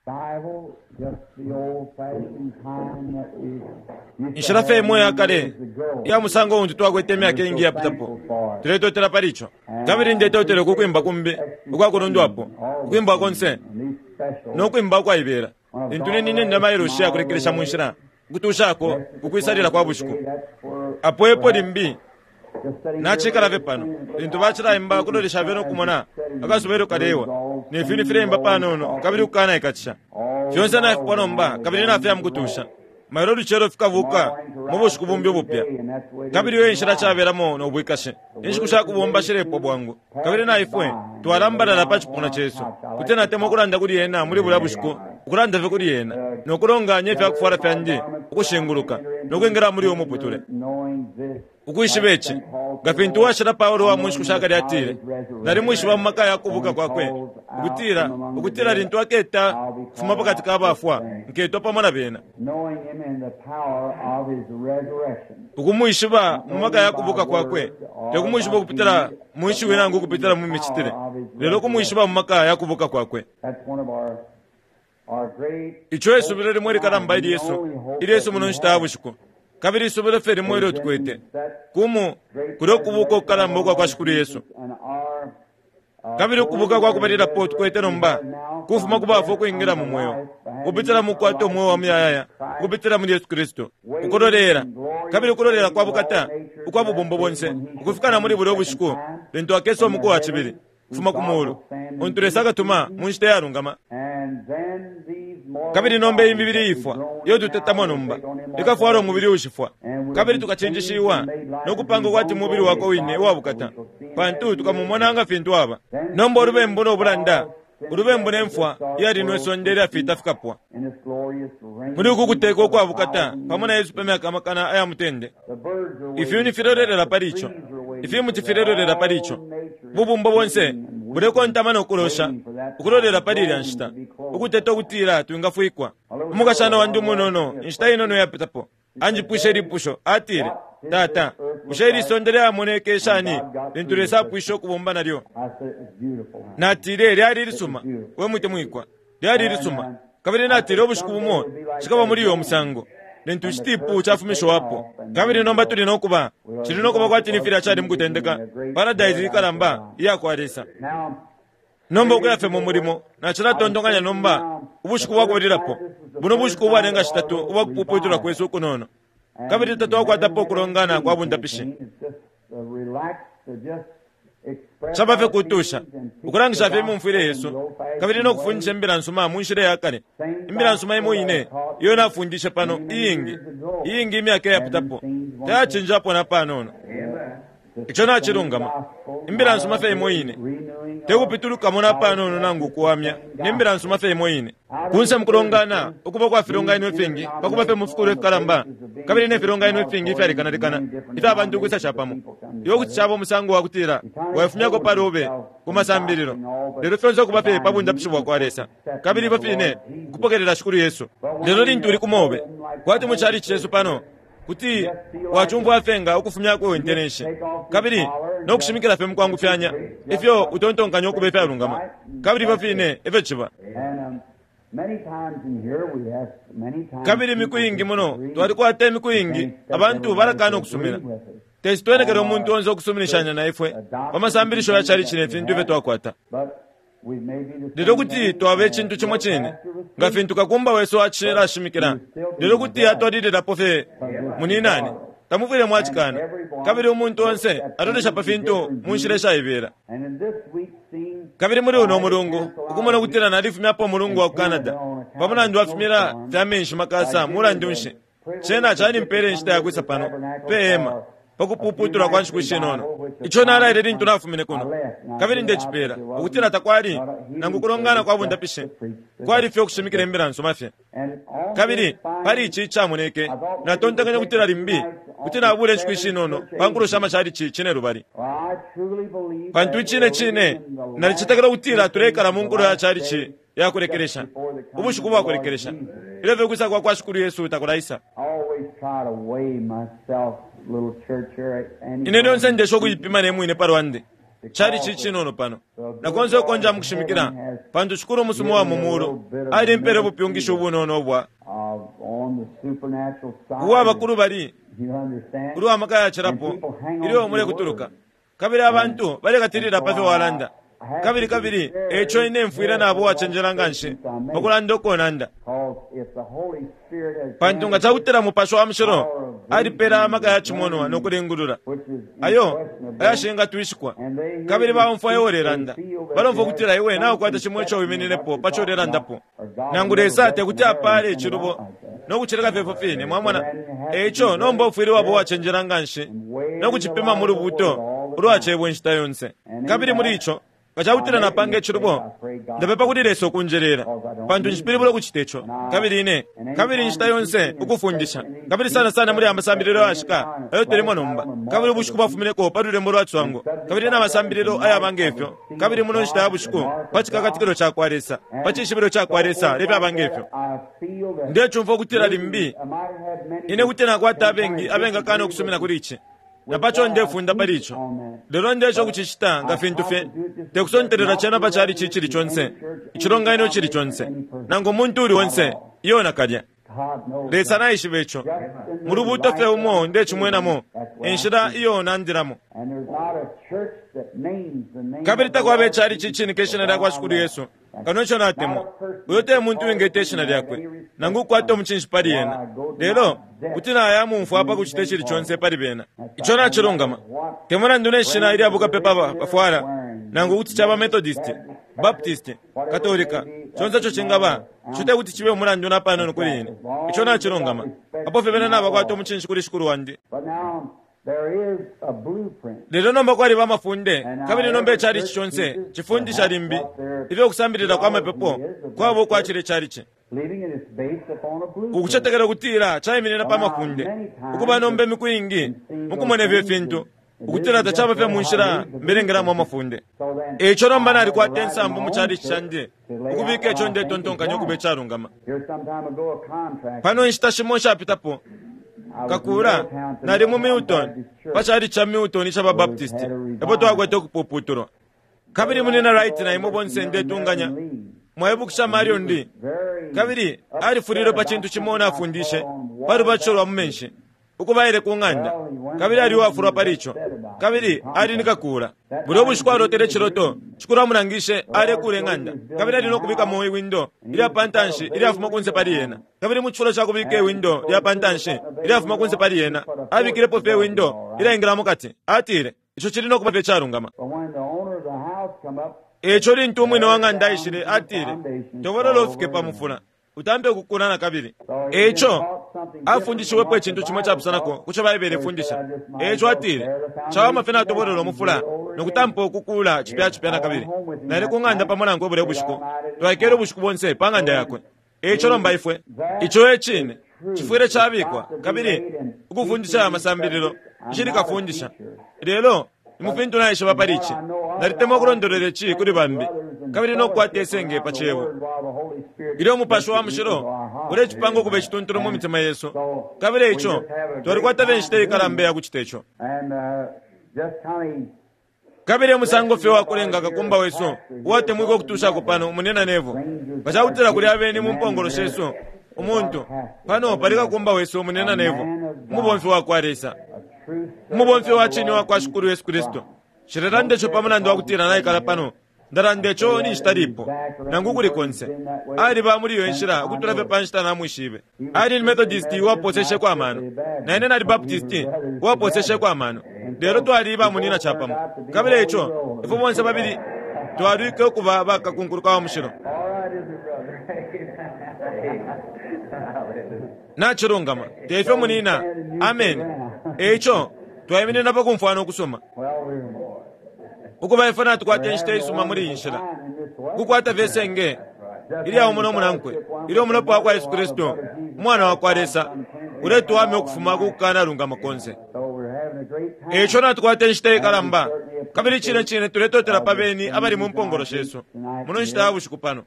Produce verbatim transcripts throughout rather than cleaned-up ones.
Bible, just the old-fashioned kind that we used to Inshila fye have imo yakale years ago. iya musango untu twakwete imyaka iingi yapitapo tuletotela pali ico kabili ndetotela ukukwimba kumbi ukwakulundwapo ukwimba konse no kwimba ukwaibela lintu ninine ndamailoshi yakulekelesha mu nshila ukutushako ukwisalila kwa bushiku apo epo limbi nachikala fye pano lintu bacilaimba kulolesha fye nokumona akasuba elyo kalewa ne fintu fileimba panono kabili kukanaikatisha fyonse nafipwa nomba kabili nafya mukutusha mailo lucelo fikabuka mu bushiku bumbi ubupya kabili iyo inshila cabelamo no bwikashi inshiku shakubomba shilepwa bwangu kabili na ifwe twalambalala pa cipuna cesu kuti natemwa ukulanda kuli ena muli bulya bushiku ukulanda fye kuli ena nokulonganya ifyakufwala fyandi ukushinguluka nokwingila muli uyo muputule ukwishiba ici nga fintu uwashila paulo wa mu nshiku shakale atile nalimwishiba mu maka ya kubuka kwakwe ukutila ukutila lintu aketa kufuma pakati ka bafwa nketwa pamo na bena Knowing him in the power of his resurrection. ukumwishiba mu maka ya kubuka kwakwe tekumwishiba ukupitila mu nshiwi nangu ukupitila mu micitile lelo kumwishiba mu maka ya kubuka kwakwe That's one of our, our great ico isubilo limwe likalamba ili yesu ili yesu muno nshita ya bushiku kabili isubilo fye limwe ilyo tukwete kumu kuli ukubuka ukukalamba ukwa kwa shikulu yesu and our uh, kabili ukubuka kwa kubalilapo tukwete nomba kufuma ku bafwa ukwingila mu mweo kupitila mu kukwata umweo wa muyayaya kupitila muli yesu kristu ukulolela kabili ukulolela kwa bukata ukwa bubumbo bonse ukufika na muli bulya ubushiku lintu akesa umuku wa cibili kufuma ku mulu untu lesa akatuma mu nshita iyalungama and then these mortal kabili nomba iyi bodies mibili that we ifwa groan iyo now tutetamo will nomba take on immortality. ikafwala umubili ushifwa kabili tukachinjishiwa nokupanga kwati mubili wako wine uwabukata pantu tukamumona nga fintu aba nomba ulubembu no bulanda ulubembu ne mfwa iyalinwe isonde ilyafita fikapwa In this glorious reign muli uku kuteka ukwabukata pamo na yesu pa myaka amakana aya mutende The birds are waiting ifyuni filelolela pali ico The trees are waiting ifimuti for that. filelolela pali ico All nature is bubumbo bonse waiting and weeping, bulekontama nokulosha waiting for that ukulolela time, pali ilya groaning nshita to be clothed. ukuteta ukutila twingafwikwa umukashana wandi umunono inshita inono yapitapo anjipwishe ilipusho atile tata bushe ili sonde lyamoneke shani lintu lesa apwishe ukubomba nalyo I said, it's beautiful. huh? natile lyali ilisuma we mutemwikwa lyali ilisuma kabili natile ubushiku bumo cikaba muli uyo musango lintu icitipu cafumishiwapo kabili nomba tuli nokuba cili nokuba kwati ni filya cali mukutendeka paradaisi ikalamba iya kwa lesa Now, nomba ukuya fye mu mulimo nacilatontonkanya nomba ubushiku bwakubalilapo buno bushiku ubwalenga shitatu ubwakupuputulwa kwesu ukunono kabili tatwakwatapo ukulongana kwa bundapishi it's just uh, relaxed to just express caba fye our kutusha feelings and teach ukulangisha the fye imumfwile gospel yesu in the old-fashioned kabili nokufundisha way. imbila nsuma mu nshila yakale imbila nsuma imo ine iyo nafundishe pano iyingi iyingi imyaka iyapitapo tayacinjapo na panono ico nacilungama imbila nsuma fye imo ine tekupitulukamo na panono nangu ukuwamya ne mbila nsuma fye imo ine kunse mukulongana ukuba kwa filonganino ifingi pakuba fye mufikulu ifikalamba kabili ne filonganino ifingi ifyalekanalekana ifya bantu ukwisa capamo iwe kuti caba umusango wa kutila waifumyako pali ube ku masambililo lelo fyonse ukuba fye pa bundapishi bwa kwa lesa kabili ifyo fine kupokelela shikulu yesu lelo lintu uli kumobe kwati mu chalichi cesu pano kuti wacumfwa fye nga ukufumyako intenenshi kabili nokushimikila fye mukwangufyanya ifyo utontonkanya ukuba ifyalungama kabili ifyo fine efyo ciba And um, many times in here we have many times kabili imiku iingi muno twalikwata imiku iingi abantu balakana ukusumina tesi twenekele umuntu onse okusuminishanya na ifwe pa masambilisho ya chalichi ne fintu ifyo twakwata But we may be the lelo same kuti thing, twaba and icintu cimo your cine pastor was nga fintu kakumba wesu acilashimikila lelo kuti atwalililapo fye muninani tamufwile mwacikana kabili umuntu onse atolesha pa fintu mu nshila ishaibela And in this week's scene, kabili muli uno mulungu ukumona ukutila nalifumyapo umulungu wa ku canada pa mulandu wafumila fya menshi makasa mulandu nshi cena calimpele inshita yakwisa pano pe hema pakupuputula kwa nshiku ishinono ico nalaile lintu nafumine kuno kabili ndecipela ukutila takwali nangu kulongana kwa bundapishi kwali fye ukushimikila imbila nsuma fye and on kabili this fine pali ici icamoneke natontonkanya kutila limbi kuti nabula inshiku ishinono pa nkulo sha machalichi cine lubali Well, I truly believe pantu that icine we're cine living in the nalicetekela ukutila last tulekala mu nkulo ya days, chalichi yakulekelesha ubushiku bwakulekelesha ilyo fye kwisa kwa kwa shikulu yesu takulaisa I always try to weigh myself, little church here. Ine lyonse ndesha ukuyipima ne mwine pa lwandi Cali cicinono pano na konse ukonja mukushimikila, pantu Shikulu umusuma wa mu mulu alimpele ubupyungishi ubunono ubwa uwa bakulu bali ulwa maka yacilapo ilyo mulekutuluka, kabili abantu balekatilila pa fyo walanda. Kabili kabili eco ine mfwile nabo wacenjela nganshi pakulanda ukonanda, pantu nga cakutila Mupashi wa Mushilo alipela amaka ya cimonwa no kulingulula ayo ayashingatwishikwa, kabili baumfwa iwe ulelanda, balomfwa ukutila iwe naukwata cimo ico wimininepo paco ulelandapo, nangu Lesa tekuti apale icilubo no kucileka fyefyo fine. Mwamona? Eco nomba ufwile wabo wacenjela nganshi no kucipima mu lubuto ulwacebwa inshita yonse. Kabili muli ico nga cakutila napanga icilubo, ndapepa kuli Lesa ukunjelela, pantu nshipilibula ukucita ico. Kabili ine kabili inshita yonse ukufundisha, kabili sana sana muli amasambililo ayashika ayo tulimo nomba, kabili ubushiku bwafumineko pa lulembo lwa cwango, kabili n'amasambililo ayaba ngefyo, kabili muno nshita ya bushiku pa cikakatikilo ca kwa Lesa, pa cishibilo ca kwa Lesa lefyaba ngefyo. Ndecumfwa ukutila limbi ine kuti nakwata abengi abengakana ukusumina kuli ici, napaco ndefunda pali ico. Lelo ndeco kucicita nga fintu fye tekusontelela cena pa cali cicili conse, icilonganino cili conse, nangu umuntu uli onse iyo nakalya. Lesa naishiba ico. Mu lubuto fye umo ndecimwenamo inshila iyo nandilamo. Kabili takwaba icali cicinika ishina lya kwa Shikulu Yesu kano ico natemwa. Uyo te muntu wingeta ishina lyakwe nangu kukwata umucinshi pali ena, lelo kuti naya mumfwa pa kucita icili conse pali bena. Ico nacilungama. Te mulandu ne shina ilya bukapepa bafwala, nangu kuti caba Methodist, Baptist, Katolika, conse ico cingaba, ico te kuti cibe umulandu napanono kuli ine. Ico nacilungama. Apo fye bena nabakwata umucinshi kuli Shikulu wandi. Lelo nomba kwaliba amafunde, kabili nomba icali ici conse cifundisha limbi ifyo kusambilila kwa mapepo kwaba ukwacila icali ci. Ukucetekela ukutila caiminina pa mafunde, ukuba nomba imiku ingi mukumona ifyo fintu ukutila tacaba fye mu nshila mbelengelamo amafunde. Eco nomba nalikwata insambu mu cali candi ukubika ico ndetontonkanya ukuba icalungama. Pano inshita shimo nshapitapo kakula nali mu Milton, pa cali ca Milton ica ba Baptist, epo twakwete ukupuputulwa. Kabili munina Wright na imwe bonse ndetunganya mwaibukisha Marion Lee, kabili alifulilwe pa cintu cimo nafundishe pa lubatisho lwa mu menshi ukubaile ku ng'anda, kabili ali uwafulwa pali ico, kabili ali ni kakula. Bulya ubushiku alotele iciloto, Shikulu amulangishe alekula ing'anda, kabili ali no kubikamo iwindo ilya pa ntanshi ilyafuma kunse pali yena. Kabili mu cifulo ca kubika iwindo lya pa ntanshi ilyafuma kunse pali yena, abikilepo fye iwindo ilyaingila mukati. Atile ico cili no kuba fye calungama. Eco lintu umwine wa ng'anda aishile, atile tobolola ufike pa mufula utampe ukukula na kabili. Eco afundishiwepo icintu cimo capusanako kuco Baibele ifundisha. Eco atile cawama fye natobolola umufula nokutampa ukukula cipya cipya na kabili. Nali ku ng'anda pamo nankwe bulya bushiku, twaikele ubushiku bonse pa ng'anda yakwe. Eco nomba ifwe ico e cine cifwile cabikwa, kabili ukufundisha amasambililo nshili kafundisha, lelo ni mu fintu naishiba pali ici. Nalitemwa ukulondolola ici kuli bambi, kabili nokukwata isenge pa cebo ilyo Umupashi wa Mushilo ulecipanga ukuba icituntulu mu mitima yesu. Kabili ico twalikwata fye inshita ikalamba ya kucita ico. Kabili umusango fye wakulenga kakumba wesu uwatemwika ukutushako pano munena nevo nga cakutila kuli abeni mu mpongolo shesu umuntu pano pali kakumba wesu munena nevo, umubomfi wa kwa Lesa, umubomfi wa cine wa kwa Shikulu Yesu Kristu. Nshilelanda ico pa mulandu wa kutila naikala pano, ndalanda ico ninshita lipo nangu kuli konse. Aliba muli iyo nshila ukutula fye pa nshita namwishibe. Ali ni Methodist uwaposesheko amano, na ine nali Baptist uwaposesheko amano, lelo twali bamunina capamo. Kabili ico ifwe bonse babili twalwike ukuba bakakunkuluka wa mushilo. Nacilungama tefyo munina. Amen. Eco twaiminina pa kumfwana ukusoma ukuba ifwe natukwata inshita isuma muli iyi nshila, kukwata fye senge ilya umo no munankwe, ilyo umulopa wa kwa Yesu Kristu umwana wa kwa Lesa uletuwamya ukufuma ku kukanalungama konse. Eco natukwata inshita ikalamba, kabili cine cine tuletotela pa beni abali mu mpongolo shesu muno nshita ya bushiku pano.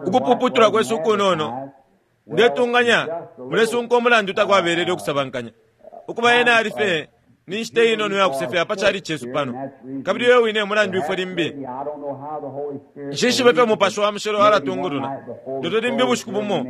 Ukupuputula kwesu ukunono ndetunganya mulesunka umulandu takwabelele ukusabankanya ukuba ena ali fye Ni nshita inono ya kusefya pa chali chesu pano. Kabili uyo wine mulandu ifwe limbi. Nshishibe ifyo Mupashi wa Mushilo alatungulula. Lelo limbi ubushiku bumo,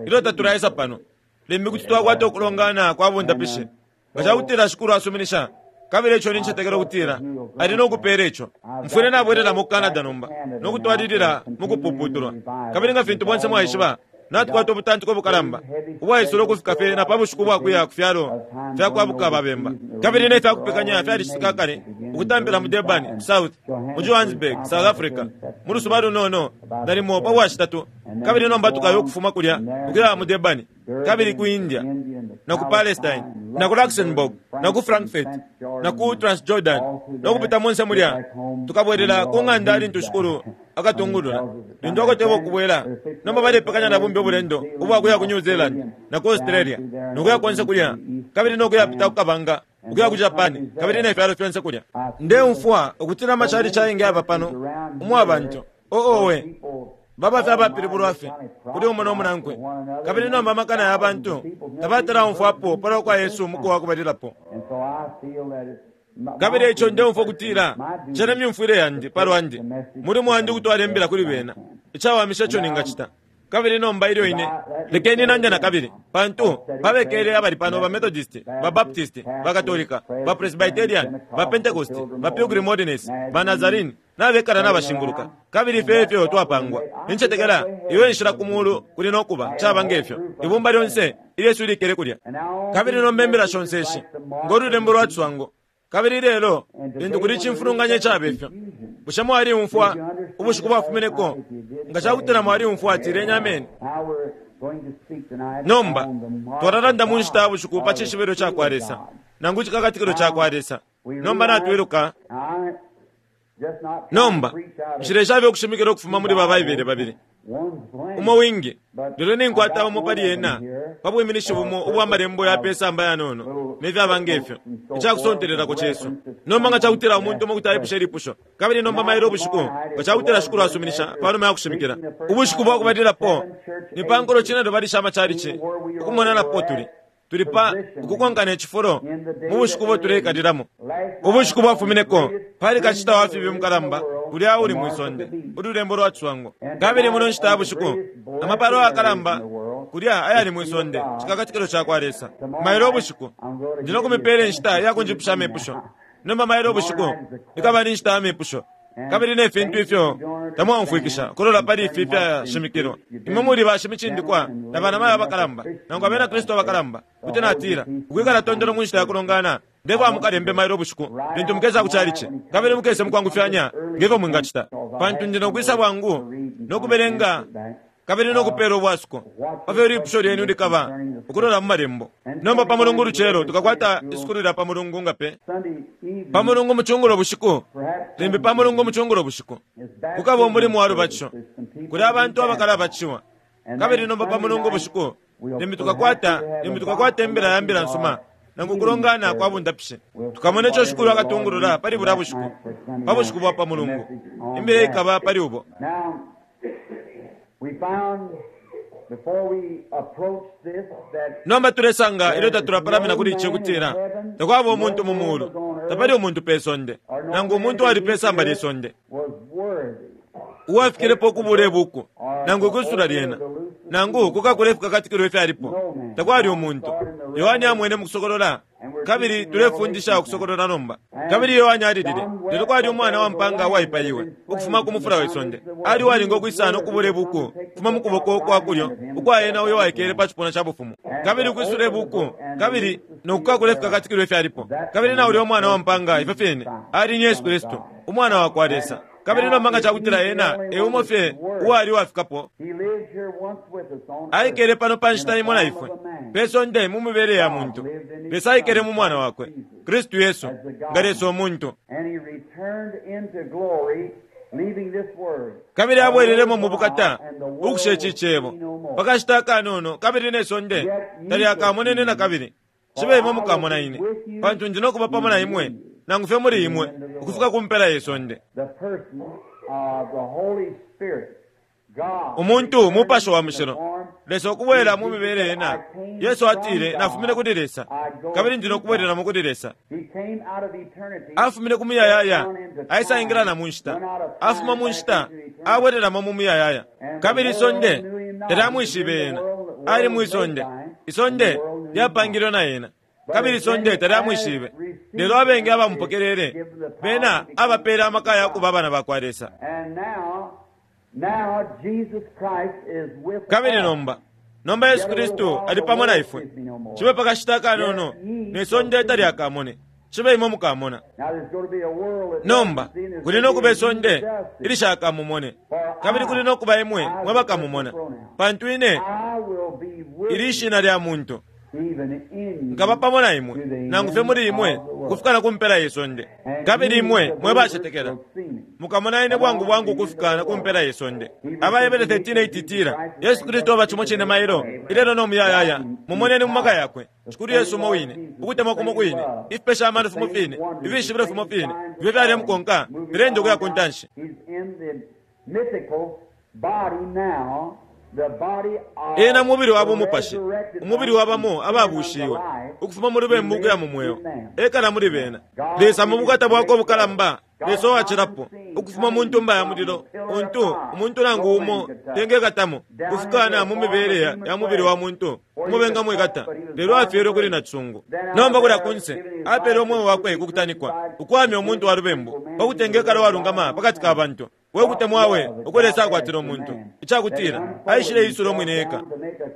ilyo tatulaisa pano, limbi kuti twakwata ukulongana kwa bundapishi. Nga cakutila Shikulu asuminisha, kabili ico nincetekela ukutila ali nokupela ico. Mfwile nabwelela mu Canada nomba, nokutwalilila mukupuputulwa. Kabili nga fintu bonse mwaishiba, natukwata ubutantiko bukalamba ubwaisula ukufika fye na pa bushiku bwakuya ku fyalo fya kwabuka babemba. Kabili ne fyakupekanya fyalicitika kale ukutampila mu Durban ku South, mu Johannesburg, South Africa, mu lusuba lunono nalimo pa bwashitatu. Kabili nomba tukayo ukufuma kulya ukuya mu Durban, kabili ku India, na ku Palestine, na ku Luxembourg, na ku Frankfurt, na ku Transjordan, no kupita monse mulya. Tukabwelela ku ng'anda lintu Shikulu akatungulula. Lintu akoteba ukubwela, nomba balepekanya na bumbi ubulendo ubwakuya ku New Zealand na ku Australia, nokuya konse kulya, kabili nokuyapita ku kabanga ukuya ku Japan, kabili ne fyalo fyonse kulya. Ndeumfwa ukutila amachali chaingi aba pano umwa abantu oowe baba fye abapilibulwa fye kuli umo no munankwe. Kabili nomba amakana ya bantu tabatalaumfwapo palwa kwa Yesu umuku wa kubalilapo. Kabili ico ndeumfwa ukutila cena myumfwile yandi palwandi, mulimo wandi ukutwala imbila kuli bena, icawamisha ico ningacita. Kabili nomba ilyo ine lekeni nande na kabili, pantu babekele abali pano ba Methodist, ba Baptist, ba Katolika, ba Presbyterian, ba Pentecost, ba Pilgrim Holiness, ba Nazarene, nabekala nabashinguluka. Kabili ifyo efyo twapangwa. Nincetekela iwe nshila ku mulu kuli nokuba caba ngefyo ibumba lyonse ilyesu ilikele kulya. Kabili nomba imbila shonse ishi ngo lulembo lwa tswango. Kabili lelo lintu kuli cimfulunganya icaba ifyo, bushe mwaliumfwa ubushiku bwafumineko? Nga cakutila mwaliumfwa, atileni ameni. Nomba twalalanda mu nshita ya bushiku pa cishibilo ca kwa Lesa, nangu cikakatikilo ca kwa Lesa. Nomba natwiluka. Nomba nshileshabe ukushimikila ukufuma muli ba Baibele babili, umo wingi, lelo ninkwata umo pali ena pa bwiminishi bumo ubwa malembo ya pesamba yanono ne fyaba ngefyo, icakusontelelako cesu. Nomba nga cakutila umuntu umo kuti aipusha ilipusho, kabili nomba mailo ubushiku nga cakutila Shikulu asuminisha panuma ya kushimikila ubushiku bwa kubalilapo, ni pa nkulo cine lubali sha machalichi ukumona napo tuli tuli pa ukukonkana icifulo mu bushiku bo tuleikalilamo. Ubushiku bwafumineko pali kacita wa fibi mukalamba kulya uli mwisonde, ululembo lwa tswango. Kabili muno nshita ya bushiku amapalo akalamba kulya ayali mwisonde, cikakatikilo ca kwa Lesa. Mailo ubushiku ndi nokumipela inshita ya kunjipusha amepusho. Nomba mailo ubushiku ikaba ni nshita ya mepusho, kabili ne fintu ifyo tamwaumfwikisha kulola pali ifi fyashimikilwa. Imwe muli bashimicindikwa na banamayo abakalamba, nangu abena Kristu abakalamba, kuti natila ukwikala tondolo mu nshita ya kulongana. Ndefwa mukalembe mailo ubushiku lintu mukesa ku chalichi, kabili mukese mukwangufyanya ngefyo mwingacita, pantu ndi nokwisa bwangu nokubelenga kabili nokupela ubwasuko pafyo ilipusho lyenu likaba ukulola mu malembo. Nomba pa mulungu lucelo tukakwata isukulu lya pa mulungu ngape pa mulungu mucungulo bushiku, limbi pa mulungu mucungulo bushiku kukaba umulimu wa lubatisho kuli abantu abakalabatishiwa. Kabili nomba pa mulungu bushiku limbi tukakwata limbi tukakwata imbila ya mbila nsuma nangu kulongana kwa bundapishe. Tukamona ico Shikulu akatungulula pali bulya bushiku, pa bushiku bwa pa mulungu imbila ikaba pali ubo. Nomba tulesanga ilyo tatulapalamina kuli ici ukutila takwaba umuntu mu mulu, tapali umuntu pe sonde, nangu umuntu ali pe samba lye sonde uwafikilepo ukubula ibuku nangu ukwisula lyena nangu kukakula ifikakatikilo ifyalipo. Takwali umuntu. Yohane amwene mukusokolola, kabili tulefundisha ukusokolola nomba. Kabili Yohane alilile, lelo kwali umwana wa mpanga uwaipaiwe ukufuma ku mufula we sonde, ali uwalinga ukwisana ukubula ibuku kufuma mu kuboko kwa kulyo ukwa ena uyo waikele pa cipuna ca bufumu, kabili ukwisula ibuku kabili nokukakula ifikakatikilo ifyalipo. Kabili na ulya umwana wa mpanga ifyo fyene ali ni Yesu Kristu, umwana wa kwa Lesa. Kabili nomba nga cakutila ena e umo fye uwali uwafikapo, aikele pano pa nshita imo na ifwe pe sonde mu mibele ya muntu. Lesa aikele mu mwana wakwe Kristu Yesu nga Lesa umuntu, kabili abwelelemo mu bukata ukusha ici cebo pakashita akanono, kabili ne sonde talyakamonene na kabili. Cibe imwe mukamona ine, pantu ndi nokuba pamo na imwe nangu fye muli imwe ukufika ku mpela ye sonde. The person of the Holy Spirit. Umuntu mupashi wa mushilo, Lesa ukubwela mu mibele ena. Yesu atile, nafumine kuli Lesa, kabili ndi nokubwelelamo kuli Lesa. Afumine ku muyayaya, aisaingila na mu nshita. Afuma mu nshita, abwelelamo mu muyayaya. Kabili isonde talyamwishibe ena. Ali mwi sonde, isonde lyapangilwe na ena, kabili isonde talyamwishibe. Lelo abengi abamupokelele bena abapele amaka ya kuba abana bakwa Lesa. Kabili nomba nomba Yesu Kristu ali pamo na ifwe. Cibe pakashita kanono ne sonde talyakamone, cibe imwe mukamona. Nomba kuli nokuba isonde ilishakamumone, kabili kuli nokuba imwe mwe bakamumona, pantu ine ili ishina lya muntu nkaba pamo na imwe nangu fye muli imwe kufika na kumpela ye sonde. Kabili imwe mwe bacetekela mukamona ine bwangu bwangu kufika na kumpela ye sonde. Abayebele thirteen eight itila Yesu Kristu aba cimo cine mailo ilelo no muyayaya. Mumoneni mu maka yakwe Shikulu Yesu umo wine, ukutemwa kumo kwine, ifipesha amano fimo fine, ifishibilo fimo fine ifyo fyalemukonka filenda ukuya ku ntanshi. Ena mubili wa bumupashi, umubili wabamo ababushiwe ukufuma mu lubembu ukuya mu mweo, ekala muli bena. Lesa mu bukata bwakwe ubukalamba, Lesa uwacilapo ukufuma mu ntumba ya mulilo untu umuntu nangu umo tengekatamo, kufikana mu mibele ya mubili wa muntu umo bengamwikata, lelo afyelwe kuli nacisungu. Nomba kulya kunse apele umweo wakwe kukutanikwa ukwamya umuntu wa lubembu pakutengekala uwalungama pakati ka bantu. We kutemwawe uko Lesa akwatila umuntu, icakutila aishile isula umwine eka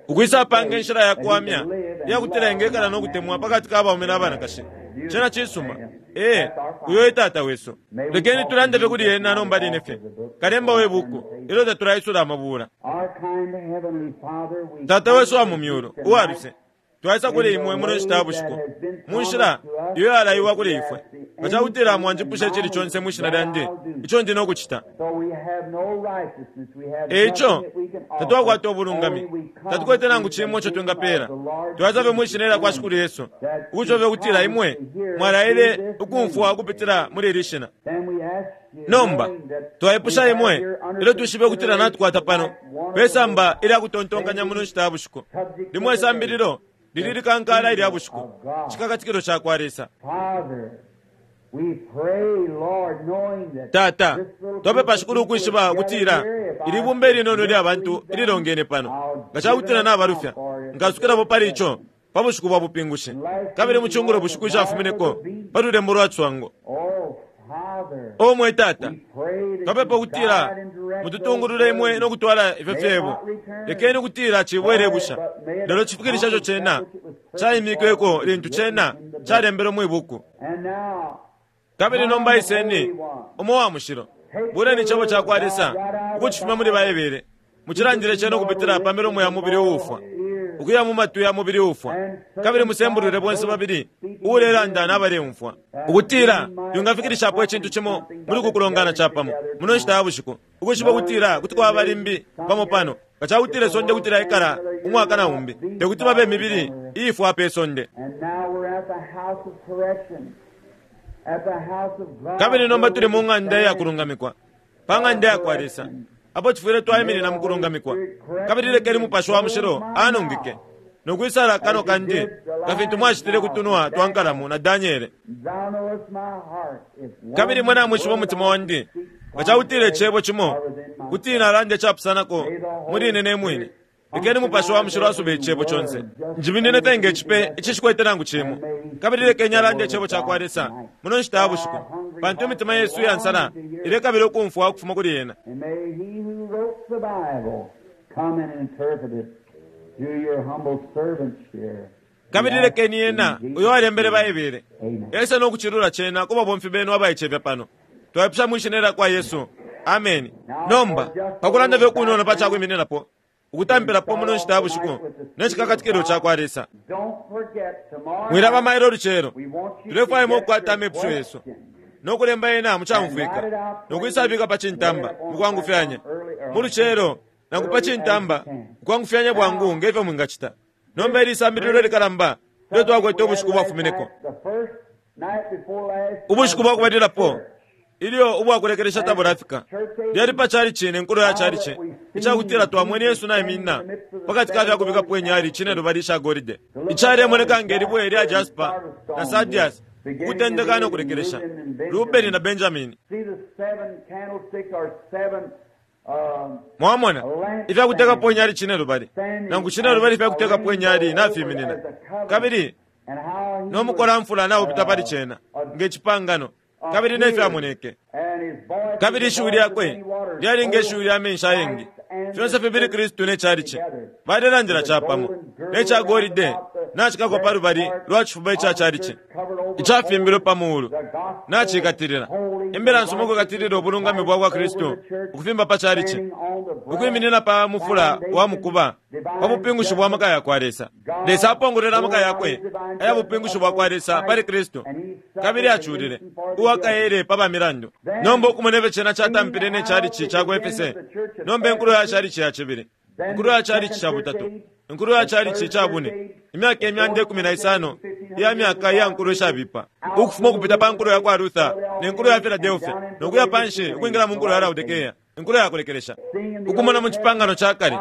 ukwisa apanga inshila ya kuwamya iyakutila engekala no kutemwa pakati ka baume na banakashi. Cena cisuma. Ee, uyo e Tata wesu. Lekeni tulande fye kuli ena nomba line fye, kalemba we buku, ilyo tatulaisula amabula. Tata wesu wa mu myulu uwa luse, twaisa kuli imwe muno nshita ya bushiku mu nshila iyo yalaiwa kuli ifwe. Nga cakutila mwanjipusha icili conse mwi shina lyandi, ico ndi nokucita. Eico tatwakwata ubulungami, tatukwete nangu cimo ico twingapela. Twaisa fye mwi shina ilya kwa Shikulu Yesu, ukucofya ukutila imwe mwalaile ukumfwa ukupitila muli ili shina. Nomba twaipusha imwe ilyo twishibe ukutila natukwata pano pesamba ilya kutontonkanya muno nshita ya bushiku limwe isambililo lili likankala ilya bushiku, cikakatikilo ca kwa Lesa. Tata, twapepa Shikulu ukwishiba ukutila ili bumba ilinono lya bantu ililongene pano, nga cakutila nabalufya, nkasukilapo pali ico pa bushiku bwa bupingushi, kabili mu cungulo bushiku icafumineko pa lulembo lwa cwango. O mwe Tata, twapepa ukutila mututungulule imwe no kutwala ifyo fyebo. Lekeni ukutila cibwele busha, lelo cifikilisha ico cena caimikweko lintu cena calembelwe mwi buku. Kabili nomba iseni umo wa mushilo, buleni icebo ca kwa Lesa ukucifuma muli Baebele, mucilandile cena ukupitila pa milomo ya mubili uufwa ukuya mu matwi ya mubili uufwa, kabili musembulule bonse babili uulelanda n'abaleumfwa, ukutila yungafikilishapo icintu cimo muli kukulongana capamo muno nshita ya bushiku, ukwishiba ukutila kuti kwaba limbi pamo pano. Nga cakutila isonde kuti laikala umwaka na umbi, tekuti babe imibili iifwa pe sonde. Kabili nomba tuli mu ng'anda iya kulungamikwa, pa ng'anda ya kwa Lesa, apo cifwile twaiminina mu kulungamikwa. Kabili lekeni mupashi wa mushilo anungike nokwisala kano kandi nga fintu mwacitile kutunwa twa nkalamu na Daniele. Kabili mwe namwishiba umutima wandi, nga cakutila icebo cimo kuti nalanda icapusanako muli ine ne mwine, lekeni mupashi wa mushilo asube icebo conse. Njiminine fye nge cipe icishikwete nangu cimo, kabili lekeni alande icebo ca kwa Lesa muno nshita ya bushiku, pantu imitima yesu iya nsala ilekabila ukumfwa ukufuma kuli ena. Kabili lekeni ena uyo alembele Baebele ese no kucilula cena ku babomfi benu abaicefya pano. Twaipusha mwi shina lya kwa Yesu, ameni. Nomba pakulanda fye kunono pa cakwimininapo ukutampilapo muno nshita ya bushiku ne cikakatikilo ca kwa Lesa. Mwilaba mailo lucelo, tulefwaya imwe ukukwata amepusho yesu no kulemba yena mucamfwika nokwisabika pa cintamba mukwangufyanya mu lucelo nangu pa cintamba mukwangufyanya bwangu ngefyo mwingacita. Nomba ili isambililo likalamba ilyo twakwete ubushiku bwafumineko, ubushiku bwakubalilapo ilyo ubwakulekelesha tabulafika, lyali pa chalichi ne nkulo ya chalichi. Icakutila twamwene Yesu naiminina pakati ka fyakubikapo inyali cinelubali isha golide, icalemoneka nge libwe lya jasper na sardius, ukutendeka no kulekelesha, Rubeni na Benjamini. See the seven candlesticks or seven um, Mwamona ifyakutekapo inyali cinelubali, nangu cinelubali ifyakutekapo inyali nafiminina, kabili and how he no mukolamfula naupita pali cena nge cipangano, kabili nefyamoneke. and his voice Kabili ishiwi lyakwe lyali nge shiwi lya menshi ayengi. Fyonse fibili Kristu ne chalichi balelandila capamo ne ca golide nacikakwa pa lubali lwa cifuba ica chalichi icafimbilwe pa muulu nacikatilila. Imbila nsuma ukukatilila ubulungami bwa kwa Kristu ukufimba pa chalichi, ukwiminina pa mufula wa mukuba pa bupingushi bwa maka yakwa Lesa. Lesa apongolwele amaka yakwe aya bupingushi bwa kwa Lesa pali Kristu, kabili aculile uwakaele pa bamilandu. Nomba ukumona ifyo cena catampile ne chalichi ca ku Efese, nomba inkulo ya chalichi ya cibili, inkulo ya chalichi ca butatu, inkulo ya chalichi ca bune, imyaka imyanda ikumi na isano iya myaka iya nkulo ishabipa, ukufuma ukupita pa nkulo ya kwa Luther ne nkulo ya Philadelphia, no kuya panshi ukwingila mu nkulo ya Laodikea, inkulo ya kulekelesha. Ukumona mu cipangano ca kale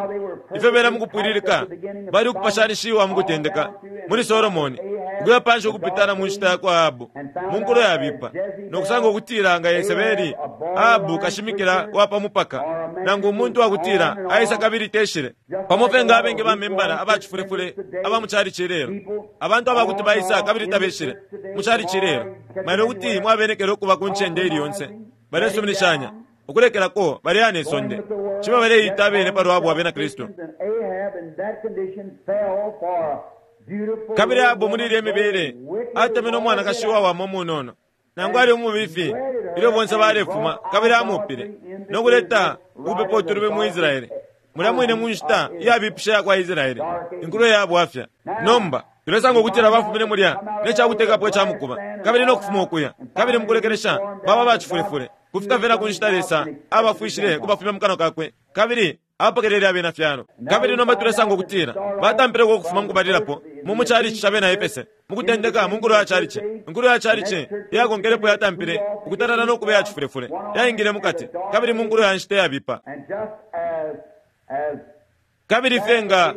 ifyo bena mukupwililika bali ukupashanishiwa mukutendeka muli Solomoni, ukuya panshi ukupitana mu nshita ya kwa Ahabu mu nkulo yabipa, no kusanga ukutila nga Yesebeli Ahabu kashimikila wa pa mupaka, nangu umuntu wakutila aisa kabili teshile pamo fye nga abengi bamembala abacifulefule aba mu chalichi lelo, abantu abakuti baisa kabili tabeshile mu chalichi lelo. Mailo kuti mwabenekele ukuba ku ncende ili yonse balesuminishanya ukulekelako baleyana isonde ciba baleita abene palwabo abena Kristu. And Ahab in that condition fell for a beautiful Kabili Ahabu muli ilya mibele atemene umwanakashi wawama umunono, nangu ali umubifi ilyo bonse balefuma, kabili amupile no kuleta ukupepa utulubi mu Israele, mulya mwine mu nshita iyabipisha yakwa Israele, inkulo ya bwafya. Nomba tulesanga ukutila bafumine mulya ne cakutekapo ica mukuba, kabili no kufuma ukuya, kabili mukulekelesha baba bacifulefule kufika fye na ku nshita Lesa abafwishile kubafumya mu kanwa kakwe, kabili apokelele abena fyalo. Kabili nomba tulesanga ukutila batampileko ukufuma mukubalilapo mu muchalichi ca bena Efese, mukutendeka mu nkulo ya chalichi. Inkulo ya chalichi iyakonkelepo yatampile ukutalala no kuba iyacifulefule, yaingile mukati kabili mu nkulo ya nshita iyabipa. And just as as Kabili fye nga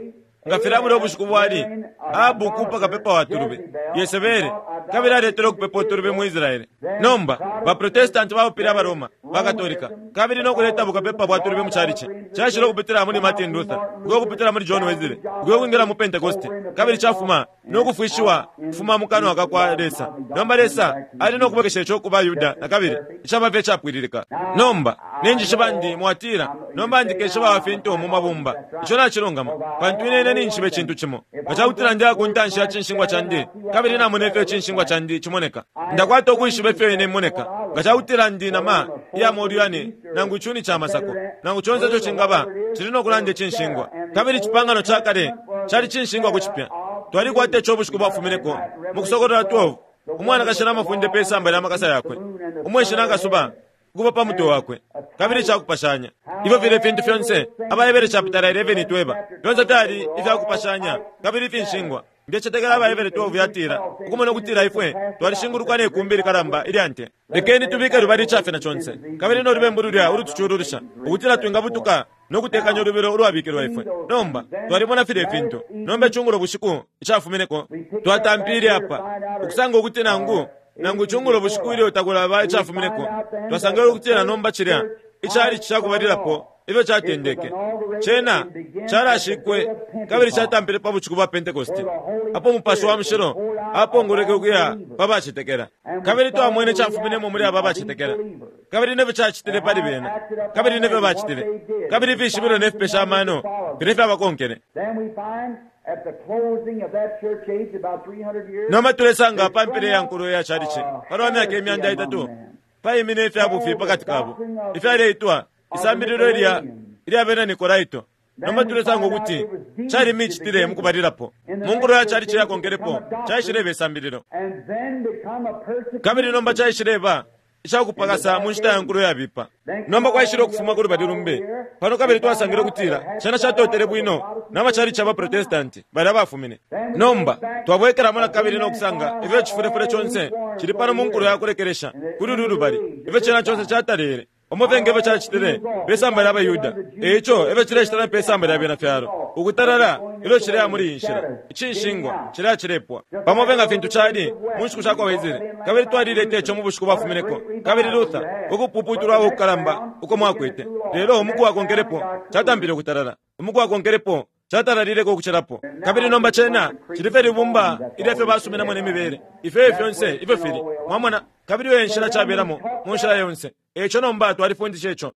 nga filya bulya ubushiku bwali Ahabu kupa kapepa wa tulubi Yesebele, kabili aletele ukupepa utulubi mu Israele. Nomba baprotestanti baupile abaroma bakatolika, kabili no kuleta bukapepa bwa tulubi mu chalichi. Caishile ukupitila muli Martin Luther, ukuya ukupitila muli John Wesley, ukuya ukwingila mu Pentecoste, kabili cafuma no kufwishiwa kufuma mu kanwa ka kwa Lesa. Nomba Lesa ali no kubwekesha ico ku baYuda na kabili icaba fye icapwililika. Nomba ninjishiba ndi mwatila, nomba ndikeshiba wa fintu mu mabumba. Ico nacilungama, pantu ine ine ninjishiba icintu cimo. Nga cakutila ndiya ku ntanshi ya cinshingwa candi, kabili namona ifyo icinshingwa candi cimoneka, ndakwata ukwishiba ifyo ine imoneka. Nga cakutila ndi nama iya molu yane, nangu icuni ca masako, nangu conse ico cingaba, cili no kulanda icinshingwa. Kabili icipangano ca kale cali cinshingwa ku cipya. Twalikwata ico ubushiku bwafumineko mu Kusokolola twelve, umwanakashi namafunde pe samba lya makasa yakwe, umweshi nakasuba ukuba pa mutwe wakwe, kabili icakupashanya. Ifyo file fintu fyonse Abahebere chapitala eleven itweba, fyonse fyali ifyakupashanya kabili ifinshingwa. Ndecetekela Abahebere twelve yatila ukumona ukutila ifwe twalishingulukwa ne kumbi likalamba ilya nte. Lekeni tubike lubali icafina conse kabili no lubembu lulya ulutucululusha, ukutila twingabutuka no kutekanya ulubilo ulwabikilwa ifwe. Nomba twalimona filya ifintu. Nomba icungulo bushiku icafumineko twatampile apa ukusanga ukuti nangu nangu icungulo bushiku ilyo takulaba icafumineko, twasangile ukutila nomba cilya icalichi cakubalilapo ifyo catendeke cena calashikwe kabili catampile pa bushiku bwa Pentekoste, apo Mupashi wa Mushilo apongolweke ukuya pa bacetekela. Kabili twamwene cafuminemo muli aba bacetekela, kabili nefyo cacitile pali bena, kabili nefyo bacitile, kabili ifishibilo ne fipesha amano fine fyabakonkele. Then we find at the closing of that church age, about three hundred years, Nomba tulesanga pa mpela ya nkulo ya chalichi palwa myaka imyanda itatu paimine ifyabufi pakati kabo ifyaleitwa isambililo ilya ilya bena Nikolaito. Nomba tulesanga ukuti cali micitile mukubalilapo mu nkulo ya chalichi yakonkelepo caishileba isambililo, and then become a persecution. kabili nomba caishileba icakupakasa mu nshita ya nkulo yabipa. Nomba kwaishile ukufuma ku lubali lumbi pano, kabili twasangile ukutila cena catotele bwino n'amachalichi abaprotestanti bali abafumine. Nomba twabwekelamo na kabili no kusanga ifyo icifulefule conse cili pano mu nkulo ya kulekelesha kuli ulu lubali, ifyo cena conse catalele Pamo fye nge fyo cacitile pe samba lya baYuda, e ico efyo cilecita pe samba lya bena fyalo. Ukutalala ilyo cileya muli iyi nshila, icinshingwa cileya cilepwa. Pamo fye nga fintu cali mu nshiku sha kwa Wesley, kabili twalileta ico mu bushiku bwafumineko, kabili Luther, ukupuputulwa ukukalamba uko mwakwete. Lelo umuku wakonkelepo catampile ukutalala, umuku wakonkelepo catalalileko ukucilapo. Kabili nomba cena cili fye libumba ilya fyo basuminamo ne mibele, ifyo fyonse ifyo fili, mwamona. Kabili iyo nshila cabelamo mu nshila yonse. Eco nomba twalifundisha ico.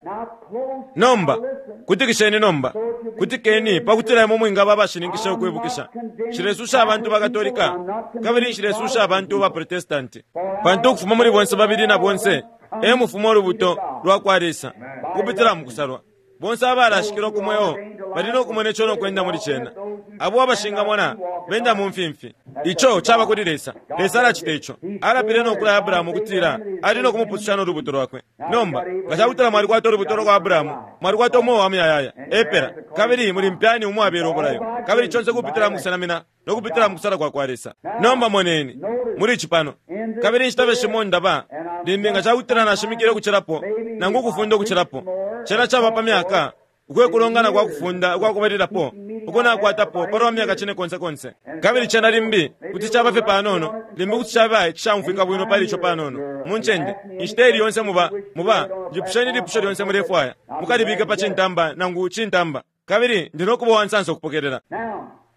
Nomba kutikisheni, nomba kutikeni, pakutila imwe mwingaba abashininkisha ukwibukisha. Nshilesusha abantu ba Katolika, kabili nshilesusha abantu ba Protestanti, pantu ukufuma muli bonse babili na bonse e mufuma ulubuto lwa kwa Lesa ukupitila mu kusalwa. Bonse abalashikilwa ku mweo bali no kumona ico no kwenda muli cena. Abo abashingamona benda mu mfimfi. Ico caba kuli Lesa. Lesa alacita ico. Alapile no kulaya Abrahamu ukutila ali no kumupususha no lubuto lwakwe. Nomba nga cakutila mwalikwata ulubuto lwa kwa Abrahamu, mwalikwata umweo wa muyayaya epela, kabili muli mpyani umwabela ubulayo, kabili conse kupitila mu kusenamina no kupitila mu kusala kwa kwa Lesa. Nomba moneni muli ici pano. Kabili inshita fye shimo ndaba limbi nga cakutila nashimikile ukucilapo nangu ukufunda ukucilapo. Cena caba pa myaka ukwe kulongana kwa kufunda ukwakubalilapo uko nakwatapo palwa myaka cine konse konse. Kabili cena limbi kuti caba fye panono, limbi kuti caba icishaumfwika bwino pali ico panono mu ncende. Inshita ili yonse muba muba njipusheni ilipusho lyonse mulefwaya, mukalibike pa cintamba nangu cintamba, kabili ndi no kuba uwansansa ukupokelela.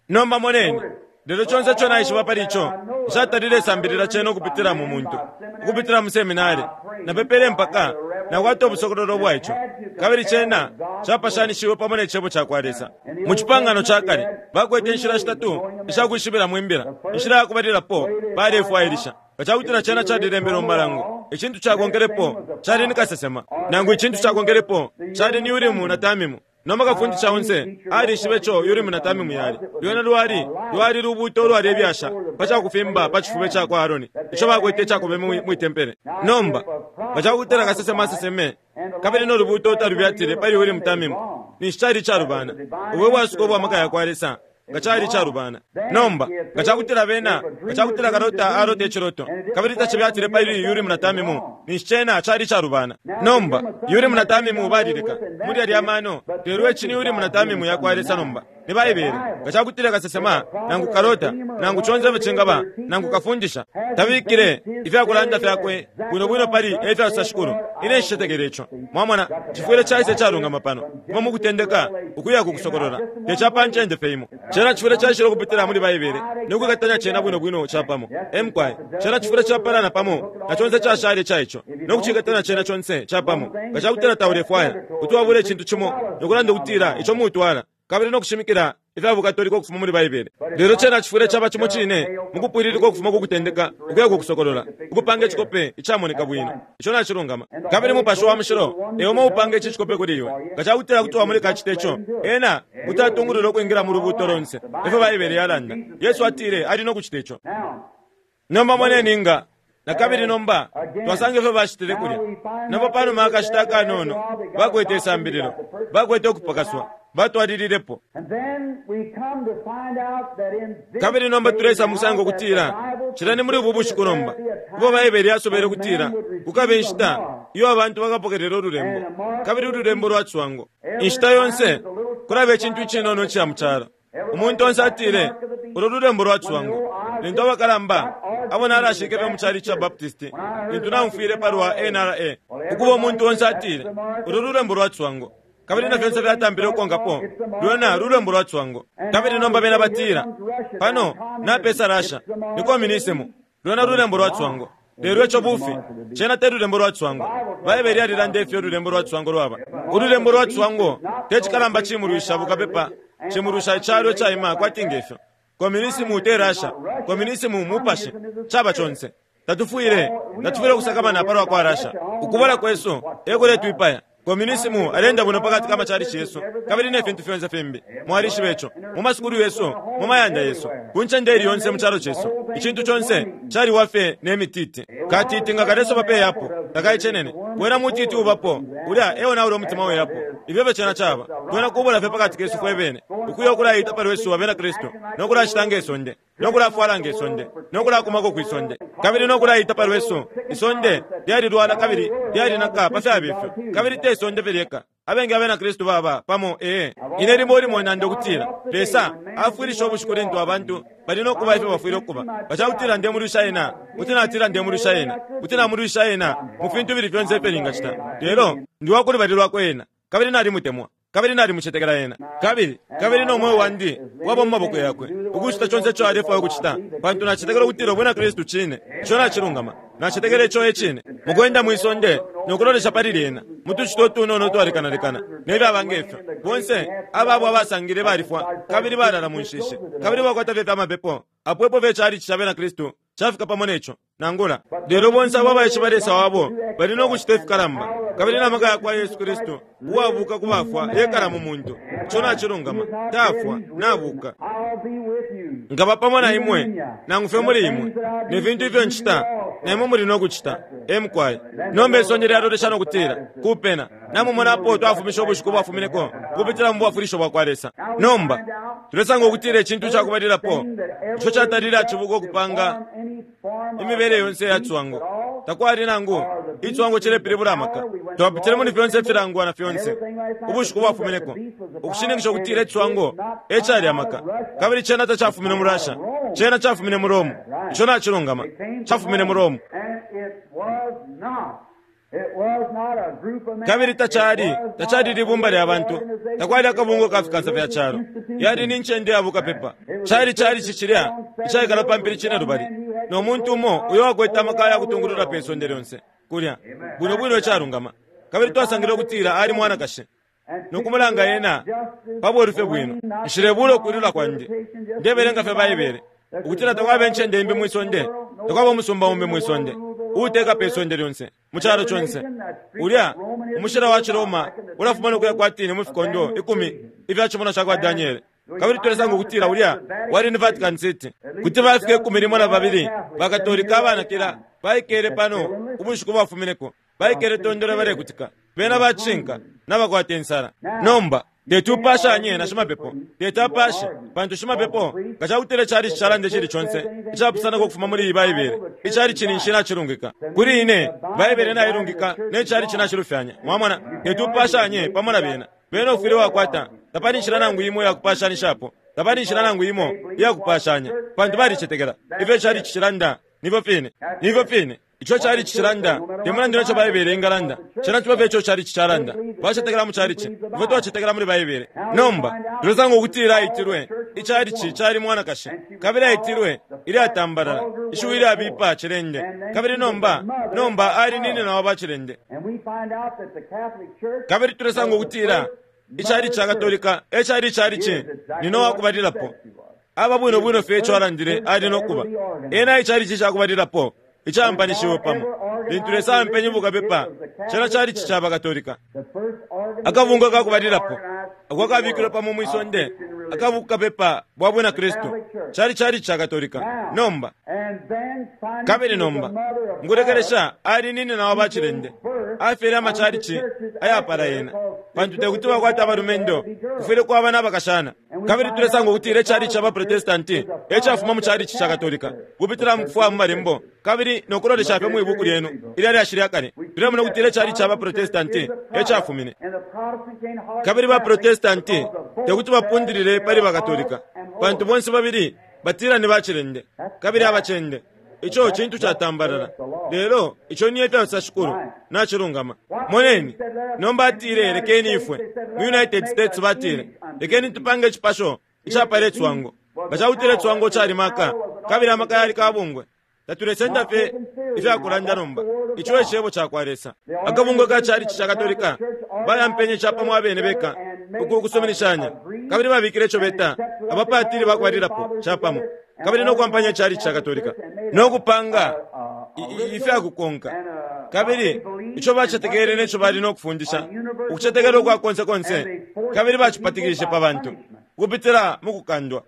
Nomba moneni. Lelo conse ico naishiba pali ico, nshatalile sambilila cena ukupitila mu muntu, ukupitila mu seminari. Napepele mpaka nakwata ubusokololo bwa ico, kabili cena capashanishiwe pamo ne cebo ca kwa Lesa. Mu cipangano ca kale bakwete inshila shitatu ishakwishibila imbila. Inshila ya kubalilapo, balefwailisha nga cakutila cena calilembelwe mu malango. Icintu cakonkelepo cali ni kasesema, nangu icintu cakonkelepo cali ni Urimu na Tamimu. Nomba kafundisha onse alishibe ico Urimu na Tamimu yali. Lwena lwali lwali lubuto ulwalebyasha pa cakufimba pa cifuba ca kwa Aaroni, ico bakwete icakobeme mwi tempele. Nomba nga cakutila kasesema aseseme kabili no lubuto talubyatile pali Urimu Tamimu, ninshi cali icalubana. Ubu bwasuko bwa maka ya kwa Lesa nga cali icalubana. Nomba nga cakutila bena, nga cakutila kalota alota iciloto kabili tacibyatile pali Urimu na Tamimu, ninshi cena cali icalubana. Nomba Urimu na Tamimu balileka muli alya mano, lelo ici ni Urimu na Tamimu ya kwa Lesa. Nomba ni Baibele. Nga cakutila kasesema nangu kalota nangu conse ifyo cingaba nangu kafundisha tabikile ifyakulanda fyakwe bwino bwino pali efyasosa Shikulu, ine nshicetekele ico. Mwamona, cifwile caisa icalungama pano kuma mu kutendeka ukuya ku kusokolola, te ca pa ncende fye imo. Cena cifwile caishile ukupitila muli Baibele no kwikatanya cena bwino bwino capamo. Emkwai, cena cifwile capalana pamo na conse cashale ca ico no kucikatanya cena conse capamo. Nga cakutila taulefwaya kuti wabula icintu cimo no kulanda ukutila ico mutwala kabili no kushimikila ifya bukatolika ukufuma muli Baibele. Lelo cena cifwile caba cimo cine mu kupwililika ukufuma ku kutendeka ukuya ku kusokolola, ukupanga icikope icamoneka bwino. Ico nacilungama. Kabili Mupashi wa Mushilo e umo upanga ici cikope kuli iwe. Nga cakutila kuti wamuleka acite ico, ena kuti atungulula ukwingila mu lubuuto lonse, ifyo Baibele yalanda. Yesu atile ali no kucita ico. Nomba moneni nga na kabili nomba twasanga ifyo bacitile kulya. Nomba panuma akashita akanono bakwete isambililo, bakwete ukupakaswa, batwalililepo. Kabili nomba tulesa mukusanga ukutila cila ni muli ubu bushiku nomba ubo Baibele yasobele ukutila kukabe inshita iyo abantu bakapokelela ululembo, kabili ululembo lwa ciswango. Inshita yonse kulaba icintu icinono ica mu calo. Umuntu onse atile ulo lulembo lwa ciswango. Lintu abakalamba abo nalashike fye mu cali ca Baptist, lintu naumfwile palwa N R A, ukuba umuntu onse atile ulo lulembo lwa ciswango, kabili na fyonse fyatampile ukukonkapo lwena lulembo lwa ciswango. Kabili nomba bena batila pano napesa Russia ni communism, lwena lulembo lwa ciswango. Lelo ico bufi, cena te lulembo lwa ciswango. Baibele yalilanda ifyo ululembo lwa ciswango lwaba. Ululembo lwa ciswango te cikalamba cimulwisha bukapepa, cimulwisha icalo icaima kwati ngefyo. Communism te Russia, communism mupashi, caba conse. Tatufwile, tatufwile kusakamana palwa kwa Russia. Ukubola kwesu ekuletwipaya. Communism alenda bwino pakati ka machalichi yesu kabili ne fintu fyonse fimbi. Mwalishiba ico mu masukulu yesu, mu mayanda yesu, ku ncende ili yonse mu calo cesu. Icintu conse caliwa fye ne mititi. Katiti nga kalesoba pe yapo, Takaicenene. Wena mutiti ubapo, ulya eyo naule umutima welapo. Ifyo fye cena caba. Twena kubula fye pakati kesu fwe ukuya okulayita palwesu abena Kristu, nokulacita ngesonde, nokulafwala ngesonde, nokulakumako kwisonde, kabili nokulayita palwesu. Isonde lyalilwala kabili lyalinaka pa fyaba ifyo, kabili te isonde fye lyeka. Abengi abena Kristu baba pamo ee. Ine limo limo nando kutila Lesa afwilisha ubushiku lintu abantu bali nokuba ifyo bafwile ukuba. Bacakutila ndemulwisha ena, kuti natila ndemulwisha ena, kuti namulwisha ena mu fintu bili fyonse ifyo ningacita. Lelo ndi wakulubali lwakwe ena, kabili nalimutemwa, kabili nalimucetekela ena, kabili kabili no moyo wandi waba mu maboko yakwe ukucita conse ico alefwaya ukucita, pantu nacetekela ukutila ubwina Kristu cine, ico nacilungama. Nacetekela ico e cine. Mukwenda mwisonde nokulolesha pali lyena mutucita utunono twalekanalekana nefyaba ngefyo. Bonse ababo abasangile balifwa kabili balala mu nshishi, kabili bakwata fye fyamapepo apo epo fye calichi ca bena Kristu cafika pamo neco nangula. Lelo bonse abo abaishiba Lesa wabo bali nokucita ifikalamba, kabili n'amaka ya kwa Yesu Kristu uwabuka ku bafwa yekala mu muntu. Ico nacilungama, tafwa, nabuka. Nkaba pamo na imwe, nangu fye muli imwe, ne fintu ifyo ncita na imwe muli nokucita. Emukwaye. Nomba isonde lyalolesha nokutila kupena namumonapo twafumisha ubushiku bwafumineko kupitila mu bwafwilisho bwa kwa Lesa. Nomba tulesanga ukutila icintu cakubalilapo ico catalile acibuka okupanga imibele yonse ya cwango. Takwali nangu icwango cilepilibula amaka. Twapitile muli fyonse ifilangwa na fyonse ubushiku bwafumineko ukushininkisha ukutila icwango ecali amaka, kabili cena tacafumine mu Russia, cena cafumine mu Rome. Ico nacilungama, cafumine mu Rome. Kabili tacali tacali libumba lya bantu, takwali akabungo ka fikansa fya calo. Yali ni ncende ya bukapepa. Cali cali cicilya icaikala pa mpili cine lubali, no muntu umo uyo wakwete amaka ya kutungulula pe sonde lyonse kulya bwino bwino icalungama. Kabili twasangile ukutila ali mwanakashi nokumulanga ena pa bweru fye bwino. Nshilebula ukwilula kwandi, ndebelenga fye Baibele ukutila takwaba incende imbi mwisonde, takwaba umusumba umbi mwisonde uuteka pe sonde lyonse mu calo conse. Ulya umushila wa Ciroma ulafuma nokuya kwatini mu fikondo ikumi ifya cimonwa ca kwa Daniele. Kabili tulesanga ukutila ulya wali ni Vatican City. Kuti bafika ikumi limo na babili bakatolika abanakila baikele pano ubushiku bwafumineko, baikele tondolo balekutika, bena bacinka nabakwata insala. Nomba teti upashanye na shimapepo, teti apashe, pantu shimapepo nga cakutila cali cicalande cili conse icapusanako ukufuma muli iyi Baibele, icali cini nshi nacilungika. Kuli ine Baibele nailungika ne cali cinacilufyanya. Mwamona, teti upashanye pamo na bena. Bena ufwile wakwata, tapali nshila nangu imo yakupashanishapo, tapali nshila nangu imo iyakupashanya, pantu balicetekela ifyo cali cicilanda. Nifyo fine, nifyo fine ico cali cicilanda, te mulandu neco Baibele ingalanda, cena ciba fye ico cali cicalanda. Bacetekela mu calici ifyo twacetekela muli Baibele. Nomba tulesanga ukutila aitilwe icalici cali mwanakashi, kabili aitilwe ilyatambalala, ishiwi ilyabipa cilende, kabili nomba nomba ali nini na wa bacilende. Kabili tulesanga ukutila icali ca Katolika ecali icalici nino wakubalilapo. Aba bwino bwino fye ico alandile ali nokuba ena icalici cakubalilapo icampanishiwe pamo. Lintu Lesa ampenye bukapepa, cena calici ca Bakatolika. Akabungwe kakubalilapo ako kabikilwe pamo mwisonde akabukapepa bwa bwina Kristu cali calici ca Katolika. Nomba kabili nomba nkulekelesha ali nini na wa bacilende, afyele amacalici ayapala yena, pantu tekuti bakwata abalumendo, kufwile kwaba n'abakashana. Kabili tulesanga ukutila icalici ca baprotestanti ecafuma mu calici ca Katolika kupitila mu kufwaya mu malembo kabili nokulolesha fye mwibuku lyenu ilya lyashi lya kale. Tulemona ukutila icalici ca baprotestanti ecafumine. Kabili baprotestanti tekuti bapundilile pali bakatolika, pantu bonse babili batila ni bacilende kabili abacende. Ico cintu catambalala, lelo ico ni efyo shikulu nacilungama. Moneni, nomba atile lekeni ifwe mu United States batile lekeni tupange icipasho icapala icwango. Nga cakutila icwango cali maka kabili amaka yali kabungwe, tatulesenda fye ifyakulanda nomba. Ico ecebo ca kwa Lesa. Akabungwe ka calici ca Katolika bayampenye capamo abene beka uku kusuminishanya, kabili babikile ico beta abapatili bakubalilapo capamo, kabili nokwampanya calici ca Katolika nokupanga ifyakukonka. Kabili ico bacetekele neco bali nokufundisha ukucetekela ukwa konse konse, kabili bacipatikishe pa bantu Ukupitila mukukandwa.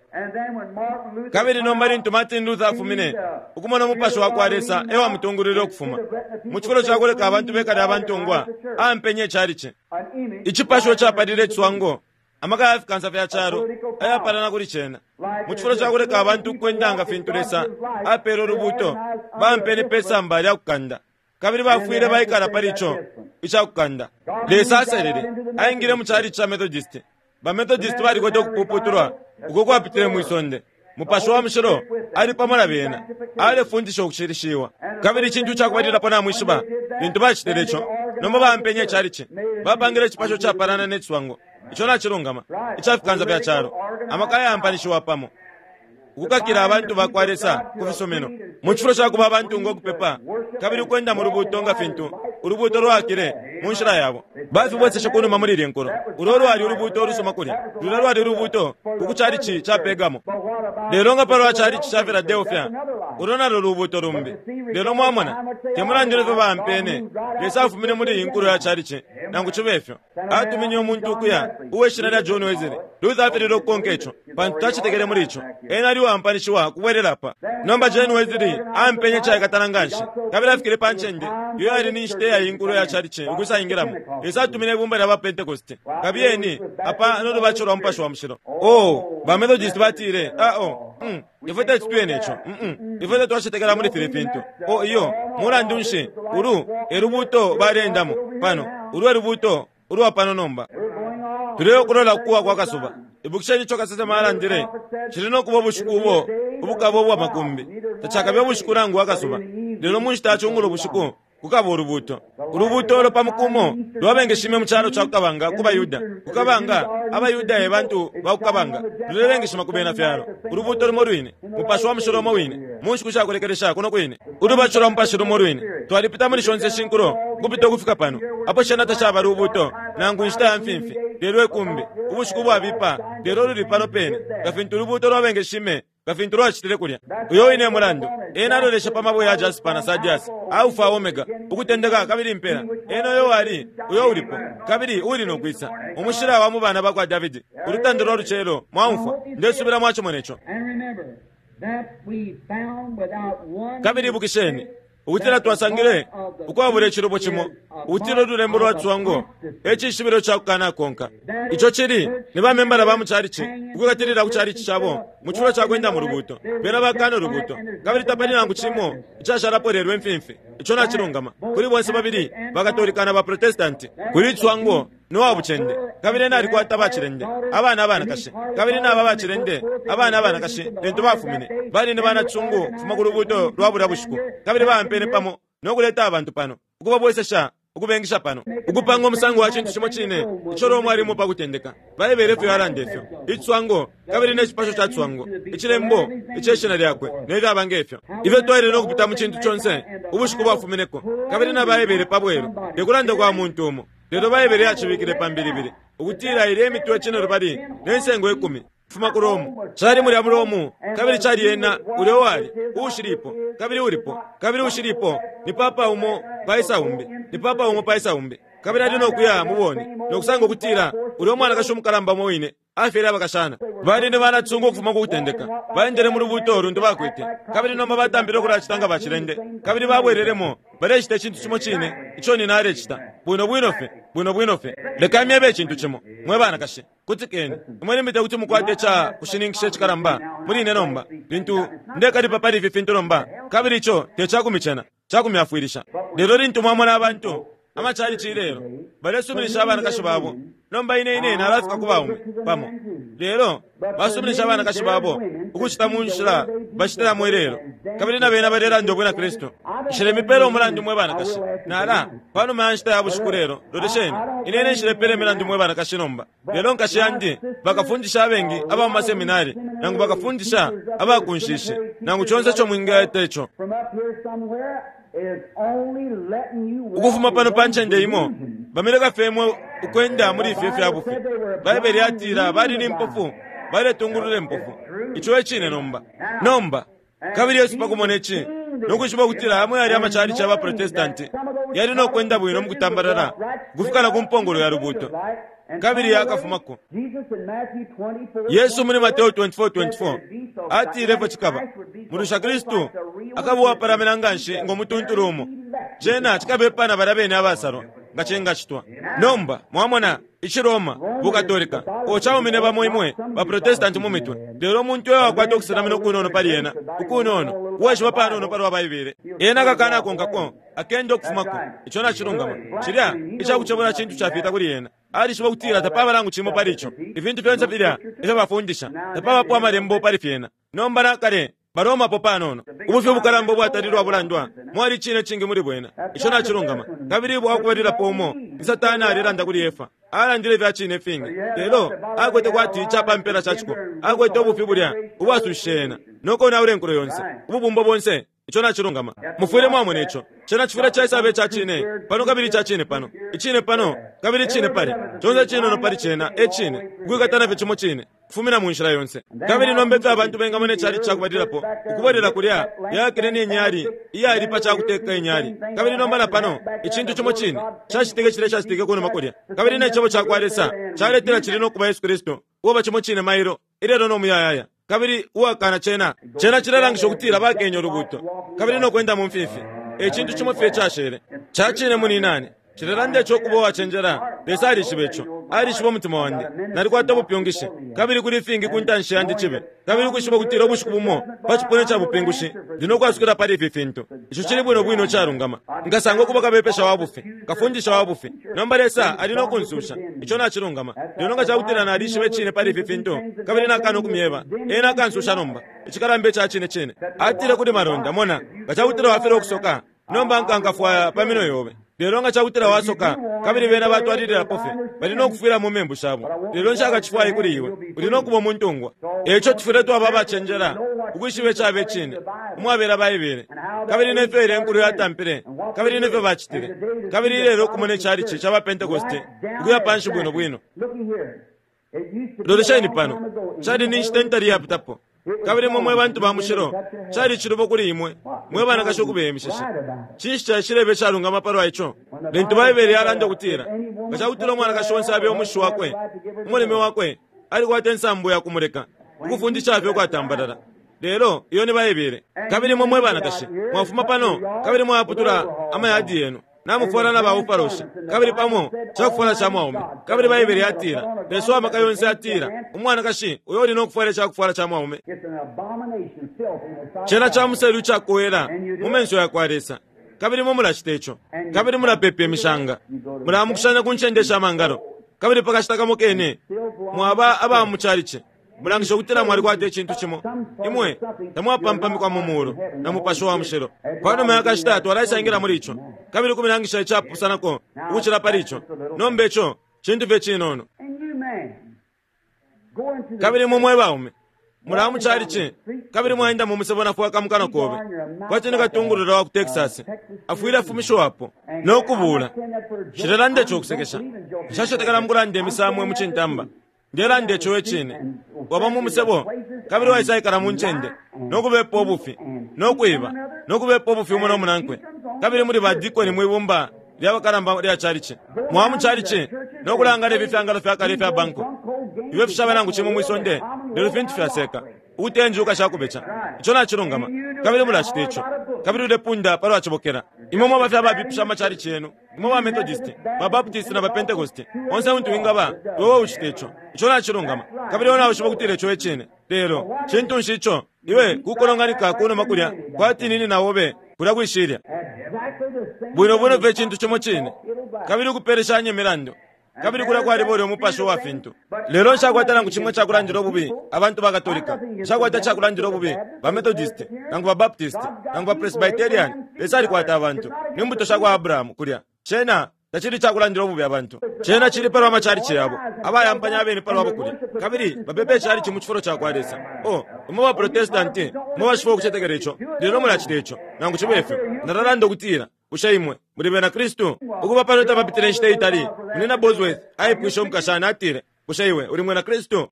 Kabili nomba lintu Martin Luther afumine, ukumona umupashi wa kwa Lesa e wamutungulwile ukufuma mu cifulo ca kuleka abantu bekale abantungwa, ampenye icalici icipasho capalile iciswango, amaka ya fikansa fya calo ayapalana kuli cena. Mu cifulo ca kuleka abantu ukwenda nga fintu Lesa apeele ulubuuto, bampene pe samba lya kukanda, kabili bafwile baikala pali ico ica kukanda. Lesa aselele aingile mu calici ca Methodist. Ba Methodist balikwete ukupuputulwa uko kwapitile mwisonde. Mupashi wa Mushilo ali pamo na bena, alefundisha ukushilishiwa. Kabili icintu cakubalilapo namwishiba, lintu bacitile ico, nomba bampenye icalici, bapangile icipasho capalana ne ciswango. Ico nacilungama, ica fikansa fya calo, amaka ayampanishiwa pamo, ukukakila abantu ba kwa Lesa ku fisumino mu cifulo ca kuba abantu ngo kupepa kabili ukwenda mu lubuuto nga fintu ulubuuto lwakile mu nshila yabo. Bafibweseshe kunuma muli ilye nkulo. Ulo lwali ulubuuto ulusuma kulya, lulya lwali ulubuuto ku calici ca Pergamo. Lelo nga palwa calici ca Philadelphia, ulo nalo lubuuto lumbi. Lelo mwamona, te mulandu nefyo bampene, Lesa afumine muli iyi nkulo ya calici. Nangu cibe fyo, atuminye umuntu ukuya uwe shina lya John Wesley. Luther afilile ukukonka ico, pantu tacetekele muli ico. Ena ali uwampanishiwa kubwelela apa. Nomba John Wesley ampenye caikatana nganshi, kabili afikile pa ncende iyo yali ni nshita ya inkulo ya calici ukwisaingilamo. Lesa atumine ibumba lya ba Pentecost, kabiyeni apa no lubatisho lwa Mupashi wa Mushilo. Oh, ba Methodist batile, ah oh, mm, ifwe tetutwene ico, mm, ifwe tetwacetekela muli fili fintu. Oh iyo, mulandu nshi, ulu e lubuuto baleendamo pano, ulu e lubuuto ulwa pano nomba. Tuleyokulola kuwa kwa kasuba. Ibukisheni ico kasesema alandile, cili no kuba ubushiku ubo ubukaba ubwa makumbi, tacakabe ubushiku nangu akasuba, lelo mu nshita ya cungulo bushiku kukaba ulubuuto. Ulubuuto ulo pa mukumo lwabengeshime mu calo ca kukabanga ku baYuda. Kukabanga, abaYuda e bantu ba kukabanga, lulebengeshima ku bena fyalo. Ulubuuto lumo lwine, Mupashi wa Mushilo umo wine, mu nshiku shakulekelesha kuno kwine, ulubatisho lwa Mupashi lumo lwine. Twalipita muli shonse shinkulo ukupita ukufika pano, apo shena tacaba lubuuto nangu inshita ya mfimfi, lelo ikumbi, ubushiku bwabipa, lelo luli pano pene, nga fintu ulubuuto lwabengeshime nga fintu lwacitile kulya. Uyo wine mulandu ena alolesha pa mabwe ya jaspa na sardius, Alpha Omega, ukutendeka kabili impela. Ena uyo wali, uyo ulipo, kabili uli no kwisa, umushila wa mu bana ba kwa Davidi, ulutanda lwa lucelo. Mwaumfwa, ndesubila mwacimona ico. Kabili ibukisheni ukutila twasangile ukwabula icilubo cimo, ukutila ululembo lwa ciswango e cishibilo ca kukanakonka. Ico cili ni bamembala ba mu calici ukwikatilila ku calici cabo mu cifulo ca kwenda mu lubuuto. Bena bakana ulubuuto, kabili tapali nangu cimo icashalapo lelo imfimfi. Ico nacilungama kuli bonse babili, Bakatolika na Baprotestanti. Kuli ciswango no wa bucende, kabili ena alikwata bacilende abana abanakashi, kabili naba bacilende abana abanakashi lintu bafumine bali ni banacisungu kufuma ku lubuuto lwa bulya bushiku, kabili bampene pamo no kuleta abantu pano ukubabwesesha ukubengisha pano, ukupanga umusango wa cintu cimo cine ico Roma alimo pa kutendeka. Baibele ifyo yalanda ifyo iciswango kabili ne cipasho ca ciswango, icilembo iceshina lyakwe ne fyaba ngefyo. Ifyo twaile no kupita mu cintu conse ubushiku bwafumineko, kabili na Baibele pa bwelu, te kulanda kwa muntu umo, lelo Baibele yacibikile pa mbilibili ukutila ilye imitwe cinelubali ne nsengo ikumi kufuma ku Romu cali mulya mu Romu, kabili cali ena ulya wali uushilipo kabili ulipo kabili ushilipo, ni papa umo paisa umbi, ni papa umo paisa umbi, kabili ali no kuya mubone no kusanga ukutila ulya umwanakashi umukalamba umo wine afyele abakashana. Bali ni banatsunga ukufuma ku kutendeka, baendele mu lubuuto luntu bakwete, kabili nomba batambile ukulacita nga bacilende, kabili babwelelemo balecita icintu cimo cine ico nina alecita, bwino bwino fye, bwino bwino fye. Leka myebe icintu cimo, mwe banakashi, kutikeni imwe limite kuti mukwate ica kushininkisha icikalamba muli ine nomba, lintu ndekalipa pali ifi fintu nomba, kabili ico te cakumicena, cakumyafwilisha. Lelo lintu mwamona abantu amacalici ilelo balesuminisha abanakashi babo, nomba ine ine nalafika ku baume pamo, lelo basuminisha abanakashi babo ukucita mu nshila bacitilamo ilelo, kabili na bena balelanda ubwina Kristu. Nshilemipela umulandu mwe banakashi, nala panuma ya nshita ya bushiku lelo. Lolesheni, ine ine nshilepela imilandu mwe banakashi nomba, lelo nkashi yandi, bakafundisha abengi aba mu maseminari, nangu bakafundisha abakunshishi, nangu conse ico mwingaita ico ukufuma pano pa ncende imo, bamileka fye imwe ukwenda muli ifyo fya bufi. Baibele yatila bali ni mpofu, baletungulula impofu. Ico e cine nomba. Nomba kabili Yesu pakumona ici nokwishiba ukutila amwe yali amacalici aba Protestanti yali no kwenda bwino mukutambalala ukufika na ku mpongolo ya lubuuto kabili yakafumako. Yesu muli Mateo twenty-four twenty-four atile ifyo cikaba mulusha Kristu akaba uwapalamina nganshi ngo mutuntulu umo, cena cikabepa balya bene abasalwa nga cingacitwa. Nomba mwamona ici Roma, Bukatolika, ocaumine bamo imwe baprotestanti mu mitwe, lelo umuntu uyo wakwata ukusenamina ukunono pali ena ukunono uwaishiba panono palwa Baibele, ena akakana akonkako akenda ukufumako. Ico nacilungama. Cilya icakucebula cintu cafita kuli ena. Alishiba ukutila tapaba nangu cimo pali ico. Ifintu fyonse filya ifyo bafundisha tapabapo amalembo pali fyena. Nomba nakale baromapo panono ubufi ubukalamba ubwatalilwa bulandwa mwali cine cingi muli bwena. Ico nacilungama. Kabili bwakubalilapo umo ni Satani alelanda kuli Efa, alandile ifya cine fingi, lelo akwete kwati icapampela caciko, akwete ubufi bulya ubwasushishe ena nokonaula enkulo yonse ububumbo bonse. Ico nacilungama. Mufwile mwamona ico. Cena cifwile caisaba ica cine pano kabili ica cine pano, icine pano kabili icine palya, conse cinono pali cena e cine, ukwikatana fye cimo cine kufumina mu nshila yonse. Kabili nomba ifyo abantu bengamona icali cakubalilapo ukubwelela kulya yakile ni inyali iyali pa cakuteka inyali, kabili nomba na pano icintu cimo cine cacitike cilya cacitike kunuma kulya, kabili ne cebo cakwa Lesa caletela cili no kuba Yesu Kristu uwaba cimo cine mailo ilelo no muyayaya. Kabili uwakana cena cena cilelangisha ukutila bakenya ulubuuto kabili no kwenda mu mfifi. Ecintu cimo fye cashele cacine muninani cilelanda ico kuba uwacenjela. Lesa alishiba ico, alishiba umutima wandi, nalikwata ubupyungishi kabili kuli ifingi ku ntanshi yandi cibe, kabili ukwishiba ukutila ubushiku bumo pa cipuna ca bupingushi ndi no kwasukila pali ifi fintu. Ico cili bwino bwino calungama. Nkasanga ukuba kabepesha wa bufi, kafundisha wa bufi. Nomba Lesa ali no kunsusha. Ico nacilungama. Lelo nga cakutila nalishiba icine pali ifi fintu kabili nakana ukumyeba, ena akansusha. Nomba icikalamba ica cine cine atile kuli malonda, mona nga cakutila wafela ukusoka, nomba nkankafwaya pa minwe yobe. Lelo nga cakutila wasoka kabili bena batwalililapo fye, bali no kufwila mu membu shabo, lelo nshakacifwaye kuli iwe, uli no kuba umuntungwa. Eco tufwile twaba abacenjela ukwishiba icaba icine umwabela Baibele, kabili nefyo ile enkulu yatampile, kabili nefyo bacitile, kabili ilelo ukumona icalici ca bapentekoste ukuya panshi bwino bwino. Lolesheni pano, cali ni nshita ntali yapitapo, kabili mwe mwe bantu ba mushilo cali cilubo kuli imwe mwe banakashi ukubeyemishisha. Cinshi caishilebe calungama palwa ico? Lintu Baibele yalanda ukutila nga cakutila umwanakashi onse abe umushi wakwe, umuleme wakwe alikwata insambu ya kumuleka ukufundisha fye ukwatambalala. Lelo iyo ni Baibele. Kabili mwe mwe banakashi mwafuma pano kabili mwaputula amayadi yenu namufwala na baufarosha kabili pamo cakufwala ca mwaume. Kabili Baibele yatila Lesa wamaka yonse atila umwanakashi uyo uli no kufwala icakufwala ca mwaume cena ca muselu icakowela mu menso yakwa Lesa. Kabili mwe mulacita ico, kabili mulapepa imishanga, mulamukushanya ku ncende sha mangalo, kabili pakashita kamo kene mwaba aba mu calici mulangisha ukutila mwalikwata icintu cimo. Imwe tamwapampamikwa mu mulu na Mupashi wa Mushilo. Panuma yakashita twalaisangila muli ico, kabili kumilangisha icapusanako ukucila pali ico. Nomba ico cintu fye cinono. Kabili mwe mwe baume mulaba mu calici kabili mwaenda mu musebo nafwaka mukana kobe kwati ni katungulula wa ku Texas afwile afumishiwapo no kubuula. Cilelanda ico kusekesha, nshacetekela mukulanda imisamwe mu cintamba. Ndelanda ico icine. Waba mu musebo kabili waisaikala mu ncende no kubepa ubufi no kwiba no kubepa ubufi umo no munankwe, kabili muli badikoni mwibumba lya bakalamba lya calici mwaba mu calici no kulangala ifi fyangalo fya kale ifya banko ifyo fishaba nangu cimo mwisonde, lelo fintu fyaseka ukutenjuka shakubeca. Ico nacilungama. Kabili mulacita ico, kabili ulepunda palwa cibokela. Imwe mwaba fye ababipisha amacalici yenu, imwe ba Methodist, ba Baptist na ba Pentecost, onse untu wingaba iwe ucita ico. Ico nacilungama. Kabili iwe nawishiba ukutila ico icine. Lelo cintu nshi ico iwe kukolonganika kunuma kulya kwati nini nawobe kulya kwishilya bwino bwino fye cintu cimo cine, kabili ukupeleshanya imilandu, kabili kulya kwaliba ulya umupashi wa fintu. Lelo nshakwata nangu cimwe cakulandila ububi abantu ba Katolika, nshakwata cakulandila ububi ba Methodist nangu ba Baptist nangu ba Presbyterian. Lesa alikwata abantu ni mbuto shakwa Abrahamu kulya. Cena tacili cakulandila ububi abantu, cena cili palwa macalici yabo abayampanya abene palwabo kulya, kabili bapepa icalici mu cifulo cakwa Lesa. O imwe ba Protestanti mwe bashifa ukucetekela ico, lelo mulacita ico. Nangu cibe ifyo nalalanda ukutila bushe imwe muli bena Kristu? Ukuba pano tapapitile inshita itali, Munina Bosworth aipwishe umukashana atile, bushe iwe uli mwina Kristu?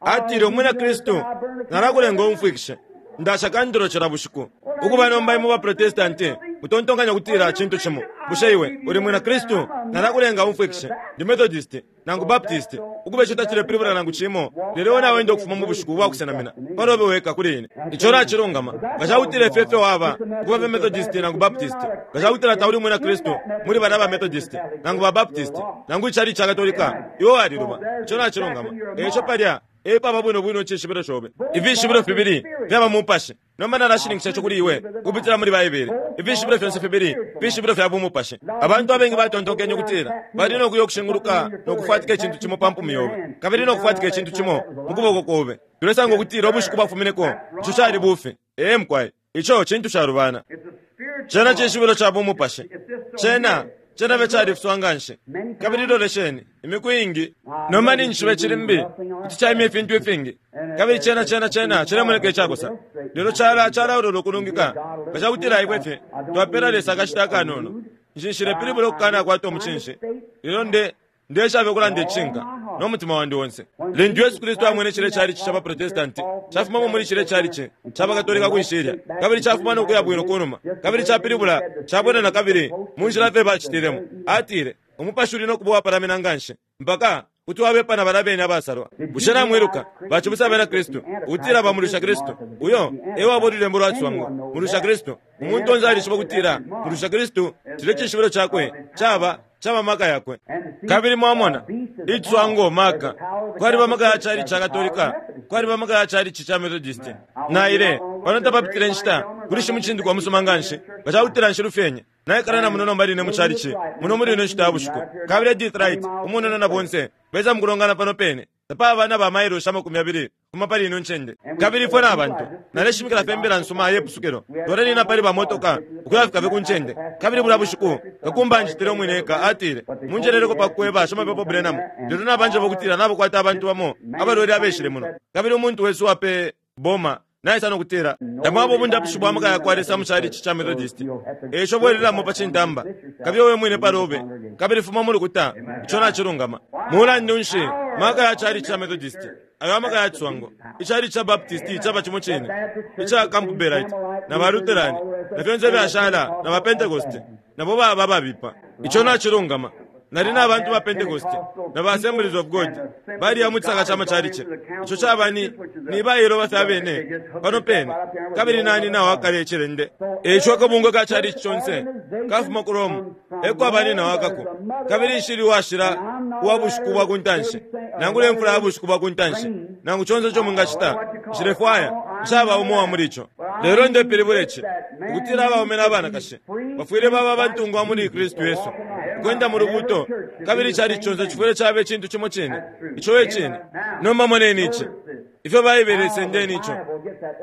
Atile, umwina Kristu nalakulenga umfwikishe ndasha kandilo cila bushiku. Ukuba nomba imwe ba Protestanti Utontonkanya ukutila cintu cimo. Bushe iwe uli mwina Kristu? Nalakulenga umfwikishe. Ndi Methodist nangu Baptist. Ukube ico tacilepilibula nangu cimo. Lelo iwe nawenda ukufuma mu bushiku bwakusenamina palobe weka kuli ine. Ico nacilungama. Nga cakutila ifyo efyo waba ukuba fye Methodist nangu Baptist, nga cakutila tauli mwina Kristu muli balya ba Methodist nangu ba Baptist nangu icali ca Katolika, iwe waliluba. Ico nacilungama. Eico palya epaba bwino bwino icishibilo cobe. Ifishibilo fibili fyaba mupashi. Nomba nalashininkisha ico kuli iwe ukupitila muli Baibele. Ifishibilo fyonse fibili fishibilo fya bumupashi. Abantu abengi batontonkenye ukutila bali no kuya ukushinguluka no kufwatika icintu cimo pa mpumi yobe, kabili no kufwatika icintu cimo mu kuboko kobe. Tulesanga ukutila ubushiku bwafumineko ico cali bufi. Ee mukwai, ico cintu calubana. Cena cishibilo ca bumupashi. Cena cena fye califiswa nganshi. Kabili lolesheni imiku iingi. Nomba ninjishiba cili mbi kuti caimya ifintu ifingi, kabili cena cena cena cilemoneka icakosa, lelo cala calaolola ukulungika. Nga cakutila ifwe fye twapela Lesa akashita akanono. Nshilepilibula ukukanakwata umucinshi, lelo nde ndeshabe ukulanda icishinka no mutima wandi onse. Lintu Yesu Kristu amwene cile calici ca baprotestanti cafumamo muli cile calici ca bakatolika kwishilya, kabili cafuma no kuya bwino kunuma, kabili capilibula cabwela na kabili mu nshila fye bacitilemo, atile umupashi uli no kuba uwapalamina nganshi mpaka kuti wabepa na balya bene abasalwa. Bushe namwiluka bacibusa abena Kristu ukutila bamulusha Kristu? Uyo ewaba ululembo lwa ciswango, mulusha Kristu. Umuntu onse alishiba ukutila mulusha Kristu cile cishibilo cakwe caba caba maka yakwe. Kabili mwamona iciswango maka kwaliba maka ya calici ca Katolika, kwaliba maka ya calici ca Methodist. Naile pano tapapitile nshita kuli shimucindikwa musuma nganshi nga cakutila nshilufyenye. Naikala na muno nomba line mu calici muno muli ino nshita ya bushiku. Kabili Edith Wright umunono na bonse besa mukulongana pano pene. Tapaba na ba mailoshi amakumi abili kuma pali ino ncende. Kabili ifwe na bantu naleshimikila fye imbila nsuma ye pusukilo. Twalelina pali ba motoka ukuyafika fye ku ncende. Kabili bulya bushiku kakumba anjitile umwine eka, atile munjeleleko pa kukweba shimapepo Branham, lelo nabanjeba ukutila nabakwata abantu bamo abalwele abeshile muno. Kabili umuntu wesu wape boma naisa nokutila tamwaba obundapushi bwa maka yakwa Lesa mu calici ca Methodist. Eico bwelelamo pa cintamba, kabili wewe mwine palobe, kabili fuma mu lukuta. Ico nacilungama. Mulandu nshi maka ya calici ca Methodist ayo amaka ya ciswango? Icalici ca Baptist caba cimo cine, ica Campbellite na ba Lutheran na fyonse fyashala na ba Pentecost nabo baba babipa. Ico nacilungama. Nali na bantu ba Pentecost na ba Assemblies of God baliya mu cisaka ca macalici. Ico caba ni ni bailoba fye abene pano pene, kabili nani nawo akale icilende. Eico akabungwe ka calici conse kafuma ku Rome eko abani nawo akako. Kabili nshili washila uwa bushiku bwa kuntanshi, nangula imfula ya bushiku bwa kuntanshi, nangu conse ico mwingacita, nshilefwaya nshaba umo wa muli ico. Lelo ndepilibula ici ukutila abaume na banakashi bafwile baba abantungwa muli Kristu Yesu, ukwenda mu lubuto. Kabili calici conse cifwile cabe icintu cimo cine. Ico e cine. Nomba moneni ici ifyo Baibele isendeni ico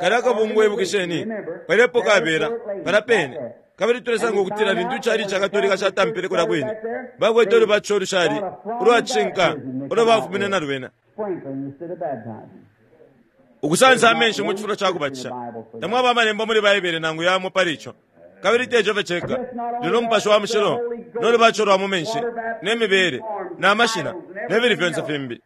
kalya akabungwe. Ibukisheni palipo kabela palya pene. Kabili tulesanga ukutila lintu icalici ca Katolika catampile kulya kwine, bakwete ulubatisho ulushali ulwacishinka ulo bafumine na lwena, ukusansa amenshi mu cifulo ca kubatisha. Tamwaba amalembo muli Baibele nangu yamo pali ico. Kabili te ico fye ceka, lelo umupashi wa mushilo no lubatisho lwa mu menshi ne mibele na mashina ne bili fyonse fimbi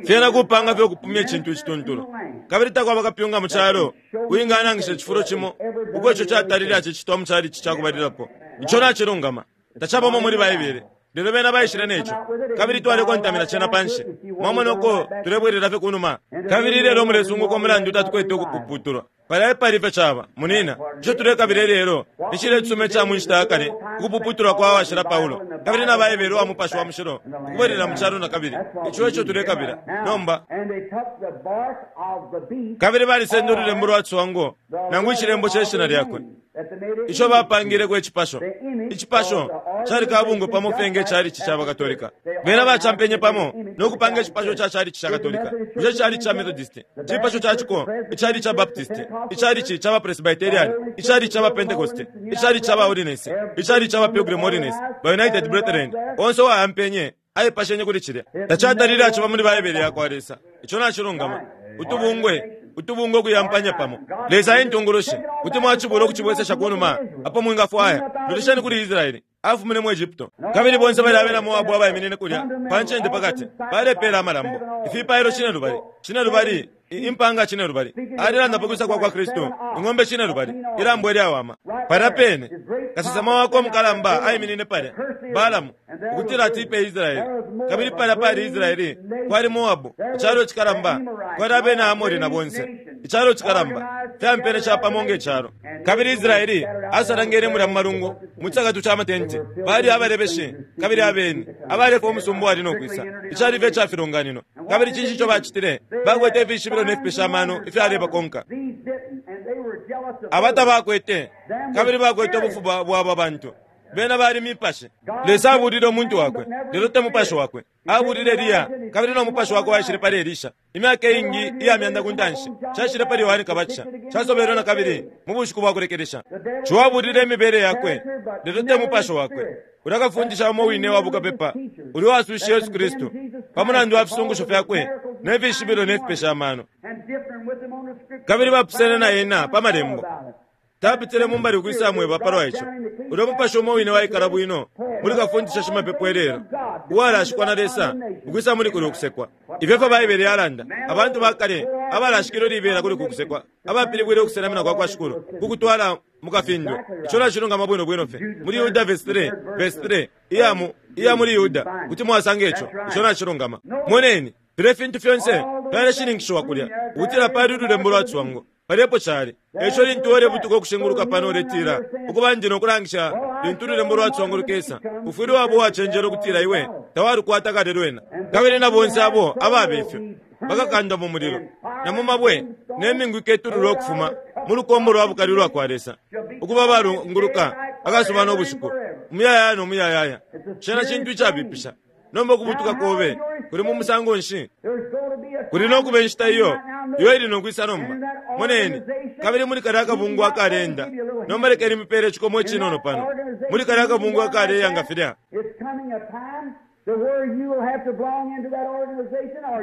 fyena kupanga fye ukupumya icintu icituntulu. Kabili takwaba kapyunga mu calo uwinganangisha icifulo cimo uko ico catalile acicitwa mu calici ca kubalilapo. Ico nacilungama. Tacabamo muli Baibele, lelo bena baishile neco, kabili twalekontamina cena panshi. Mwamona uko tulebwelela fye kunuma. Kabili lelo mulesunguka umulandu tatukwete ukupuputulwa. Palya epali fye caba munina. Ico tulekabila lelo ni cile cisuma ica mu nshita ya kale, ukupuputulwa kwa washila Paulo kabili na Baibele wa mupashi wa mushilo ukubwelela mu calo na kabili. Ico eco tulekabila nomba. Kabili balisenda ululembo lwa ciswango nangu icilembo ce shina lyakwe ico bapangileko icipasho. Icipasho cali kabungwe pamo fye nge calici ca Bakatolika. Bena bacampenye pamo no kupanga icipasho ca calici ca Katolika. Bushe calici ca Methodist cipasho ca ciko? Icalici ca Baptist, icalici ca Bapresbyterian, icalici ca Bapentecost, icalici ca Baholiness, icalici ca Bapilgrim Holiness, ba United Brethren, onse uwayampenye aipashenye kuli cilya. Tacatalile aciba muli Baibele ya kwa Lesa. Ico nacilungama. Utubungwe utubungwe kuyampanya pamo. Lesa entungulushi. Kuti mwacibula ukucibwesesha kunuma apo mwingafwaya. Lolesheni kuli Israeli afumine mu Egypto, kabili bonse bali abena Moabu abaiminine kulya pa ncende pakati balepela amalambo ifipailo cine lubali cine lubali Impanga cinelubali. Alilanda pa kwisa kwa kwa Kristu, ing'ombe cinelubali, ilambo ilyawama. Palya pene kasesema wakwe mukalamba aiminine palya, Balamu, ukutila atipe Israeli. Kabili palya pali Israeli, kwali Moabu, icalo cikalamba, kwali abena Amori na bonse, icalo cikalamba, fyampene capamo nge calo. Kabili Israeli asalangene mulya mu malungu, mu cakatu ca matenti, bali abalebeshi kabili abeni, abaleka umusumba wali no kwisa. Icali fye ca filonganino. Kabili cinshi ico bacitile? Bakwete ifishibilo ne fipesha amano ifyalebakonka. Abata bakwete, kabili bakwete ubufuba bwaba bantu. Bena bali mipashi. Lesa abulile umuntu wakwe, lelo te mupashi wakwe. Abulile Eliya, kabili no mupashi wakwe waishile pali Elisha. Imyaka ingi iya myanda ku ntanshi, caishile pali Yohane Kabatisha, casobelwe na kabili mu bushiku bwa kulekelesha. Ciwabulile imibele yakwe, lelo te mupashi wakwe. Ulya kafundisha umo wine wa bukapepa, ulya wasushe Yesu Kristu, pa mulandu wa fisungusho fyakwe, ne fishibilo ne fipesha amano. Kabili bapusene na ena pa malembo. Tapitile mumbali ukwisa mweba palwa ico. Ulya mupashi umo wine waikala bwino muli kafundisha shimapepo ilelo, uwalashikwa na Lesa ukwisa muli kuli ukusekwa. Ifyo fyo Baibele yalanda, abantu bakale abalashikilwe libela kuli kukusekwa, abapilibwile ukusenamina kwa kwa Shikulu kukutwala mukafindwe. Ico nacilungama bwino bwino fye muli Yuda verse three, verse three iyamu iya muli Yuda kuti mwasanga ico. Ico nacilungama. Moneni filya fintu fyonse fyaleshininkishiwa kulya ukutila pali ululembo lwa cwango palepo cali. Eco lintu ulebutuka ukushinguluka pano uletila ukuba ndi nokulangisha lintu ululembo lwa cwango lukesa, ufwile wabo wacenjela ukutila iwe tawalukwata kale lwena. Kabili na bonse abo ababe ifyo bakakandwa mu mulilo na mu mabwe ne mingu iketululwa ukufuma mu lukombo lwa bukali lwa kwa Lesa, ukuba balunguluka akasuba no bushiku umuyayaya no muyayaya. Cena cintu icabipisha. Nomba ukubutuka kobe kuli mu musango nshi? Kuli no kuba inshita iyo iyo ili nokwisa nomba. Moneni, kabili muli kalya akabungwe akalenda. Nomba lekeni mipele icikomo icinono pano. Muli kalya akabungwe akaleya nga filya.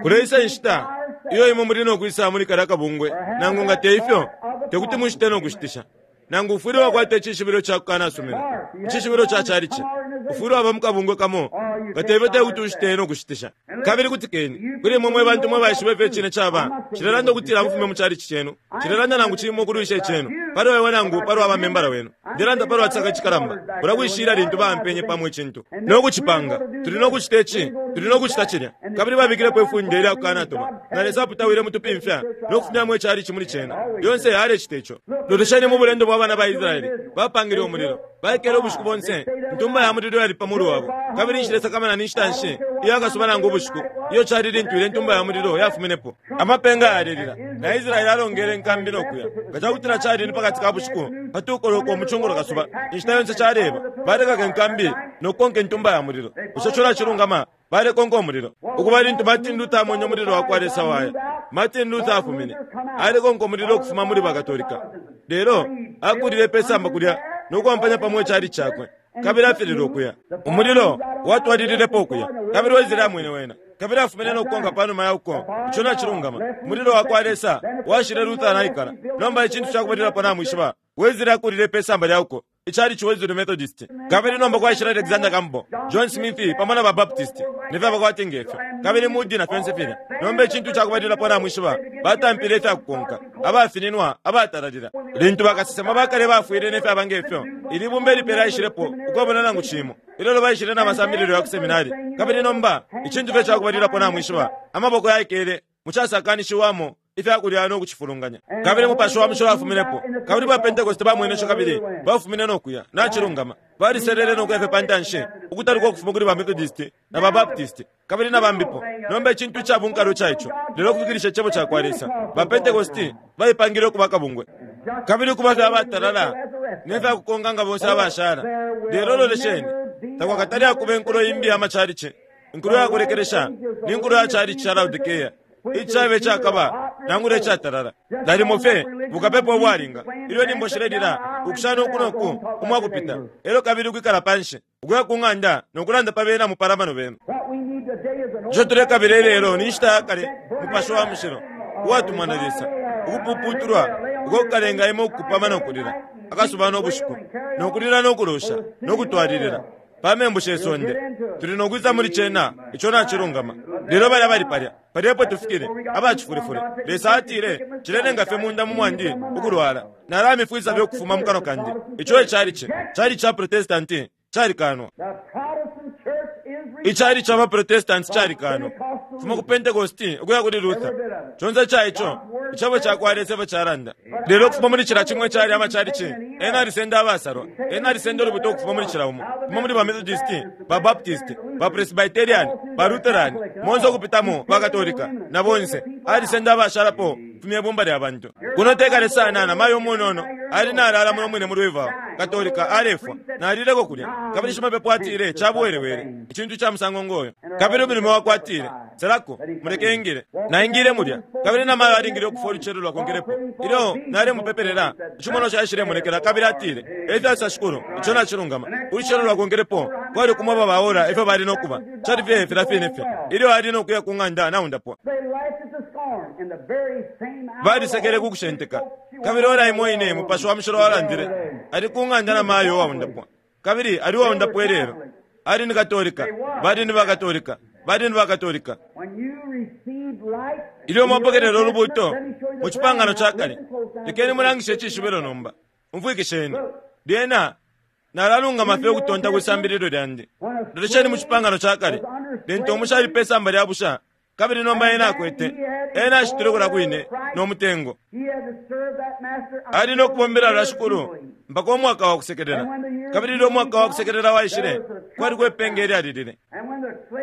Kuleisa inshita iyo imwe muli nokwisa muli kalya akabungwe, nangu nga te ifyo tekuti mushite no kushitisha. Nangu ufwile wakwata icishibilo ca kukanasumina, icishibilo ca chalichi, ufwile waba mukabungwe kamo, nga te ifyo tekuti ushite no kushitisha. Kabili kutikeni kuli imwe mwe bantu mwe baishiba ifyo icine caba. Cilelanda ukutila mufume mu chalichi cenu, cilelanda nangu cimo kulwisha icenu pali wewe nangu pali wa membala wenu. Ndilanda pali watsaka icikalamba ulakwishila lintu bampenye pamwe icintu no kucipanga. Tuli no kucita ici, tuli no kucita cilya. Kabili babikilepo ifunde ilya kukanatuma, na Lesa aputawile mutupimfya no kufumyamo ichalichi muli cena. Lyonse alecita ico. Lolesheni mu bulendo bwa bana ba Israeli, bapangile umulilo, baikele ubushiku bonse, ntumba ya mulilo yali pa mulu wabo. Kabili nshilesakamana ni nshita nshi iyo akasuba nangu ubushiku iyo cali lintu ile ntumba ya mulilo yafuminepo. Amapenga yalelila na Israeli alongele nkambi no kuya. Nga cakutila cali ni pakati ka bushiku patukoloko umucungulo kasuba, inshita yonse caleba balekaka nkambi no kukonka intumba ya mulilo. Bushe cola cilungama? Balekonka umulilo. Ukuba lintu Martin Luther amonye umulilo wa kwa Lesa waya, Martin Luther afumine alekonka umulilo ukufuma muli bakatolika, lelo akulile pesamba kulya no kuampanya pamwe icali cakwe, kabili afilile ukuya. Umulilo watwalililepo ukuya, kabili Wesley amwene wena, kabili afumine no kukonka panuma ya uko. Ico nacilungama. Umulilo wa kwa Lesa washile Luther naikala. Nomba icintu cakubalilapo namwishiba, Wesley akulile pesamba lya uko icali ci Wesley Methodist. Kabili nomba kwaishile Alexander Campbell, John Smith pamo na ba Baptist ne fyabakwati ngefyo, kabili Moody na fyonse filya. Nomba icintu cakubalilapo namwishiba, batampile ifyakukonka, abafininwa, abatalalila. Lintu bakasesema bakale bafwile ne fyaba ngefyo, ili bumba ilipela aishilepo ukwabona nangu cimo. Ilelo baishile na masambililo ya ku seminari. Kabili nomba icintu fye cakubalilapo namwishiba, amaboko yaikele mucasakanishiwamo ifyakulya no kucifulunganya. Kabili mupashi wa mushilo afuminepo. Kabili ba Pentecost bamwenesho kabili bafumine no kuya. Nacilungama. Baliselele no kuya fye pantanshi, ukutaluka ukufuma kuli ba Methodist na ba Baptist kabili na bambipo. Nomba icintu ica bunkalo ca ico, lelo kufikilisha icebo ca kwa Lesa. Ba Pentecost baipangile ukuba kabungwe, kabili kuba fye abatalala ne fyakukonka nga bonse abashala. Lelo lolesheni, takwakatali akuba inkulo imbi ya machalichi. Inkulo ya kulekelesha ni nkulo ya chalichi cha Laodikea, icabe cakaba nangula icatalala. Nalimo fye bukapepo bwalinga ilyo nimbo shilelila ukushana uku noku umwakupita, elyo kabili ukwikala panshi ukuya ku ng'anda nokulanda pa bena mupalamano benu. Ico tulekabila ilelo ni nshita ya kale mupashi wa mushilo uwatumwa na Lesa, ukupuputulwa uko kukalenga imwe ukukupama nokulila akasuba no bushiku, nokulila nokulosha nokutwalilila. Pa membu she sonde. Tuli no kwisa muli cena, ico nacilungama. Lelo balya bali palya, palya epo tufikile, abacifulefule. Lesa atile, cilenenga fye munda mu mwandi ukulwala. Nalamifwisa fye ukufuma mu kanwa kandi. Ico e calici, cali ca Protestanti, calikanwa. Icali ca Protestanti calikanwa. Fuma ku Pentecosti ukuya kuli Luther. Conse ca ico, icebo ca kwa Lesa epo calanda. Lelo ukufuma muli cila cimwe cali amacalici, ena alisenda abasalwa, ena alisenda ulubuto ukufuma muli cila umo, kufuma muli ba Methodist, ba Baptist, ba Presbyterian, ba Lutheran, monse ukupitamo ba Katolika, na bonse, alisenda abashalapo fumye ibumba lya bantu. Kuno tekale sana na mayo umunono, ali nalala muno mwine mu Louisville, Katolika alefwa, nalileko kulya, kabili shimapepo atile cabuwelewele, icintu ca musango ngoyo. Kabili umulimo wakwe atile, selako, muleke ingile. Naingile mulya, kabili na mayo alingile ukufwa ulucelo lwakonkelepo. Ilyo nalemupepelela, icimono caishile mulekela, kabili atile, efyo shikulu, ico nacilungama. Ulucelo lwakonkelepo, kwali kumwaba baora efyo bali nokuba, cali fye filya fine fye. Ilyo ali nokuya ku ng'anda naundapwa. Balisekele kukushenteka. Kabili ora imo ine mupashi wa mushilo walandile, ali ku ng'anda na mayo waundapwa. Kabili ali waundapwa ilelo. Ali ni Katolika, bali ni Bakatolika, bali ni Bakatolika. Ilyo mwapokelela ulubuto mu cipangano ca kale, lekeni mulangishe icishibilo nomba. Umfwikisheni. Lyena nalalungama fye ukutonta kwisambililo lyandi. Lolesheni mu cipangano ca kale, lintu umushali pe samba lya busha, kabili nomba ena akwete, ena ashitile kulya kwine no mutengo. Ali no kubombela lwa shikulu mpaka umwaka wa kusekelela. Kabili ilyo umwaka wa kusekelela waishile, kwali kwepenge ilyalilile.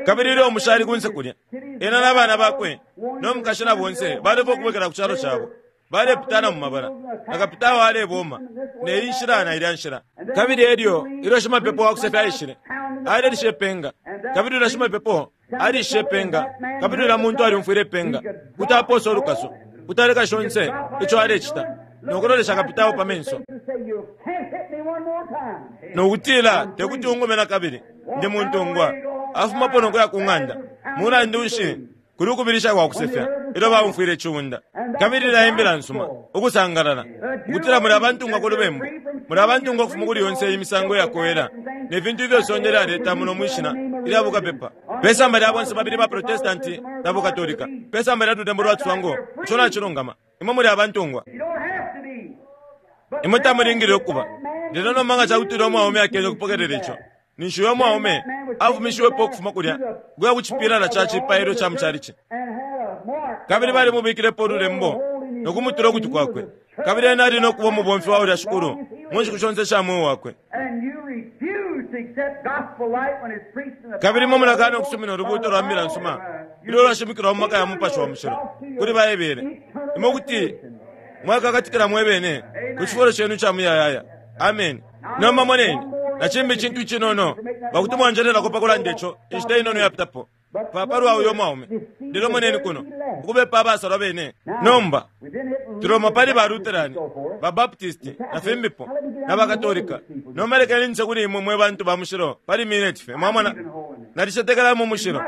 Kabili ilyo umushali kunse kulya, ena n'abana bakwe no mukashi na bonse balefa ukubwekela ku calo cabo. Balepitana mu mabala, na kapitao aleboma, ne iyi nshila na ilya nshila. Kabili elyo, ilyo shimapepo wa kusefya aishile, alelisha ipenga. Kabili ulya shimapepo alishe ipenga, kabili ulya muntu aliumfwile ipenga, kuti aposa ulukaso, kuti aleka shonse ico alecita, nokulolesha kapitao pa menso. Nokutila, tekuti ungume na kabili, ndi muntungwa. Afumapo nokuya ku ng'anda. Mulandu nshi kuli ukubilisha kwa kusefya, ilyo baumfwile iciunda. Kabili laimbila nsuma, ukusangalala, ukutila muli abantungwa ku lubembu, muli abantungwa ukufuma kuli yonse imisango yakowela, ne fintu ifyo sonde lyaleta muno mwishina ilya bukapepa. Pe samba lya bonse babili ba Protestanti na Bukatolika, pe samba lya lutembo lwa ciswango, ico nacilungama. Imwe muli abantungwa. Imwe tamulingile ukuba. Lelo nomba nga cakutila umwaume akene ukupokelela ico, ninshi uyo mwaume afumishiwepo ukufuma kulya kuya ku cipilala ca cipailo ca mucalici. Kabili balimubikilepo ululembo nokumutula ukutwi kwakwe. Kabili ena ali nokuba umubomfi wa ulya shikulu mu nshiku shonse sha mweo wakwe. Kabili imwe mulakana ukusumina ulubuuto lwa mbila nsuma ilyo lwashimikilwa mu maka ya mupashi wa mushilo kuli Baebele. Imwe kuti mwakakatikila mwebene ku cifulo cenu ca muyayaya. Amen. Nomba moneni, na cimbi icintu icinono, pakuti mwanjelelako pakulanda ico inshita inono yapitapo, papa lwa uyo mwaume. Lelo moneni kuno, ukubepa abasalwa bene. Nomba tuloma pali ba Lutheran, ba Baptist, na fimbipo, na Bakatolika. Nomba lekeni nse kuli imwe mwe bantu ba mushilo pali minute fye. Mwamona, nalicetekela mu mushilo.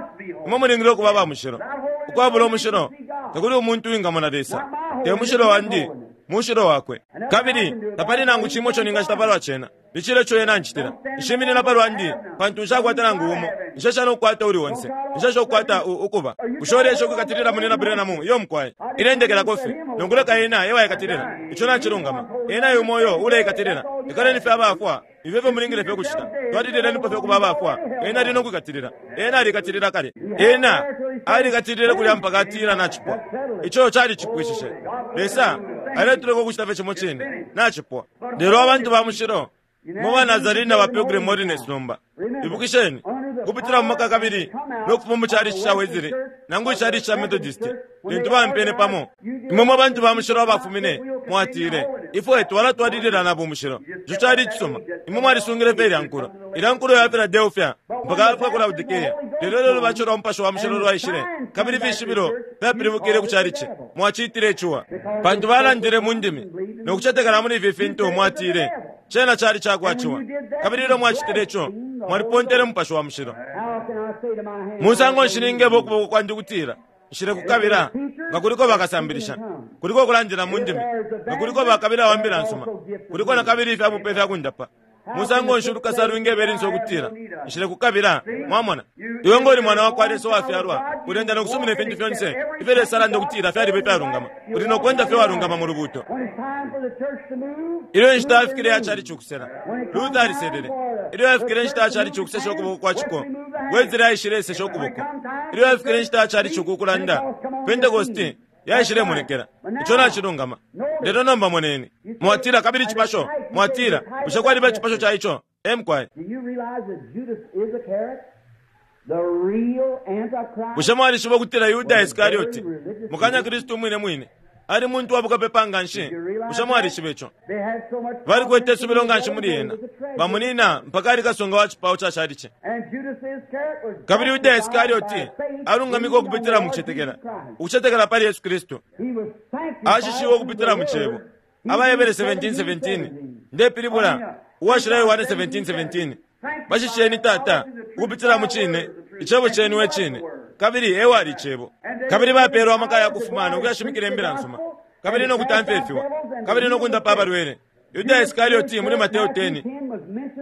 Imwe mulingile ukuba ba mushilo. Ukwabula umushilo, tekuli umuntu uwingamona Lesa. Te mushilo wandi, mushilo wakwe. Kabili tapali nangu cimo ico ningacita palwa cena. Nicile ico ena ancitila. Nshiminina palwa ndi, pantu nshakwata nangu umo. Nshesha nokukwata uli onse. Nshesha ukukwata ukuba. Bushe ulesha ukwikatilila munina Branham iyo mukwai? Ilendekelako fye. Nokuleka ena ewaikatilila. Ico nacilungama. Ena yumo uyo uleikatilila. Ikaleni fye abafwa. Ifyo efyo mulingile fye kucita. Twalililenipo fye ukuba abafwa. Ena ali nokwikatilila. Ena alikatilila kale. Ena alikatilile kulya mpaka atila nacipwa. Ico calicipwishishe. Lesa aletuleka ukucita fye cimo cine. Nacipwa. Lelo abantu ba mushilo mu ba Nazarene na ba Pilgrim Holiness nomba. Ibukisheni, kupitila mu maka kabili nokufuma mu chalichi ca Wesley nangu ichalichi ca Methodist, lintu bampene pamo. Imwe mwe bantu ba mushilo abafumine mwatile, ifwe twalatwalilila na bumushilo. Ico cali icisuma. Imwe mwalisungile fye ilya nkulo. Ilya nkulo ya Philadelphia mpaka yafika ku Laodikea. Lelo lelo lubaco lwa mupashi wa mushilo lwaishile, kabili ifishibilo fyapilibukile ku chalichi. Mwacitile icuwa. Pantu balandile mu ndimi nokucetekela muli ifi fintu mwatile, cena cali cakwaciwa. Kabili ilyo mwacitile ico, mwalipontele mupashi wa mushilo. Musango nshi ningeba ukuboko kwandi kutila, nshile kukabila, nga kuliko bakasambilisha, kuliko kulandila mu ndimi, nga kuliko bakabila wa mbila nsuma, kuliko na kabili ifya bupe fya kundapa. Musango nshi ulukasa lwingebela ukutila nshile kukabila? Mwamona, iwe ngoli mwana wakwa Lesa wafyalwa, ulenda nokusumina ifintu fyonse ifyo Lesa alanda ukutila fyaliba ifyalungama. Uli nokwenda fye walungama mu lubuto. Ilyo inshita yafikile yacali cukusela, Luther aliselele. Ilyo yafikile inshita yacali cukusesha ukuboko kwa ciko, Wesley aishile ukuboko. Ilyo yafikile inshita yacali cukukulanda, Pentecost yaishilemonekela. Ico nacilungama. Lelo nomba moneni, mwatila kabili cipasho, mwatila bushe kwaliba icipasho ca ico? Emkwai, bushe mwalishiba ukutila Yuda Iskarioti mukanya Kristu mwine mwine ali muntu wabukapepa nga nshi? Bushe mwalishiba ico? Balikwete isubilo nga nshi muli ena, bamunina mpaka ali kasunga wa cipawo ca chalichi. Kabili Yuda Iskarioti alungamika ukupitila mu kucetekela, ukucetekela pali Yesu Kristu. Ashishiwe ukupitila mu cebo. Abaebele seventeen seventeen, ndepilibula uwashila Yohane seventeen seventeen, bashisheni tata ukupitila mu cine, icebo chenu e cine, kabili ewali icebo. Kabili bapeelwa amaka ya kufumana ukuyashimikila imbila nsuma, kabili nokutamfya ifiwa, kabili nokundapa abalwele. Yuda Iskarioti muli Mateo ten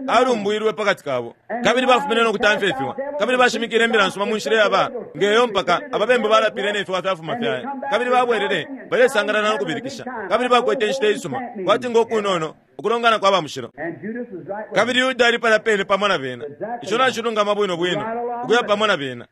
alumbwilwe pakati kabo, kabili bafumine nokutamfya ifiwa, kabili bashimikile imbila nsuma mu nshila yaba ngeyo mpaka ababembu balapile nefiwa fyafuma fyaya, kabili babwelele balesangalana nokubilikisha, kabili bakwete inshita isuma kwati ngokunono ukulongana kwa bamushilo. Kabili Yuda ali pala pene pamo na bena. Ico nacilungama bwino bwino ukuya pamo na bena.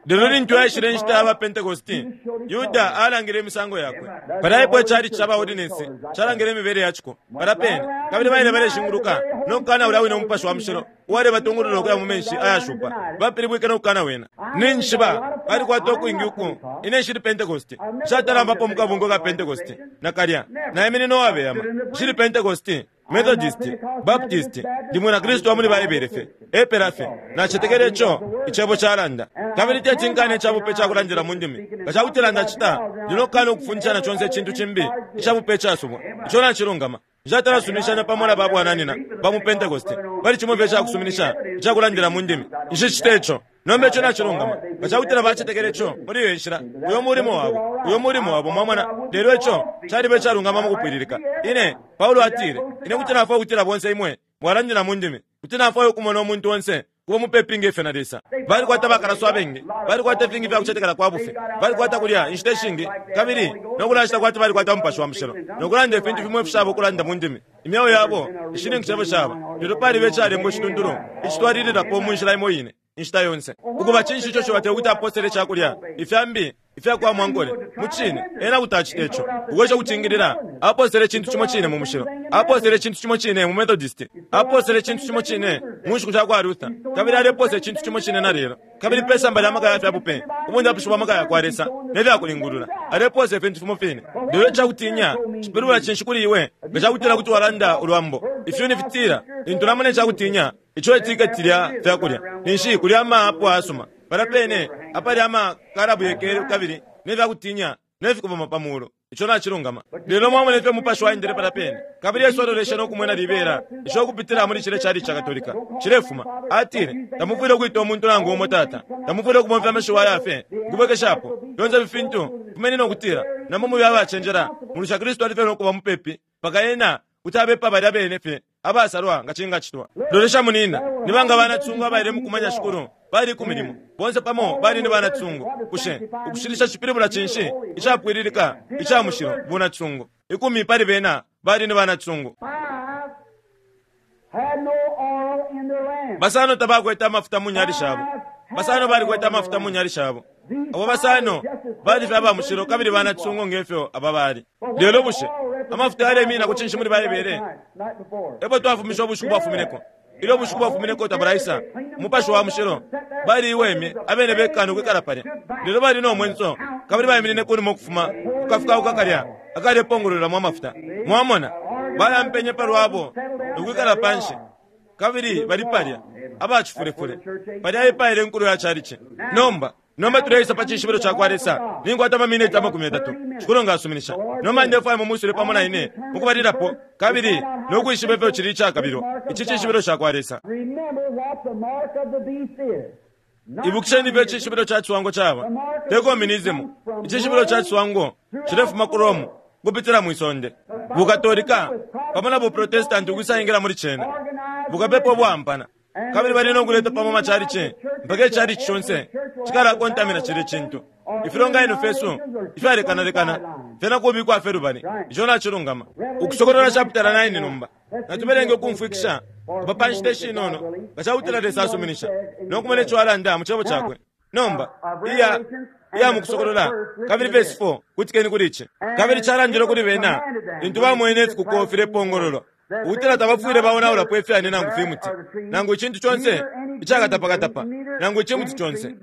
Lelo lintu yaishile inshita ya ba Pentecosti, Yuda alangile imisango yakwe. Palaipo icali ca ba ordinance calangile imibele yaciko pala pene, kabili baile baleshinguluka nokukana ulya wine umupashi wa mushilo uwalebatungulula ukuya mu menshi ayashupa. Bapilibwike nokukana wena. Ninshiba balikwata ukwingi uku ine nshili Pentecosti, nshatalambapo mu kabungo ka Pentecosti nakalya, naiminina uwabeyama. Nshili Pentecosti, Methodist, Baptist, ndi mwina Kristu wa muli Baibele fye, epela fye. Nacetekele ico icebo calanda. Kabili tetinkane icabupe cakulandila mu ndimi. Nga cakutila ndacita, ndi nokukana ukufundishana conse icintu cimbi icabupe icasubwa. Ico nacilungama. Nshatalasuminishanya pamo na babwananina ba mu Pentecost pali cimo fye icakusuminisha icakulandila mu ndimi. Nshicite ico. Nomba ico nacilungama. Nga cakutila bacetekele ico muli iyo nshila, uyo mulimo wabo, uyo mulimo wabo, mwamona. Lelo ico caliba icalungama mu kupwililika. Ine Paulo atile, ine kuti nafwaya ukutila bonse imwe mwalandila mu ndimi, kuti nafwaya ukumona umuntu onse kuba mupepi ngefyo na Lesa. Balikwata bakalaso abengi, balikwata ifingi fya kucetekela kwa bufi, balikwata kulya inshita ishingi, kabili nokulashita kwati balikwata umupashi wa mushilo, nokulanda ifintu fimwe ifishaba ukulanda mu ndimi. Imyeo yabo ishininkisha ifyo shaba, lelo paliba icalembwa icituntulu icitwalililapo mu nshila imo ine inshita yonse. Ukuba cinshi ico cibateye ukuti aposele icakulya ifyambi ifyakuba mwankole? Mu cine ena kuti acita ico. Ukwesha kucingilila, aposele icintu cimo cine mu mushilo, aposele icintu cimo cine mu Methodist, aposele icintu cimo cine mu nshiku sha kwa Luther, kabili aleposa icintu cimo cine na lelo. Kabili pe samba lya maka ya fyabupe, ubundapishi bwa maka ya kwa Lesa ne fyakulingulula, aleposa ifintu fimo fine. Lelo icakutinya cipilibula cinshi kuli iwe nga cakutila kuti walanda ulwambo? Ifyuni fitila, lintu namona icakutinya ico itiketi lya fyakulya, ninshi kulya amaapo ayasuma pala pene apali amakalabu yekele kabili ne fyakutinya ne fikuboma pa mulu. Ico nacilungama. Lelo mwamona ifyo umupashi waendele pala pene, kabili Yesu aloleshe nokumwena libela ico ukupitila muli cile cali ca Katolika cilefuma. Atile, tamufwile ukwita umuntu nangu umo tata, tamufwile ukubomfya amashiwi ayafe nkubwekeshapo fyonse ifi fintu. Fumeni nokutila namo mube abacenjela, mulusha Kristu ali fye nokuba mupepi mpaka ena kuti abepa balya bene fye abasalwa nga cingacitwa. Lolesha munina, ni banga banatsungu abaile mukumanya Shikulu bali ku milimo, bonse pamo bali ni banatsungu. Bushe ukushilisha cipilibula cinshi? Icapwililika, ica mushilo, bunatsungu. Ikumi pali bena bali ni banatsungu. Basano tabakwete amafuta mu nyali shabo, basano balikwete amafuta mu nyali shabo. Abo basano bali fye abamushilo kabili banatsungu ngefyo aba bali. Lelo bushe amafuta yalemina ku cinshi muli Baibele? Epo twafumisha ubushiku bwafumineko. Ilyo ubushiku bwafumineko tabulaisa, umupashi wa mushilo bali iwemye abene bekana ukwikala palya. Lelo bali no mwenso kabili baiminine kunuma ukufuma kukafuka kalya akalepongololamo amafuta. Mwamona, bayampenye palwabo ukwikala panshi, kabili bali palya abacifulefule palya ipaile inkulu ya chalichi. Nomba nomba tuleisa pa cishibilo ca kwa Lesa. Ninkwata amamineti amakumi yatatu, Shikulu nga asuminisha. Nomba ndefwaya mumusule pamo na ine mukubalilapo, kabili nokwishiba ifyo cili icakabilwa ici cishibilo ca kwa Lesa. Ibukisheni ifyo icishibilo ca ciswango caba te communism. Icishibilo ca ciswango cilefuma ku Rome kupitila mwisonde. Bukatolika pamo na buprotestanti ukwisaingila muli cena, bukapepa ubwampana, kabili bali nokuleta pamo machalichi mpaka ichalichi chonse cikalakontamina cili cintu. Ifilonganino fesu ifyalekanalekana fyena kubikwa fye lubali. Ico nacilungama. Ukusokolola chapitala nine nomba natubelenge ukumfwikisha apa pa nshita ishinono nga cakutila Lesa asuminisha nokumona ico alanda mu cebo cakwe. Nomba iya iya mukusokolola kabili verse four, kutikeni kuli ici. Kabili calandile kuli bena lintu bamwene ifikuko filepongololwa, ukutila tabafwile baonaulapo ifyani nangu fimuti nangu icintu conse icakatapakatapa nangu icimuti conse.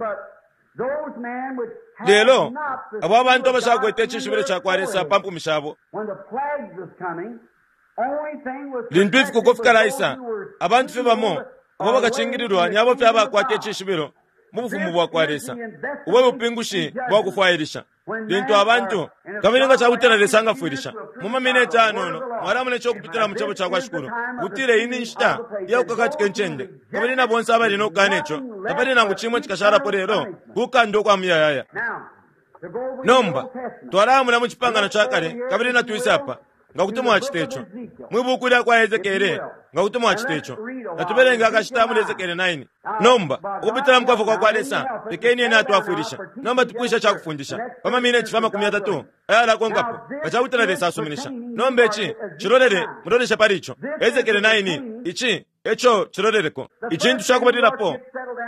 Lelo abo abantu abashakwete icishibilo cakwa Lesa pa mpumi shabo, lintu ifikuko fikalaisa, abantu fye bamo abo bakacingililwa ni abo fye abakwata icishibilo mu bufumu bwakwa Lesa, ubwe bupingushi bwakufwailisha. Lintu abantu kabili nga cakutila Lesa angafwilisha mu mamineti anono, mwalamona ico kupitila mu cebo cakwa Shikulu, kutile iyi nshita iyakukakatika incende, kabili na bonse abali nokukana ico, tapali nangu cimwe cikashalapo lelo kukanda ukwa muyayaya. Nomba twalamona mu cipangano ca kale, kabili natwise apa nga kuti mwacita ico mwi buku lya kwa Ezekiele, nga kuti mwacita ico natubelenge akashita muli Ezekiele nine. Nomba ukupitila mu kwafwa kwa Lesa, lekeni ena atwafwilisha. Nomba tupwisha cakufundisha pa mamineti fya makumi yatatu ayalakonkapo nga cakutila Lesa asuminisha. Nomba ici cilolele, mulolesha pali ico Ezekiele nine, ici eco ciloleleko. Icintu cakubalilapo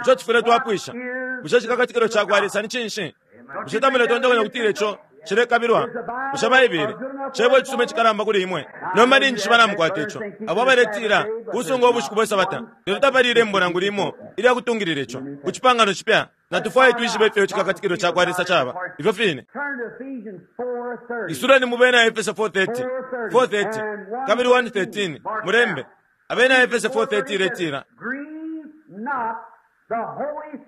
ico tufwile twapwisha, bushe cikakatikilo cakwa Lesa ni cinshi? Bushe tamuletontonkanya kutila ico cilekabilwa? Bushe Baibele cebo icisuma icikalamba kuli imwe? Nomba ninjishiba namukwata ico. Abo abaletila kusunga ubushiku bwe Sabata, lelo tapali ilembo nangu limo ilyakutungilila ico ku cipangano cipya. Natufwaye twishibe ifyo cikakatikilo cakwa Lesa caba ifyo fine. Isuleni mu bena Efeso four thirty, four thirty kabili one thirteen, mulembe abena Efeso four thirty iletila,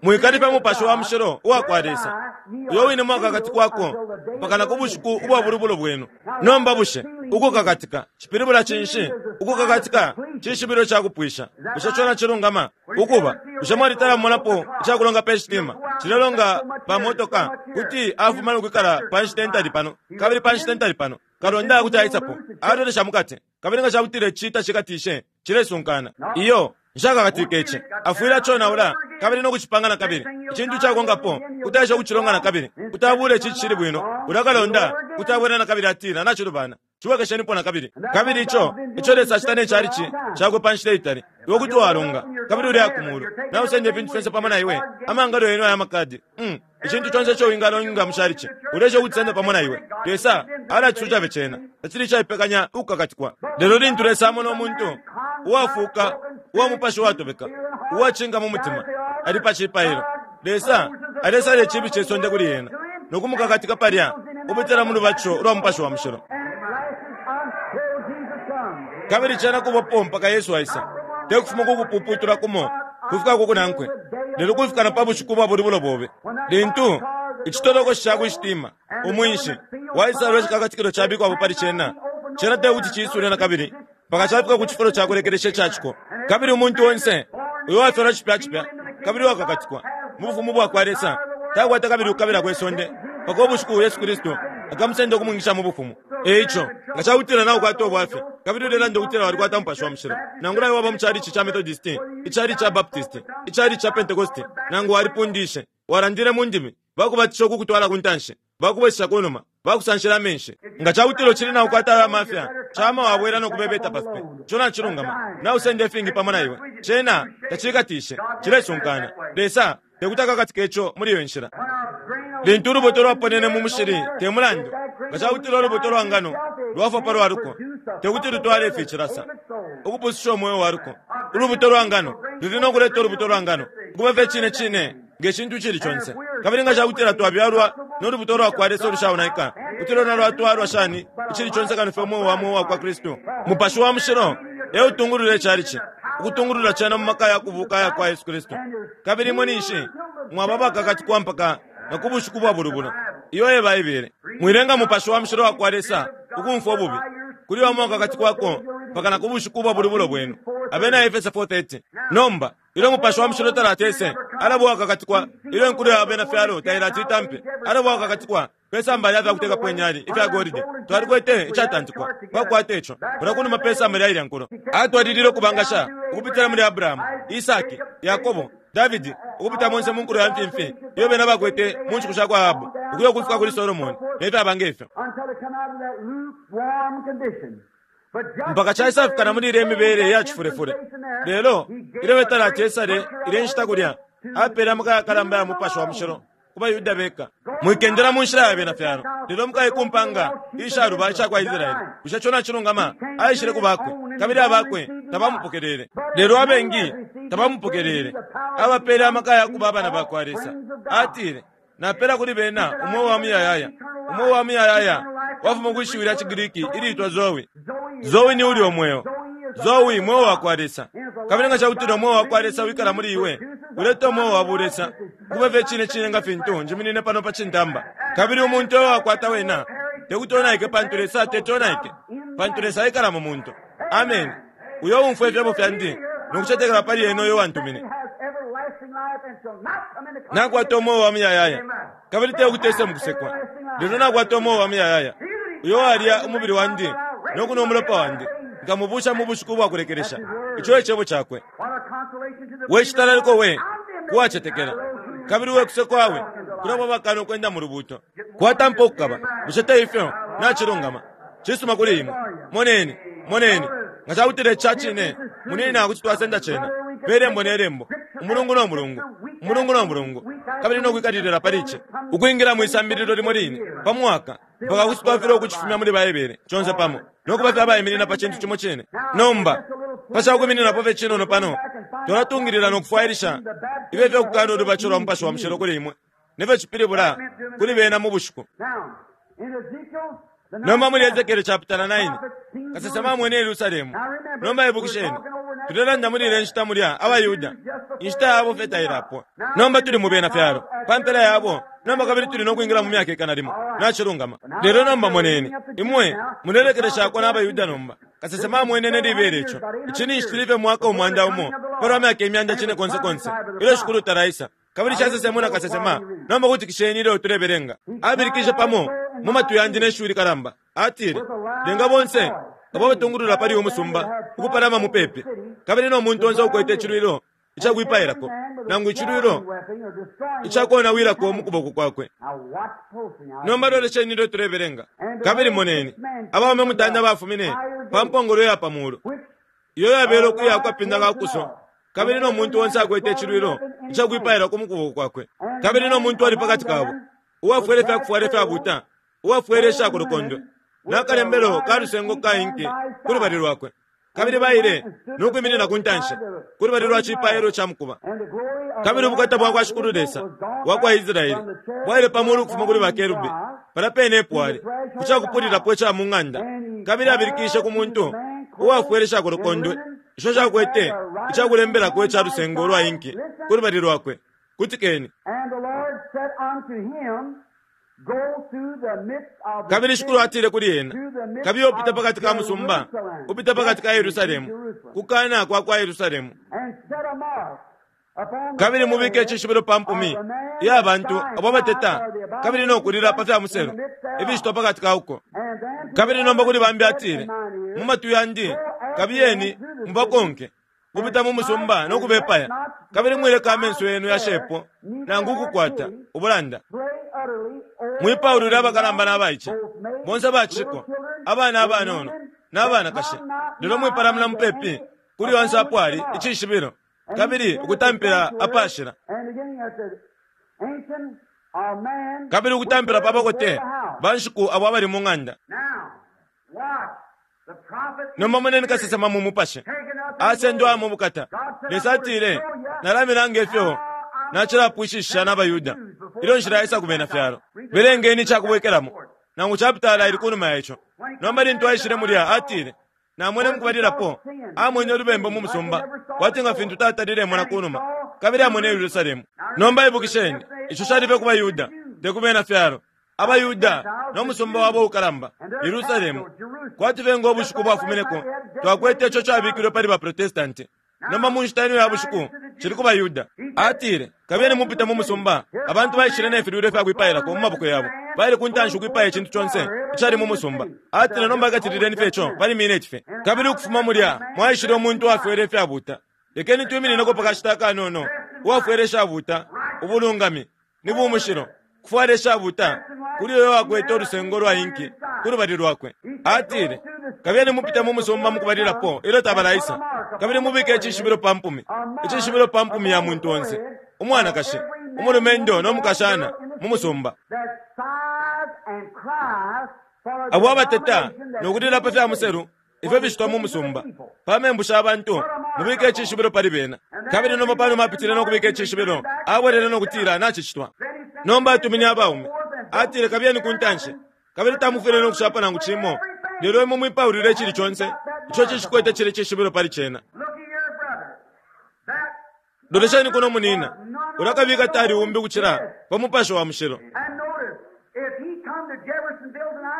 mwikalipe mupashi wa mushilo uwakwa Lesa, uyo wine mwakakatikwako mpaka na ku bushiku ubwa bulubulo bwenu. Nomba bushe ukukakatika cipilibula cinshi? Ukukakatika cishibilo cakupwisha. Bushe cona cilungama? Ukuba bushe mwalitala mumonapo icakulonga pe shitima cilelonga pa motoka kuti afuma nokwikala pa nshita intali pano kabili pa nshita intali pano, kalonda kuti aisapo alolesha mukati, kabili nga cakutila ici tacikatishe cilesunkana. Iyo nshakakatike ici, afwile aconaula kabili nokucipanga na kabili. Icintu cakonkapo kuti aisha kucilonga na kabili, kuti abule ici cili bwino, ulakalonda kuti abwela na kabili atila nacilubana, ciwekeshenipo na kabili. Kabili ico ico Lesa acita ne calici cakwe pa nshita itali, iwe kuti walunga kabili uli akumulu, nausenda ifintu fyonse pamo na iwe, amangalo yenu aya makadi, mm, icintu conse ico wingalonga mu calici ulesha ukucisenda pamo na iwe. Lesa alacisucabe cena, tacili caipekanya ukukakatikwa. Lelo lintu Lesa amona umuntu uwafuuka, uwa mupashi watobeka, uwacinga mu mutima, ali pa cipailo, Lesa alesala icibi ce sonde kuli ena nokumukakatika palya upitila mu lubatisho lwa mupashi wa mushilo. Kabili cena kubapo mpaka Yesu aisa, te kufuma kukupuputula kumo kufika kukunankwe, lelo kufika na pa bushiku bwa bulubulo bobe, lintu icitolokoshi ca kushitima umwinshi waisalwa icikakatikilo cabikwapo pali cena, cena te kuti ciisule na kabili mpaka cafika ku cifulo cakulekelesha icaciko. Kabili umuntu onse uyo wafyalwa cipya cipya kabili wakakatikwa mu bufumu bwakwa Lesa takwata kabili ukukabila kwe sonde mpaka ubushiku Yesu Kristu akamusenda ukumwingisha mu bufumu. Eico nga cakutila naukwata ubwafya kabili ulelanda ukutila walikwata mupashi wa mushilo, nangula iwe waba mu calici ca Methodist, icalici ca Baptist, icalici ca Pentecost, nangu walipundishe walandile mu ndimi, bakubatisha ukukutwala ku ntanshi, bakubwesesha ku numa, bakusanshila amenshi, nga cakutila ucili naukwata ayo amafya, cama wabwela nokubebeta pa fipe. Ico nacilungama, nausenda ifingi pamo na iwe, cena tacikatishe, cilesunkana. Lesa tekuti akakatike ico muli iyo nshila. Lintu ulubuto lwaponene mu mushili, te mulandu nga cakutila ulubuto lwa ngano lwafwa pa lwaluko, tekuti lutwale ificilasa ukupususha umweo waluko. Ulubuto lwa ngano luli nokuleta ulubuto lwa ngano ukuba fye cine cine nge cintu cili conse. Kabili nga cakutila twabyalwa nolubuto lwakwa Lesa olushaonaika, kuti lwena lwatwalwa shani icili conse kano fye umweo wa mweo wakwa Kristu? Mupashi wa mushilo eutungulula icalici, ukutungulula cena mu maka ya kubuka aya kwa Yesu Kristu. Kabili imwe ninshi mwaba bakakatikwa mpaka na ku bushiku bwa bulubulo. Iyo e Baibele. Mwilenga mupashi wa mushilo wakwa Lesa ukumfwa ububi kuli wa mwakakatikwako mpaka na ku bushiku bwa bulubulo bwenu. Abena Efeso four thirty. Nomba ilyo mupashi wa mushilo talatese, alaba wakakatikwa ilyo inkulu ya abena fyalo tailati itampe, alaba wakakatikwa Pesamba lya fyakutekapo inyali ifya golide, twalikwete icatantikwa pakukwata ico kulya kunuma pesamba lya ilya nkulo. Atwalilile ukubangasha ukupitila muli Abrahamu, Isaki, Yakobo, Davidi, ukupita monse mu nkulo ya mfimfi iyo bena bakwete mu nshiku sha kwa Ahabu, ukuya ukufika kuli Solomoni ne fyaba ngefyo, mpaka caisafika na muli ilya imibele ya cifulefule. Lelo ilyo betalati esale ile nshita kulya, apeele amaka yakalamba ya Mupashi wa Mushilo ku baYuda beka. Mwikendela mu nshila ya bena fyalo, lelo mukaye ku mpanga ishaluba isha kwa Israeli. Bushe ico nacilungama? Aishile ku bakwe, kabili abakwe tabamupokelele. Lelo abengi tabamupokelele, abapeele amaka ya kuba abana ba kwa Lesa. Atile, napeela kuli bena umweo wa muyayaya. Umweo wa muyayaya wafuma kwi shiwi lya ciGriki iliitwa Zoe. Zoe ni ulya umweo. Zoe mweo wa kwa Lesa. Kabili nga cakutila umweo wa kwa Lesa wikala muli iwe, uleta umweo wa bulesa, kube fye cine cine nga fintu njiminine pano pa cintamba. Kabili umuntu uyo wakwata wena tekuti onaike, pantu Lesa teti onaike, pantu Lesa aikala mu muntu. Amen. Uyo umfwa ifyebo fyandi no kucetekela pali ena uyo wantumine, nakwata umweo wa muyayaya, kabili tekuti ese mukusekwa, lelo nakwata umweo wa muyayaya. Uyo walya umubili wandi no kunwa umulopa wandi, nkamubusha mu bushiku bwa kulekelesha. Ico e cebo cakwe. We citalaliko we kuwacetekela, kabili we kusekwa we kulabo bakana ukwenda mu lubuto. Kwatampa ukukaba. Bushe te ifyo? Nacilungama. Cisuma kuli imwe. Moneni, moneni nga cakutila ica cine, munina kuti twasenda cena pe lembo ne lembo, umulungu no mulungu, umulungu no mulungu, kabili no kwikalilila pali ici, ukwingila mwi sambililo limo line pa mwaka, mpaka kuti twafilwa ukucifumya muli Baibele conse pamo no kuba fye abaiminina pa cintu cimo cine. Nomba pa ca kwimininapo fye cinono pano, twalatungilila no kufwailisha ifyo fyakukana ulubatisho lwa Mupashi wa Mushilo kuli imwe ne fyo cipilibula kuli bena mu bushiku. Nomba muli Ezekiele chapitala nine, kasesema amwene Yerusalemu. Nomba ibukisheni, tulelanda muli ile nshita mulya abaYuda, inshita yabo fye tailapwa. Nomba tuli mu bena fyalo pa mpela yabo. Nomba kabili tuli no kwingila mu myaka ikana limo. Nacilungama. Lelo nomba moneni, imwe mulelekeleshako n'abaYuda nomba. Kasesema amwene ne libele ico. Ici ninshi tuli fye mwaka umwanda umo palwa myaka imyanda cine konse konse ilyo Shikulu talaisa. Kabili casesemwe na kasesema. Nomba kutikisheni ilyo tulebelenga. Abilikishe pamo mu matwi yandi ne shiwi likalamba. Atile, lenga bonse abo batungulula pali umusumba ukupalama mupepi, kabili no muntu onse ukwete icilwilo icakwipailako nangu icilwilo icakonawilako mu kuboko kwakwe. Nomba lolesheni ilyo tulebelenga. Kabili moneni, abaume mutanda bafumine pa mpongolo ya pa mulu, iyo yabele ukuya kukapinda ka kuso, kabili no muntu onse akwete icilwilo icakwipailako mu kuboko kwakwe. Kabili no muntu ali pakati kabo uwafwele ifyakufwala ifyabuta, uwafwele ishakulukondo, nakalembelo ka lusengo ka inki ku lubali lwakwe. Kabili baile no kwiminina ku ntanshi ku lubali lwa cipailo ca mukuba. Kabili ubukata bwa kwa Shikulu Lesa wa kwa Israeli bwaile pa mulu ukufuma kuli bakerubi palya pene epo ali ku cakupulilapo ica mu ng'anda. Kabili abilikishe ku muntu uwafwele ishakulukondwe ico cakwete icakulembelako ica lusengo lwa inki ku lubali lwakwe. Kutikeni. Kabili Shikulu atile kuli ena, kabiye upita pakati ka musumba, upita pakati ka Yerusalemu, kukana kwa kwa Yerusalemu, kabili mubike icishibilo pa mpumi iya bantu abo bateta kabili no kulila pa fya muselu ifishitwa pakati ka uko. Kabili nomba kuli bambi atile, mu matwi yandi, kabiyeni mubakonke kupita mu musumba no kubepaya, kabili mwileka amenso yenu yashepo nangu ukukwata ubulanda. Mwipaulule abakalamba n'abaice, bonse abaciko, abana abanono n'abanakashi, lelo mwipalamula mupepi kuli onse apo ali icishibilo, kabili ukutampila apashila, kabili ukutampila pa bakote banshiku abo abali mu ng'anda. Nomba moneni kasesema mu mupashi asendwa mu bukata. Lesa atile, nalamilanga ifyo nacilapwishisha n'abaYuda ilyo nshila isa ku bena fyalo. Belengeni icakubwekelamo nangu chapitala ili kunuma ya ico. Nomba lintu aishile mulya atile, namwene mukubalilapo amwene ulubembu mu musumba kwati nga fintu tatalile kunuma, kabili amwene Yerusalemu. Nomba ibukisheni, ico cali fye ku baYuda, te ku bena fyalo. AbaYuda no musumba wabo ukalamba Yerusalemu, kwati fye ngo bushiku bwafumineko twakwete ico cabikilwe pali baprotestanti. Nomba mu nshita ino ya bushiku cili ku baYuda. Atile, kabiyeni mupite mu musumba. Abantu baishile ne filwilo ifya kwipailako mu maboko yabo, baile ku ntanshi ukwipaya icintu conse icali mu musumba. Atile, nomba katilileni fye ico pali mineti fye. Kabili ukufuma mulya mwaishile umuntu uwafwele ifyabuta. Lekeni twiminineko pa kashita akanono. Uwafwele ishabuta, ubulungami ni bumushilo, kufwala ishabuta kuli uyo wakwete ulusengo lwa inki ku lubali lwakwe. Atile, kabiyeni mupite mu musumba mukubalilapo ilyo tabalaisa, kabili mubike icishibilo pa mpumi, icishibilo pa mpumi ya muntu onse, umwanakashi, umulumendo no mukashana mu musumba. Abo abateta nokulila pa fya muselu ifyo bicitwa mu musumba, pa membu sha bantu, mubike icishibilo pali bena. Kabili nomba panuma apitile no kubika icishibilo, abwelele no kutila nacicitwa. Nomba atumine abaume, atile, kabiyeni ku ntanshi, kabili tamufwile no kushapa nangu cimo, lelo imwe mwipaulile icili conse ico cishikwete cili cishibilo pali cena. Lolesheni kuno munina, ulakabika tali umbi ukucila pa Mupashi wa Mushilo.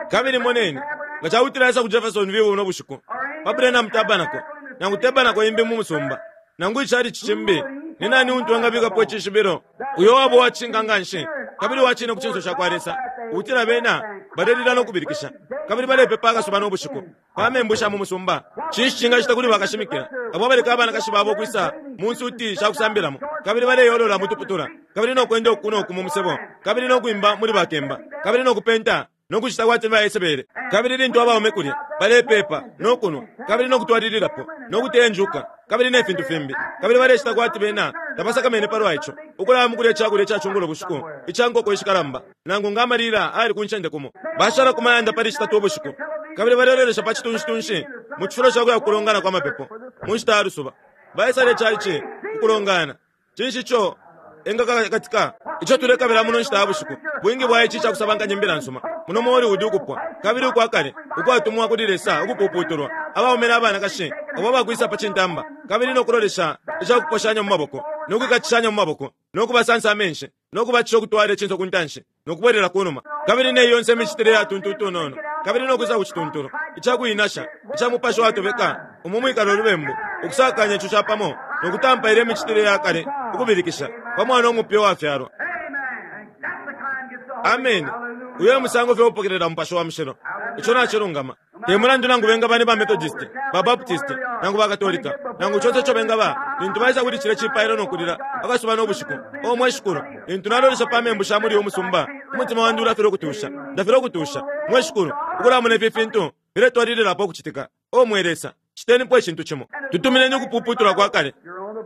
Kabili moneni, nga cakutila aisa ku Jeffersonville buno bushiku, pa Branham Tabernacle, nangu tabernacle imbi mu musumba, nangu icali cicimbi, ni nani untu engabikapo icishibilo? Uyo wabo wacinga nganshi, kabili wacine ku cinso cakwa Lesa, ukutila bena balelila no kubilikisha, kabili balepepa akasuba no bushiku pa membu sha mu musumba. Cinshi cingacita kuli bakashimikila abo abaleka abanakashi babo ukwisa mu nsuti sha kusambilamo, kabili baleyolola mu tuputula, kabili no kwenda uku no ku mu musebo, kabili no kwimba muli bakemba, kabili no kupenta no kucita kwati baesebele? Kabili lintu abaume kulya balepepa no kunwa, kabili no kutwalililapo no kutenjuka, kabili ne fintu fimbi, kabili balecita kwati bena tabasakamene palwa ico, ukulaya mukulya icakulya icacungulo bushiku ica nkoko ishikalamba, nangu nga amalila ali ku ncende kumo, bashala ku mayanda pali citatu ubushiku, kabili balelolesha pa citunshi-tunshi mu cifulo ca kuya kulongana kwa mapepo mu nshita ya lusuba, baisala icalici ku kulongana. Cinshi ico engakakatika ico tulekabila muno nshita ya bushiku? Bwingi bwa ici cakusabankanya imbila nsuma muno mu Hollywood ukupwa, kabili ukwa kale ukwatumwa kuli Lesa ukupuputulwa, abaume n'abanakashi abo abakwisa pa cintamba, kabili no kulolesha icakuposhanya mu maboko no kwikatishanya mu maboko no kubasansa amenshi no kubacisha ukutwala icinso ku ntanshi no kubwelela ku numa, kabili ne yonse imicitile ya tuntu utunono, kabili no kwisa ku cituntulu icakuinasha ica mupashi watobeka umo mwikala ulubembu, ukusakanya ico capamo no kutampa ile imicitile ya kale, ukubilikisha pa mwana umupya uwafyalwa. Amen. Uyo musango fye upokelela Mupashi wa Mushilo. Ico nacilungama. Te mulandu nangu bengaba ni ba Methodist, ba Baptist, nangu ba Katolika, nangu conse ico bengaba, lintu baisa kuli cilya cipailo no kulila akasuba no bushiku, o mwe Shikulu, lintu nalolesha pa membu sha muli uyu musumba, umutima wandi ulafilwa ukutusha, ndafilwa ukutusha, mwe Shikulu, ukulamona ifi fintu filetwalililapo ukucitika. O mwe Lesa, citenipo icintu cimo. Tutumineni ukupuputulwa kwa kale.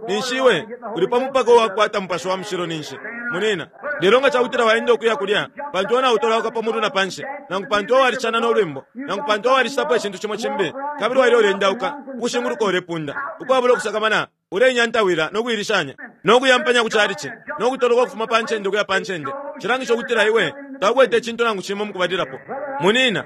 Ninshi iwe uli pa mupaka uwakwata Mupashi wa Mushilo ninshi, munina. Lelo nga cakutila waenda ukuya kulya, pantu nautolauka pa mulu na panshi, nangu pantu walicana no lwimbo, nangu pantu walicitapo icintu cimo cimbi, kabili waile ulendauka ukushinguluka ulepunda, ukwabula ukusakamana, uleinyantawila no kuilishanya, no kuyampanya ku calici, no kutoloka ukufuma pa ncende ukuya pa ncende, cilangisha ukutila iwe takwete icintu nangu cimo mukubalilapo. Munina,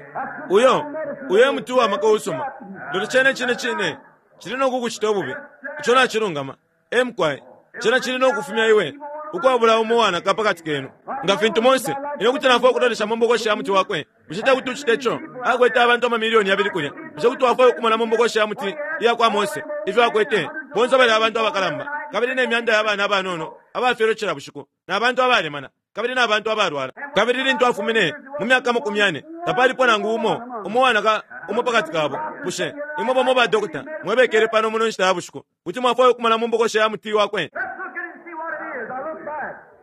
uyo, uyo e muti uwa maka uusuma, lelo cene cine cine cili no kukucita ububi. Ico nacilungama. Emkwai, cena cili no kufumya iwe ukwabula umo wanaka pakati kenu. Nga fintu Mose, ine kuti nafwaya ukulolesha mu mbokoshi ya muti wakwe. Bushe te kuti ucite ico? Akwete abantu amamilioni yabili kulya. Bushe kuti wafwaya ukumona mu mbokoshi ya muti iya kwa Mose ifyo akwete? Bonse bali abantu abakalamba, kabili ne myanda ya bana abanono abafyelwe cila bushiku, na bantu abalemana, kabili na bantu abalwala. Kabili lintu afumine mu myaka makumi yane, tapalipo nangu umo umo wanaka umo pakati kabo. Bushe imwe bamo ba dokota mwebekele pano muno nshita ya bushiku, kuti mwafwaya ukumona mu mbokoshi ya muti wakwe?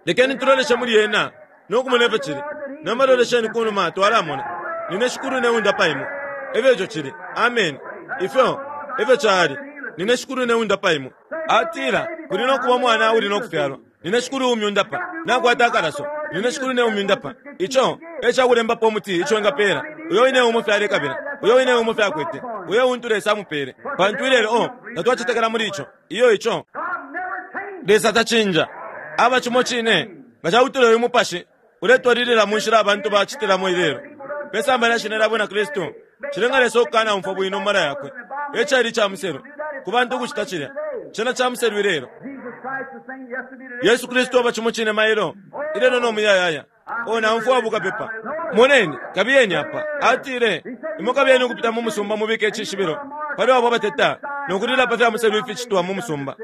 Lekeni tuloleshe muli yena no kumona ifyo cili. Nomba lolesheni kunuma twalamona. Nine Shikulu neundapa imwe. Efyo ico cili. Amen. Ifyo efyo cali. Nine Shikulu neundapa imwe. Atila kuli no kuba mwana uli no kufyalwa. Nine Shikulu umyundapa. Nakwata akalaso. Nine Shikulu ne umyundapa. Ico e cakulembapo umuti ico engapela. Uyo wine umo fyalekabila. Uyo wine umo fyakwete. Uyo untu Lesa amupele. Pantu ilelo o tatwacetekela muli ico. Iyo ico. Lesa tacinja. Aba cimo cine nga cakutila uyu mupashi uletwalilila mu nshila abantu bacitilamo ilelo pe samba lya shina lya bwina Kristu, cilenga Lesa ukukana umfwa bwino mu mala yakwe. E cali ca muselu ku bantu ukucita cilya. Cena ca muselu ilelo. Yesu Kristu aba cimo cine mailo, ilelo no muyayaya. O naumfwa bukapepa. Moneni, kabiyeni apa. Atile, imwe kabiyeni ukupita mu musumba mubike icishibilo. pali abo abateta nokulila pa fya muselu ificitwa mu musumba.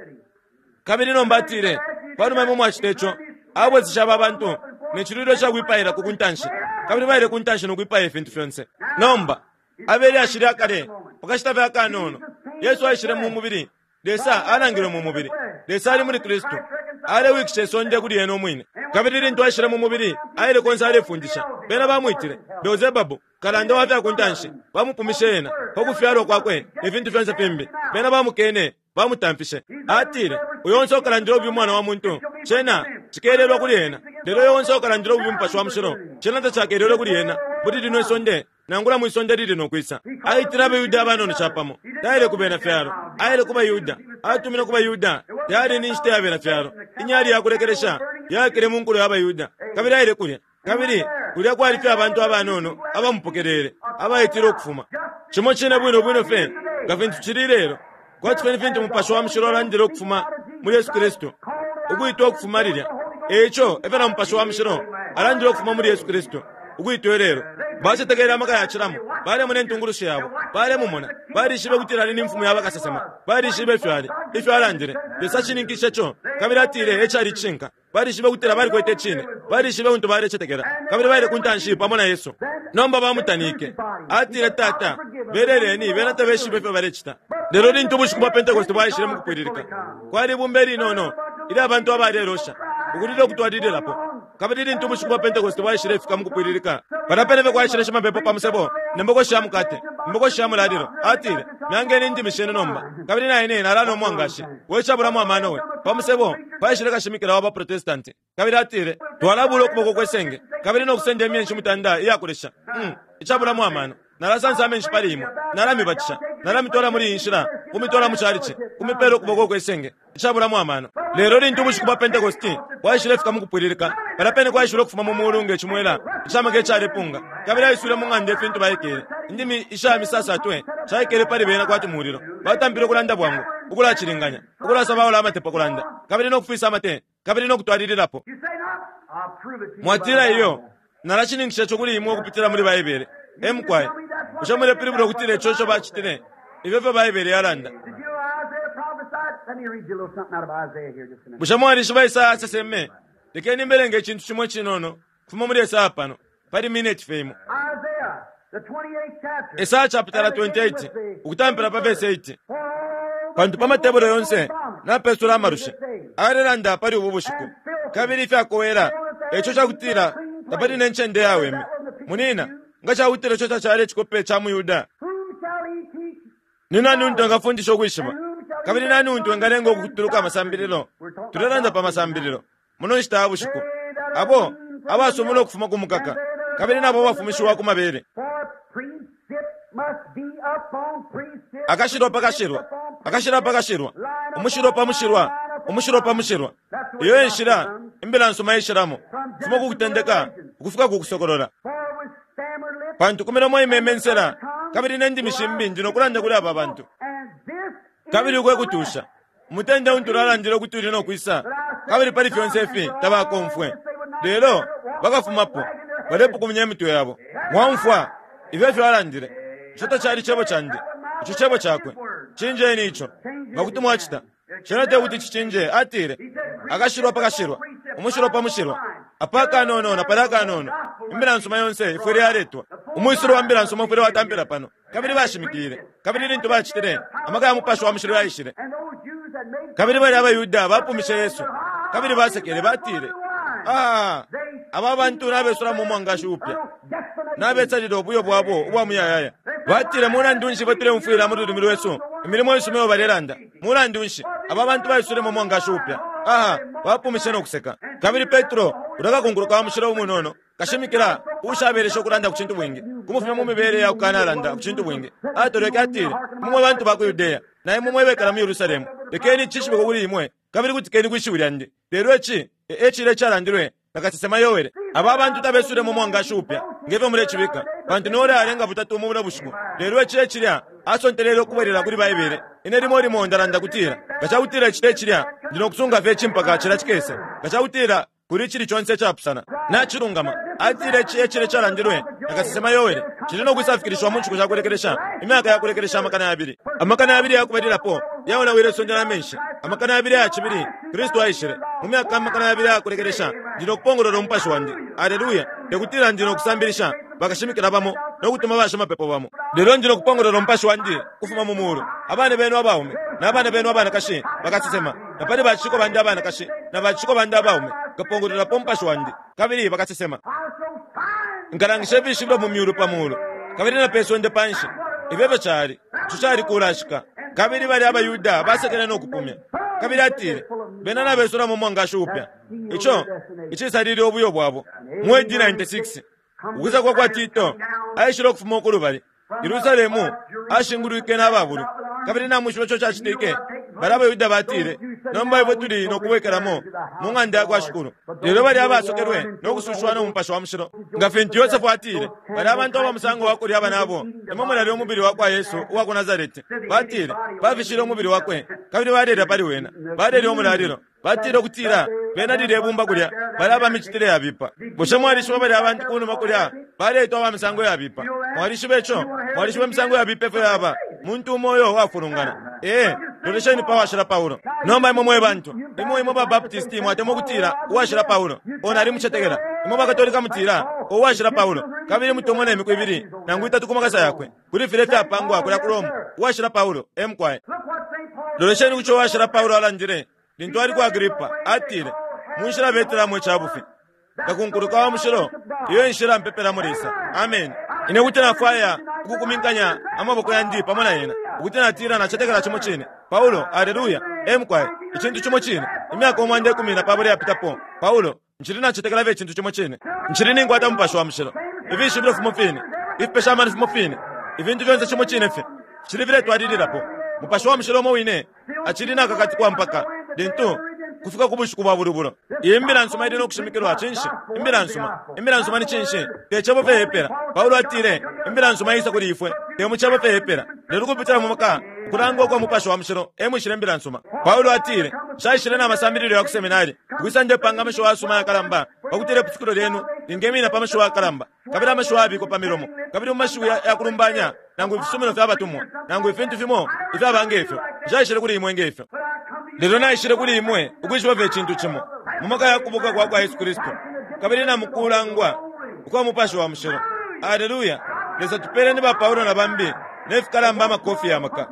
Kabili nomba atile, panuma imwe mwacita ico, abwesesha aba bantu ne cilwilo ca kwipailako ku ntanshi, kabili baile ku ntanshi no kwipaya ifintu fyonse. Nomba abeli ashili akale pakashita fye akanono, Yesu aishile mu mubili. Lesa alangilwe mu mubili. Lesa ali muli Kristu, alewikisha isonde kuli ena umwine. Kabili lintu aishile mu mubili, aile konse alefundisha. Bena bamwitile Beelzebabu, kalanda wa fya ku ntanshi. Bamupumishe ena pa kufyalwa kwakwe ne fintu fyonse fimbi. Bena bamukene, bamutamfishe. Atile, uyo onse ukalandila ububi Umwana wa muntu, cena cikelelwa kuli ena. Lelo uyo onse ukalandila ububi Mupashi wa Mushilo, cena tacakelelwe kuli ena muli lino isonde, nangula mwi sonde lili no kwisa. Aitile abaYuda abanono capamo. Taile ku bena fyalo, aile ku baYuda. Atumine ku baYuda. Tayali ni nshita ya bena fyalo. Inyali ya kulekelesha yakile mu nkulo ya baYuda, kabili aile kulya. Kabili kulya kwali fye abantu abanono abamupokelele, abaitile ukufuma. Cimo cine bwino bwino fye nga fintu cili lelo, kwati fye ni fintu Mupashi wa Mushilo alandile ukufuma muli Yesu Kristu, ukwitwa ukufuma lilya. Eico efyo na Mupashi wa Mushilo alandile ukufuma muli Yesu Kristu, ukwitwa lelo. Bacetekele amaka yacilamo, balemona intungulushi yabo, balemumona, balishibe kutila ali ni mfumu ya bakasesema, balishibe ifyo ali, ifyo alandile. Lesa ashininkishe co, kabili atile ecali icishinka. Balishibe kutila balikwete icine, balishibe untu balecetekela, kabili baile ku ntanshi pamo na Yesu. Nomba bamutanike. Atile, Tata, beleleni, bena tabeshibe ifyo balecita. Lelo lintu ubushiku bwa Pentekoste bwaishile mu kupwililika, kwali ibumba ilinono ilya abantu abalelosha, ukulila ukutwalililapo. Kabili lintu ubushiku bwa Pentekoste bwaishile ifika mu kupwililika, palya pene fye kwaishile shimapepo pa musebo ne mbokoshi ya mukate, imbokoshi ya mulalilo. Atile, myangeni indimi shenu nomba, kabili na ine nalanwa umwangashi we cabulamo amano we. Pa musebo paishile kashimikila wa baprotestanti, kabili atile, twalabula ukuboko kwe senge, kabili no kusenda imyenshi mutanda iyakulesha. Mm, icabulamo amano. Nalasansa amenshi pali imwe, nalamibatisha, nalamitwala muli iyi nshila, kumitwala mu calici, kumipela ukuboko kwe senge, icabulamo amano. Lelo lintu ubushiku bwa Pentekoste bwaishile fika mu kupwililika, palya pene kwaishile ukufuma mu mulu nge cimwela icamaka icalepunga, kabili aiswile mu ng'anda ifintu baikele. Indimi isha misasatwe shaikele pali bena kwati mulilo. Batampile ukulanda bwangu, ukulacilinganya, ukulasabaula amate pa kulanda, kabili no kufisa amate, kabili no kutwalililapo. Mwatila iyo, nalashininkisha ico kuli imwe ukupitila muli Baibele. Emukwaye, bushe mulepilibula ukutila ico ico bacitile? Ifyo fyo Baibele yalanda. Bushe mwalishiba Isaya aseseme? Lekeni mbelenge icintu cimo icinono kufuma muli Esaya pano, pali mineti fye imo. Esaya chapitala twenty-eight, ukutampila pa verse eight. Pantu pa matebolo yonse napesula amalusha, alelanda pali ubu bushiku, kabili ifyakowela, eco cakutila tapali ne ncende yaweme. Munina, nga cakutila ico tacali icikope ca muYuda, ni nani untu engafundisha ukwishiba? Kabili nani untu engalenga ukutuluka amasambililo? Tulelanda pa masambililo muno nshita ya bushiku. Abo abasumula ukufuma ku mukaka, kabili nabo bafumishiwa ku mabele. Akashilwa pa kashilwa, akashilwa pa kashilwa, umushilwa pa mushilwa, umushilwa pa mushilwa. Iyo enshila imbila nsuma ishilamo, kufuma ku kutendeka ukufika ku kusokolola. Pantu ku milomo imeme nsela, kabili ne ndimi shimbi ndi no kulanda kuli aba bantu. Kabili ukwe kutusha umutende untu ulalandile ukuti uli no kwisa, kabili pali fyonse ifi tabakomfwe. Lelo bakafumapo balepukumya imitwe yabo. Mwaumfwa ifyo ifyo alandile. Ico tacali cebo candi, ico cebo cakwe. Cinjeni ico nga kuti mwacita. Cena te kuti cicinje. Atile, akashilwa pa kashilwa, umushilwa pa mushilwa, apa kanono na pali akanono. Imbila nsuma yonse ifwile yaletwa. Umwisilo wa mbila nsuma ufwile watampila pano. Kabili bashimikile, kabili lintu bacitile, amaka ya Mupashi wa Mushilo yaishile. Kabili bali abaYuda bapumishe Yesu, kabili basekele, batile, ah, aba bantu nabesulamo umwangashi upya, nabetsalile ubuyo bwabo ubwa muyayaya. Batile, mulandu nshi batuleumfwila mu lulimi lwesu imilimo isuma iyo balelanda? Mulandu nshi aba bantu baisulemo umwangashi upya? Aha, bapumishe no kuseka. Kabili Petro, ulakakunguluka wa mushilo umunono, kashimikila ushabelesha ukulanda ku cintu bwingi, kumufumya mu mibele ya kukanalanda ku cintu bwingi, atolweke atile, mumwe bantu ba ku Yudeya, na imwe mwebekala mu Yerusalemu, lekeni cishibikwe kuli imwe, kabili kutikeni kwishiwi lyandi. Lelo ici ecile calandilwe na kasesema Yoele. Aba bantu tabesulemo umwangashi upya ngefyo mulecibika, pantu nole alenga butatu mu buno bushiku. Lelo ici ecilya asontelele ukubwelela kuli Baibele. Ine limo limo ndalanda kutila, nga cakutila ici tecilya, ndi no kusunga fye icimpaka cila cikese. Nga cakutila kuli icili conse icapusana, nacilungama. Atile ici ecile calandilwe na kasesema Yoele. Cili no kwisafikilishiwa mu nshiku sha kulekelesha, imyaka ya kulekelesha amakana yabili. Amakana yabili yakubalilapo yaonawile isonde na menshi. Amakana yabili aya cibili Kristu aishile. Mu myaka amakana yabili ayakulekelesha ndi no kupongolola umupashi wandi. Aleluya! Tekutila ndi no kusambilisha bakashimikila bamo no kutuma bashimapepo bamo, lelo ndi no kupongolola umupashi wandi kufuma mu mulu. Abana benu abaume na abana benu abanakashi bakasesema, na pali baciko bandi abanakashi na baciko bandi abaume nkapongololapo umupashi wandi, kabili bakasesema. Nkalangisha ifishibilo mu myulu pa mulu kabili na pe sonde panshi. Ifyo cali ico cali kulashika. Kabili bali abaYuda basekele no kupumya. Kabili atile bena nabesulamo umwangashi upya, ico icisalile ubuyo bwabo. Mu A D ninety-six ukwisa kwa kwa Tito aishile ukufuma ukulubali Yerusalemu ashingulwike n'ababulu. Kabili namwishiba ico cacitike, bali abaYuda batile, nomba ifwe tuli no kubwekelamo mu ng'anda ya kwa Shikulu. Lelo bali abasokelwe no kusushiwa no mupashi wa mushilo. Nga fintu Yosefu atile, bali abantu aba musango wa kulya abanabo, emo mulali umubili wa kwa Yesu uwa ku Nazareti. Batile bafishile umubili wakwe, kabili balelya pali wena, balelya umulalilo. Batile ukutila bena lile ibumba kulya bali abamicitile yabipa. Bushe mwalishiba bali abantu kunuma kulya baletwa aba misango yabipa? Mwalishiba ico? Mwalishiba imisango yabipa ifyo yaba muntu umo uyo wafulungana. Ee, lolesheni pa washila Paulo. Nomba imwe mwe bantu, imwe imwe ba Baptisti mwatemwa ukutila uwashila Paulo, ona alimucetekela. Imwe bakatolika mutila uwashila Paulo, kabili mutomona imiku ibili nangu itatu ku makasa yakwe kuli file fyapangwa kulya ku Roma. Uwashila Paulo emukwaye. Lolesheni kuco uwashila Paulo alandile lintu ali ku Agripa, atile munshila betelamo icabufi ngakunkuluka wa mushilo, iyo inshila mpepelamo Lesa. Amen. Ine kuti nafwaya ukukuminkanya amaboko yandi pamo na yena, ukuti natila nacetekela cimo cine. Paulo, aleluya, emukwaye, icintu cimo cine. Imyaka umwanda ikumi na pabula yapitapo, Paulo, nchili nacetekela fye icintu cimo cine. Nchili ninkwata mupashi wa mushilo, ifishibilo fimo fine, ifipesha amano fimo fine, ifintu fyonse cimo cine fye cili filetwalililapo. Mupashi wa mushilo umo wine acili nakakatikwa mpaka lintu kufika ku bushiku bwa bulubulo. Iyi mbila nsuma ili no kushimikilwa cinshi? Imbila nsuma. Imbila nsuma ni cinshi? Te cebo fye yepela. Paulo atile imbila nsuma isa kuli ifwe te mu cebo fye yepela, lelo kupitila mu maka ukulangwa kwa mupashi wa mushilo emwishile imbila nsuma. Paulo atile shaishile na masambililo ya ku seminari kwisa ndepanga amashiwi asuma yakalamba pakutile pusukilo lyenu lingemina pa mashiwi yakalamba, kabili amashiwi abikwa pa milomo, kabili mu mashiwi yakulumbanya nangu ifisumino fya batumwa nangu ifintu fimo ifyaba ngefyo. Nshaishile kuli imwe ngefyo, lelo naishile kuli imwe ukwishiba fye icintu cimo mu maka ya kubuka kwa kwa Yesu Kristu kabili na mukulangwa ukwa mupashi wa mushilo. Aleluya! Lesa tupeleni ba Paulo na bambi nefikalamba amakofi ya maka,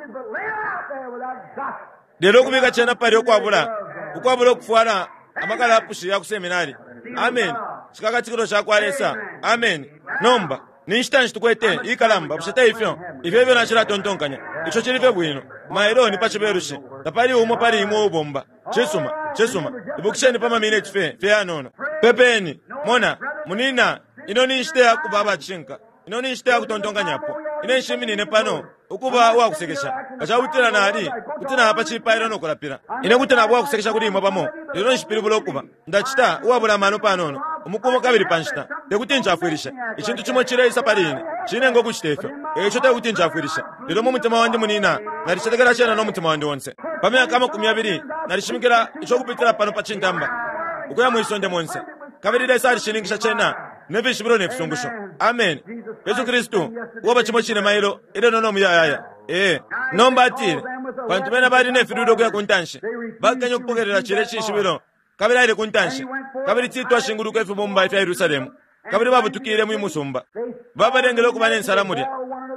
lelo ukubika cena pali ukwabula ukwabula ukufwala amakalapushi ya ku seminari. Amen. Cikakatikilo ca kwa Lesa. Amen. Nomba ni nshita nshi tukwete ikalamba? Bushe te ifyo? Ifyo ifyo nacilatontonkanya. Ico cili fye bwino. Mailo ni pa cibelushi, tapali umo pali imwe ubomba. Cisuma, cisuma. Ibukisheni pa mamineti fye fye yanono. Pepeni. Mona, munina, ino ni nshita ya kuba abacinka. Ino ni nshita ya kutontonkanyapo. Ine nshiminine pano ukuba uwakusekesha. Kacakutila nali kuti napa cipailo no kulapila. Ine kuti naba uwakusekesha kuli imwe pamo, lelo nshipilibula ukuba ndacita uwabula amano panono umukumo kabili pa nshita. Tekuti ncafwilishe. Icintu cimo cileisa pali ine cinenga ukucita ifyo, eico tekuti ncafwilisha. Lelo mu mutima wandi munina nalicetekela cena no mutima wandi onse. Pa myaka amakumi abili nalishimikila ico kupitila pano pa cintamba ukuya mwisonde monse, kabili Lesa alishininkisha cena nefishibilo nefisungusho. Amen. Yesu Kristu uwaba cimo cine mailo ilelo no muyayaya. Ee, nomba atile pantu bena bali nefilwilo ukuya ku ntanshi, bakenya ukupokelela cile cishibilo, kabili aile ku ntanshi. Kabili Tito ashinguluka ifibumba ifya Yerusalemu, kabili babutukile mu musumba, babalengele ukuba nensala mulya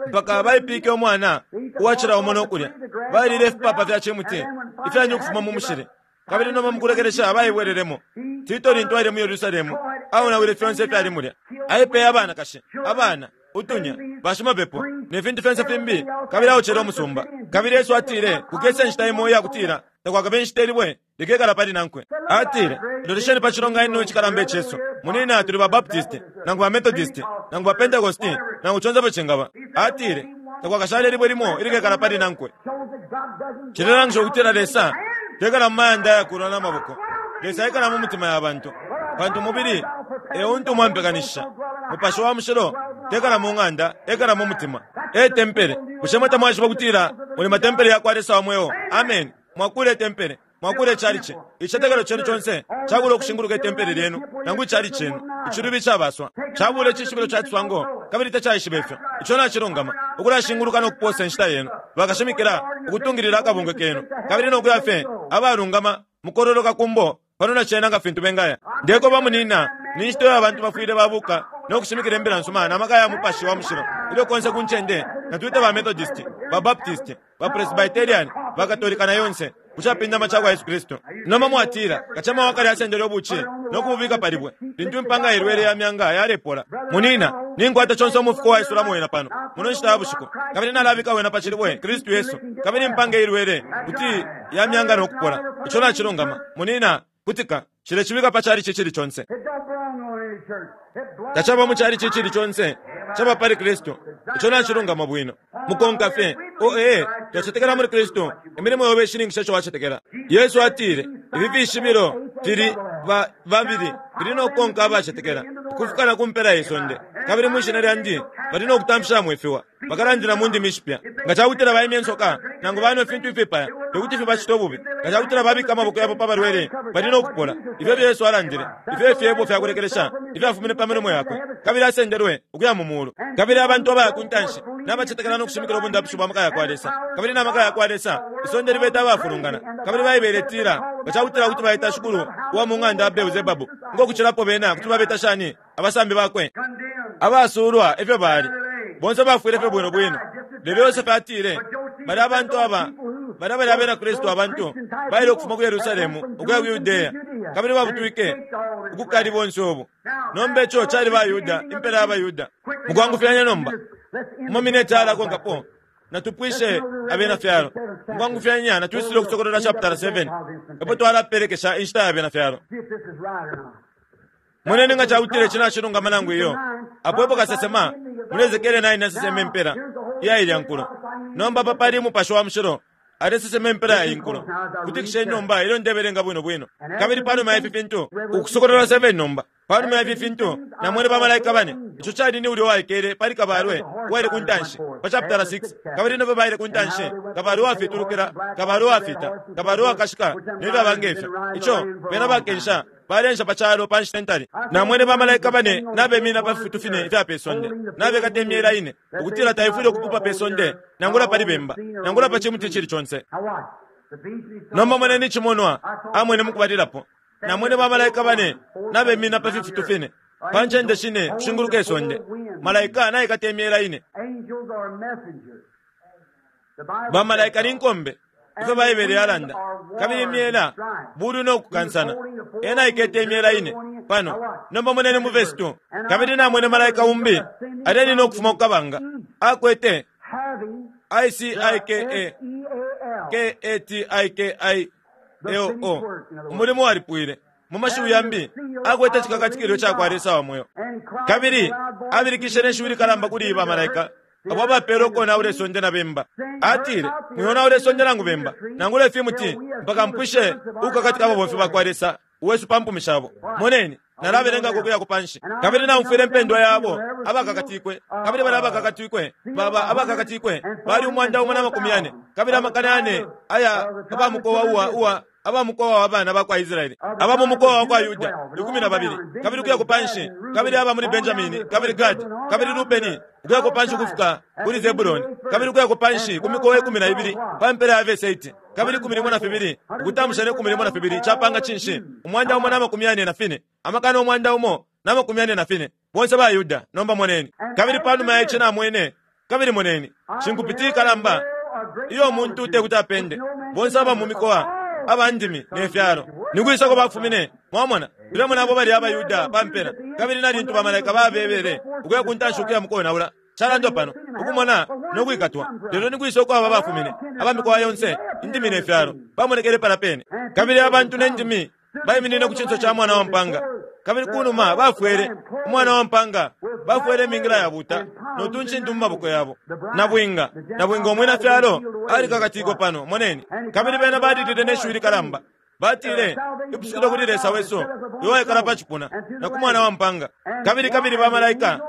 mpaka baipike umwana uwacila umo no kulya. Balile ifipapa fya cimuti ifyanyu ukufuma mu mushili, kabili nomba mukulekelesha baibwelelemo. Tito lintu aile mu Yerusalemu aonawile fyonse ifyali mulya, aipeye abanakashi, abana, utunya, bashimapepo ne fintu fyonse fimbi, kabili aocele umusumba. Kabili Yesu atile kukesa inshita imo iyakutila takwakabe inshita ilibwe likekala pali nankwe. Atile lolesheni pa cilonganino icikalamba icesu. Munina tuli ba Baptisti nangu ba Methodisti nangu ba Pentecosti nangu conse fye cingaba. Atile takwakashale libwe limo ilikekala pali nankwe. Cilelangisha ukutila Lesa tekala mu mayanda ayakulwa n'amaboko. Lesa ekala mu mitima ya bantu, pantu umubili e untu mwampekanishisha. Mupashi wa mushilo tekala mu ng'anda, ekala mu mutima. E tempele. Bushe mwe tamwashiba kutila muli matempele ya kwa Lesa wa mweo? Amen. Mwakule tempele. Mwakule chalichi. Ichicetekelo chenu chonse chakula ukushinguluka itempele lyenu nangu ichali chenu. Ichilubi chabaswa. Chabule chishibilo cha tswango kabili tachaishiba ifyo. Icho nachilungama. Ukulashinguluka nokuposa inshita yenu. Bakashimikila ukutungilila akabungwe kenu. Kabili nokuya fye abalungama mukororoka kumbo pano nachena nga fintu bengaya. Ndeko bamunina ni nshita abantu bafwile babuka nokushimikila imbila nsuma na maka ya mupashi wa mushilo. Ilyo konse kunchende natwita ba Methodist, ba Baptist, ba Presbyterian, ba Katolika na yonse kuchapindama chakwa Yesu Kristo. Noma mwatira kachama wakali asendele obuchi nokububika palibwe lintu impanga ilwele ya myanga yalepola. Munina ninkwata chonse omufuko wa isulamu wena pano muno nshita ya bushiku kabili nalabika wena pachilibwe Kristu Yesu kabili impanga ilwele kuti ya myanga nokupola. Icho nachilungama. Munina kutika chile chibika pachali chichili chonse. It don't belong on any church. It belongs Tachaba muchali chichili chonse chaba pali Kristo. Icho nachilungama bwino. Mukonka fye o ee twachetekela muri Kristo emilimo yobe ishiningisha icho wachetekela. Yesu atile ifi fishibilo fili ba babili bili nokukonka abachetekela ukufika kumpela isonde kabili mwishina lyandi bali nokutamfisha mwefiwa bakalandila mu ndimi ishipya nga chakutila baimya ensoka nangu banwe fintu ifipaya tekuti fibachita obubi nga chakutila babika amaboko yabo pabalwele bali nokupola. Ifyo efyo Yesu alandile ifyo efyebo fyakulekelesha ifyafumine pa milomo yakwe kabili asendelwe ukuya mu mulu. Kabili abantu abaya ku ntanshi n'abachetekela nokushimikila obundapushi bwa maka yakwa Lesa kabili n'amaka yakwa Lesa isonde libeta abafulungana kabili baibele tila nga chakutila kuti baita shukulu uwa mu ng'anda ya Beelzebabu ngokuchilapo bena kuti babeta shani abasambi bakwe condemned. abasulwa efyo bali bonse bafwile fye bwino bwino. Lelo Yosefe atile bali abantu aba bali abali abena Kristu abantu baile ukufuma ku Yerusalemu ukuya ku Yudeya kabili babutwike ukukali bonse obu. Nomba icho chali Bayuda impela y'Abayuda. Mukwangufyanya nomba mu minute alakonkapo natupwishe abena fyalo. Mukwangufyanya natwisile ukusokolola chapter seven epo twalaperekesha inshita ya abena fyalo. See if this is right or not. Mwenene nga chakutile chinachilungama nangu iyo apo epo kasesema muli Ezekiele nine nasesema impela iya ilya nkulo. Nomba apa pali mupashi wa mushilo alesesema impela ya inkulo kutikisheni nomba ilyo ndebelenga bwino bwino. Kabili panuma ya ifi fintu ukusokolola seven nomba panuma ya ifi fintu namwene bamalaika bane icho chali ni ulyo waikele pali kabalwe waile ku ntanshi pa chapter six kabili nobe baile ku ntanshi kabalwe wafitulukila kabalwe wafita kabalwe wakashika nebyo abange ifyo icho bena bakensha balensha pachalo pa nshita ntali. Namwene bamalaika bane nabemina pa fifutu fine ifya pesonde nabekata emyela ine ukutila taifwile okupupa pesonde nangula pali bemba nangula pa chimuti chili chonse. Now watch. The vision he saw Nomba mweneni chimonwa amwene mukubalilapo namwene bamalaika bane nabemina pa fifutu fine pa nchende shine kushinguluka isonde malaika naikata emyela ine. Angels are messengers. The Bible Bamalaika says ni nkombe ifyo Baibele yalanda kabili imyela buli nokukansana ena ikete imyela ine pano. Nomba mweneni mu verse two kabili namwene malaika umbi aleni nokufuma kukabanga akwete having I C I K A S E A L K A T I K I L O umulimu walipwile mu mashiwi yambi akwete chikakatikilo chakwa Lesa wa moyo. and cried Kabili with a loud voice abilikishe n'eshiwi likalamba kuli iba malaika abo abapela okonaula isonde na bemba. Atile mwionaula isonde nangu bemba nangula ifimuti mpaka mpwishe ukukakatika ababomfi bakwa Lesa uwesu pa mpumi shabo. Moneni nalabelengako ukuya kupanshi kabili namfwile impendwa yabo abakakatikwe kabili bali abakakatikwe baba abakakatikwe bali umwanda umo na makumi yane kabili amakana yane aya abamukowa uwa uwa abamukowa wa bana bakwa Israeli aba mu mukowa wa kwa Yuda ikumi na babili kabili ukuya kupanshi kabili aba muli Benjamini kabili Gadi kabili Rubeni ukuya kupanshi kufika kuli Zebuloni kabili ukuya kupanshi ku mikowa ikumi na ibili pa mpela ya verse eight kabili ikumi limo na fibili ukutamusha ne ikumi limo na fibili chapanga chinshi umwanda umo na makumi yane na fine amakana umwanda umo na makumi yane na fine bonse ba Yuda. Nomba moneni kabili panuma ya ichi namwene kabili moneni chinkupiti ikalamba iyo muntu tekuti apende bonse aba mu mikowa abandimi ne fyalo nikwisako bafumine. Mwamona tulemona abo bali abayuda pampela kabili nalintu bamalaika babebele ukuya kuntanshi ukuya mukonaula chalandwa pano ukumona nokwikatwa. Lelo nikwisa uko aba bafumine abamikowa yonse indimi ne fyalo bamonekele pala pene kabili abantu nendimi bayiminine ku chinso cha mwana wa mpanga kabili kunuma bafwele umwana wa mpanga bafwele imingila yabuta notunchintu mu maboko yabo nabwinga nabwinga omwina fyalo ali kakatiko pano moneni kabili bena badidile neshiwi likalamba batile ipusukilo kuli Lesa wesu iwaikala pa chipuna na ku mwana wa mpanga. Kabili kabili bamalaika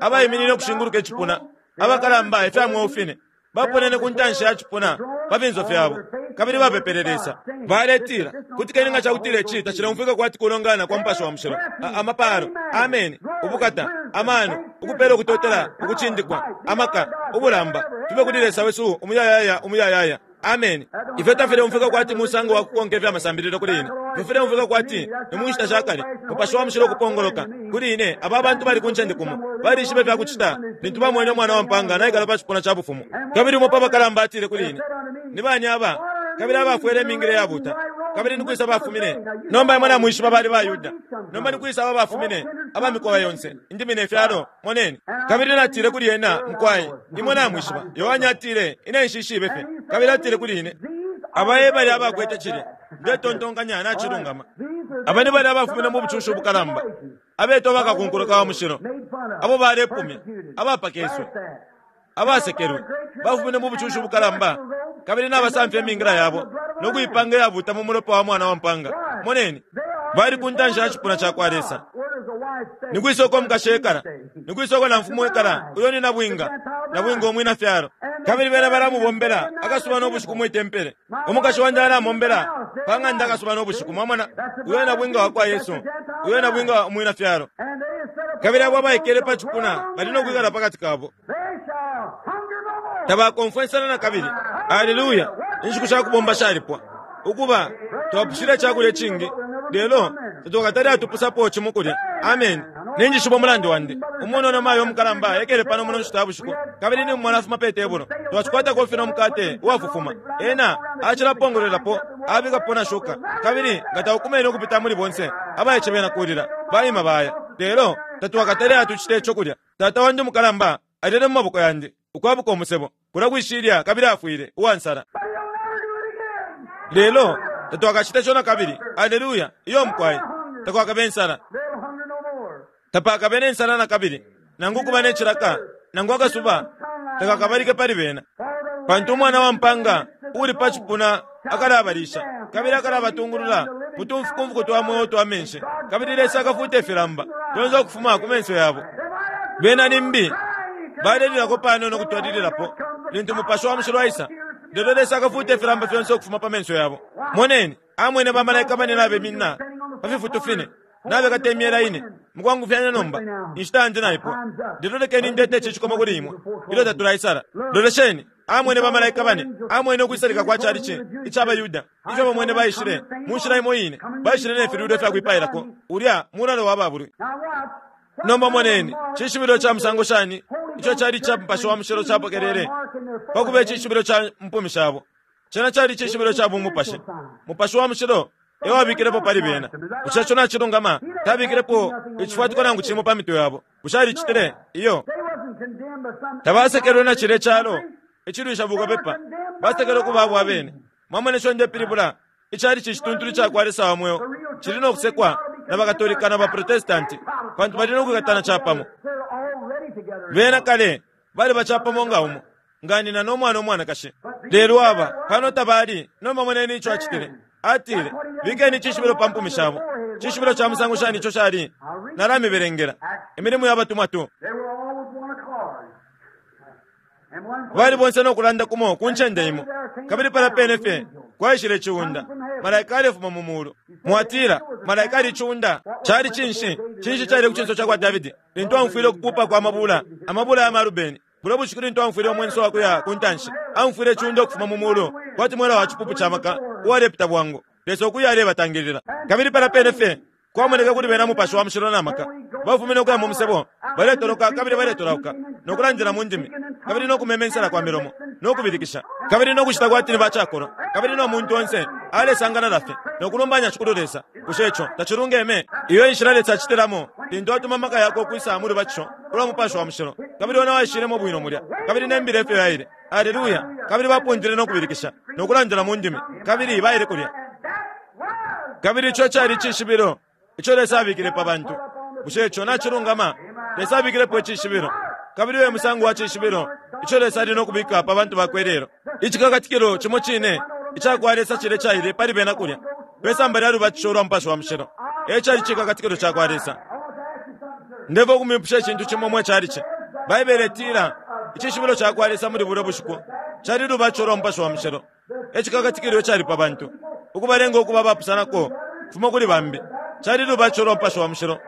abayiminine okushinguluka echipuna abakalamba ifya mweufine Baponene ku ntanshi ya cipuna pa finso fyabo kabili bapepele Lesa, baletila, "Kutikeni nga cakutila ici tacileumfwika kwati kulongana kwa Mupashi wa Mushilo. Amapalo, ameni, ubukata, amano, ukupela ukutotela, ukucindikwa, amaka, ubulamba fibe kuli Lesa wesu umuyayaya umuyayaya, ameni." Ifyo tafileumfwika kwati musango wa kukonka ifya masambililo kuli ine. Ifyo fileumfwika kwati ni mu nshita sha kale, Mupashi wa Mushilo ukupongoloka kuli ine. Aba bantu bali ku ncende kumo, balishibe ifya kucita lintu bamwene Umwana wa Mpanga naikala pa cipuna ca bufumu. Kabili umo pa bakalamba atile kuli ine, "Ni bani aba kabili abafwele imingile yabuta, kabili nikwisa bafumine?" Nomba imwe namwishiba bali baYuda. Nomba nikwisa aba bafumine, aba mikowa yonse, indimi ne fyalo? Moneni. Kabili natile kuli ena, "Mukwai, imwe namwishiba." Yohane atile, "Ine nshishibe fye." Kabili atile kuli ine, "Aba e bali abakwete cilya." Ndetontonkanya nacilungama. Aba ni bali abafumine mu bucushi ubukalamba, abetwa bakakunkuluka wa mushilo, abo balepumya, abapakeswe, abasekelwe, bafumine mu bucushi ubukalamba, kabili nabasamfya imingila yabo no kuipanga iyabuta mu mulopa wa Mwana wa Mpanga. Moneni, bali ku ntanshi ya cipuna ca kwa Lesa. Nikwisa uko mukashi ekala? Nikwisa uko namfumu ekala? Uyo ni nabwinga, nabwinga umwina fyalo. Kabili bena balamubombela akasuba no bushiku mwi tempele. Umukashi wandi alamombela pa ng'anda akasuba no bushiku. Mwamona, uyo nabwinga wa kwa Yesu, uyo nabwinga umwina fyalo. Kabili abo abaikele pa cipuna bali no kwikala pakati kabo, tabakomfwe insala na kabili. Aleluya! Inshiku sha kubomba shalipwa. Ukuba twapushile icakulya icingi, lelo tatwakatale atupusapo cimo kulya. Amen. Ninjishiba umulandu wandi. Umunono mayo umukalamba ekele pano muno nshita ya bushiku, kabili nimumona afuma pe tebulo. Twacikwata kofi no mukate uwafufuma. Ena acilapongolwelapo, abikapo na shuka, kabili nga taukumene ukupita muli bonse abaice bena kulila baima baya. Lelo tatwakatale atucite ico kulya. Tata wandi umukalamba alele mu maboko yandi ukwabuka umusebo kula kwishilya, kabili afwile uwansala. Lelo tatwakacite co na kabili. Aleluya! Iyo mukwai, takwakabe insala, tapakabe ne nsala na kabili, nangu kuba ne cilaka, nangu akasuba takakabalike pali bena, pantu Umwana wa Mpanga uli pa cipuna akalabalisha kabili akalabatungulula mutumfukumfuku twa mweo twa menshi, kabili Lesa akafuta ifilamba fyonse ukufuma ku menso yabo. Bena limbi balelilako panono kutwalililapo lintu Mupashi wa Mushilo aisa, lelo Lesa akafuta ifilamba fyonse ukufuma pa menso yabo. Moneni, amwene bamalaika bane nabeminina pa fifutu fine, nabekata imyela ine. Mukwangufyanya nomba, inshita yandi naipwa, lelo lekeni ndete ici cikomo kuli imwe ilyo tatulaisala. Lolesheni, amwene bamalaika bane, amwene ukwisalika kwa chalichi ic'abaYuda, ifyo bamwene baishile mu nshila imo ine, baishile ne filudo fya kwipailako ulya mulalo wa babulwi. Nomba moneni, cishibilo ca musango shani ico cali ca Mupashi wa Mushilo capokelele pakuba icishibilo ca mpumi shabo? Cena cali cishibilo ca bumupashi. Mupashi wa Mushilo ewabikilepo pali bena. Bushe ico nacilungama? Tabikilepo icifwatiko nangu cimo pa mitwe yabo. Bushe alicitile? Iyo. Tabasekelwe na cile calo icilwisha bukapepa, basekelwe ku babo abene. Mwamone ico ndepilibula? Icali cicituntulu ca kwa Lesa wa mweo cili no kusekwa na bakatolika na baprotestanti, pantu bali no kwikatana capamo. Bena kale bali bacapamo nga umo, nga nina no mwana umwanakashi. Lelo aba pano tabali. Nomba moneni ico acitile. Atile, "Bikeni icishibilo pa mpumi shabo." Cishibilo ca musango shani ico cali? Nalamiberengela Imilimo ya Batumwa two. Bali bonse no kulanda kumo ku ncende imo, kabili pala pene fye kwaishile iciunda, malaika alefuma mu mulu. Mwatila, malaika ali iciunda cali cinshi? Cinshi cali ku cinso ca kwa Davidi lintu amfwile ukupupa kwa mabula, amabula ya marubeni? Bulo bushiku lintu amfwile umwenso wa kuya ku ntanshi, amfwile iciunda ukufuma mu mulu kwati mwela wa cipupu ca maka uwalepita bwangu, Lesa ukuya alebatangilila. Kabili pala pene fye kwamoneka kuli bena Mupashi wa Mushilo na maka. Bafumine ukuya mu musebo, baletoloka kabili baletolauka, no kulandila mu ndimi, kabili no kumemensela kwa milomo, no kubilikisha, kabili no kucita kwati ni bacakolwa, kabili no muntu onse alesangana lafe no kulumbanya Shikulu Lesa. Bushe ico tacilungeme? Iyo inshila Lesa acitilamo lintu atuma amaka yakwe ukwisa mu lubatisho ulwa Mupashi wa Mushilo, kabili ona waishilemo bwino mulya, kabili ne mbila efyo yaile. Aleluya! Kabili bapundile no kubilikisha no kulandila mu ndimi, kabili baile kulya. Kabili ico cali icishibilo ico Lesa abikile pa bantu. Bushe ico nacilungama? Lesa abikilepo icishibilo, kabili uyo musango wa cishibilo ico Lesa ali no kubika pa bantu bakwe lelo. Icikakatikilo cimo cine ica kwa Lesa cile caile pali bena kulya pe samba lya lubatisho lwa Mupashi wa Mushilo. E cali cikakatikilo ca kwa Lesa. Ndeva ukumipusha icintu cimo mwe calici. Baibele itila icishibilo ca kwa Lesa muli bulyo bushiku Cali lubatisho lwa Mupashi wa Mushilo. Ecikakatikilo cali pa bantu, ukubalenga ukuba abapusanako kufuma kuli bambi. Cali lubatisho lwa Mupashi wa Mushilo.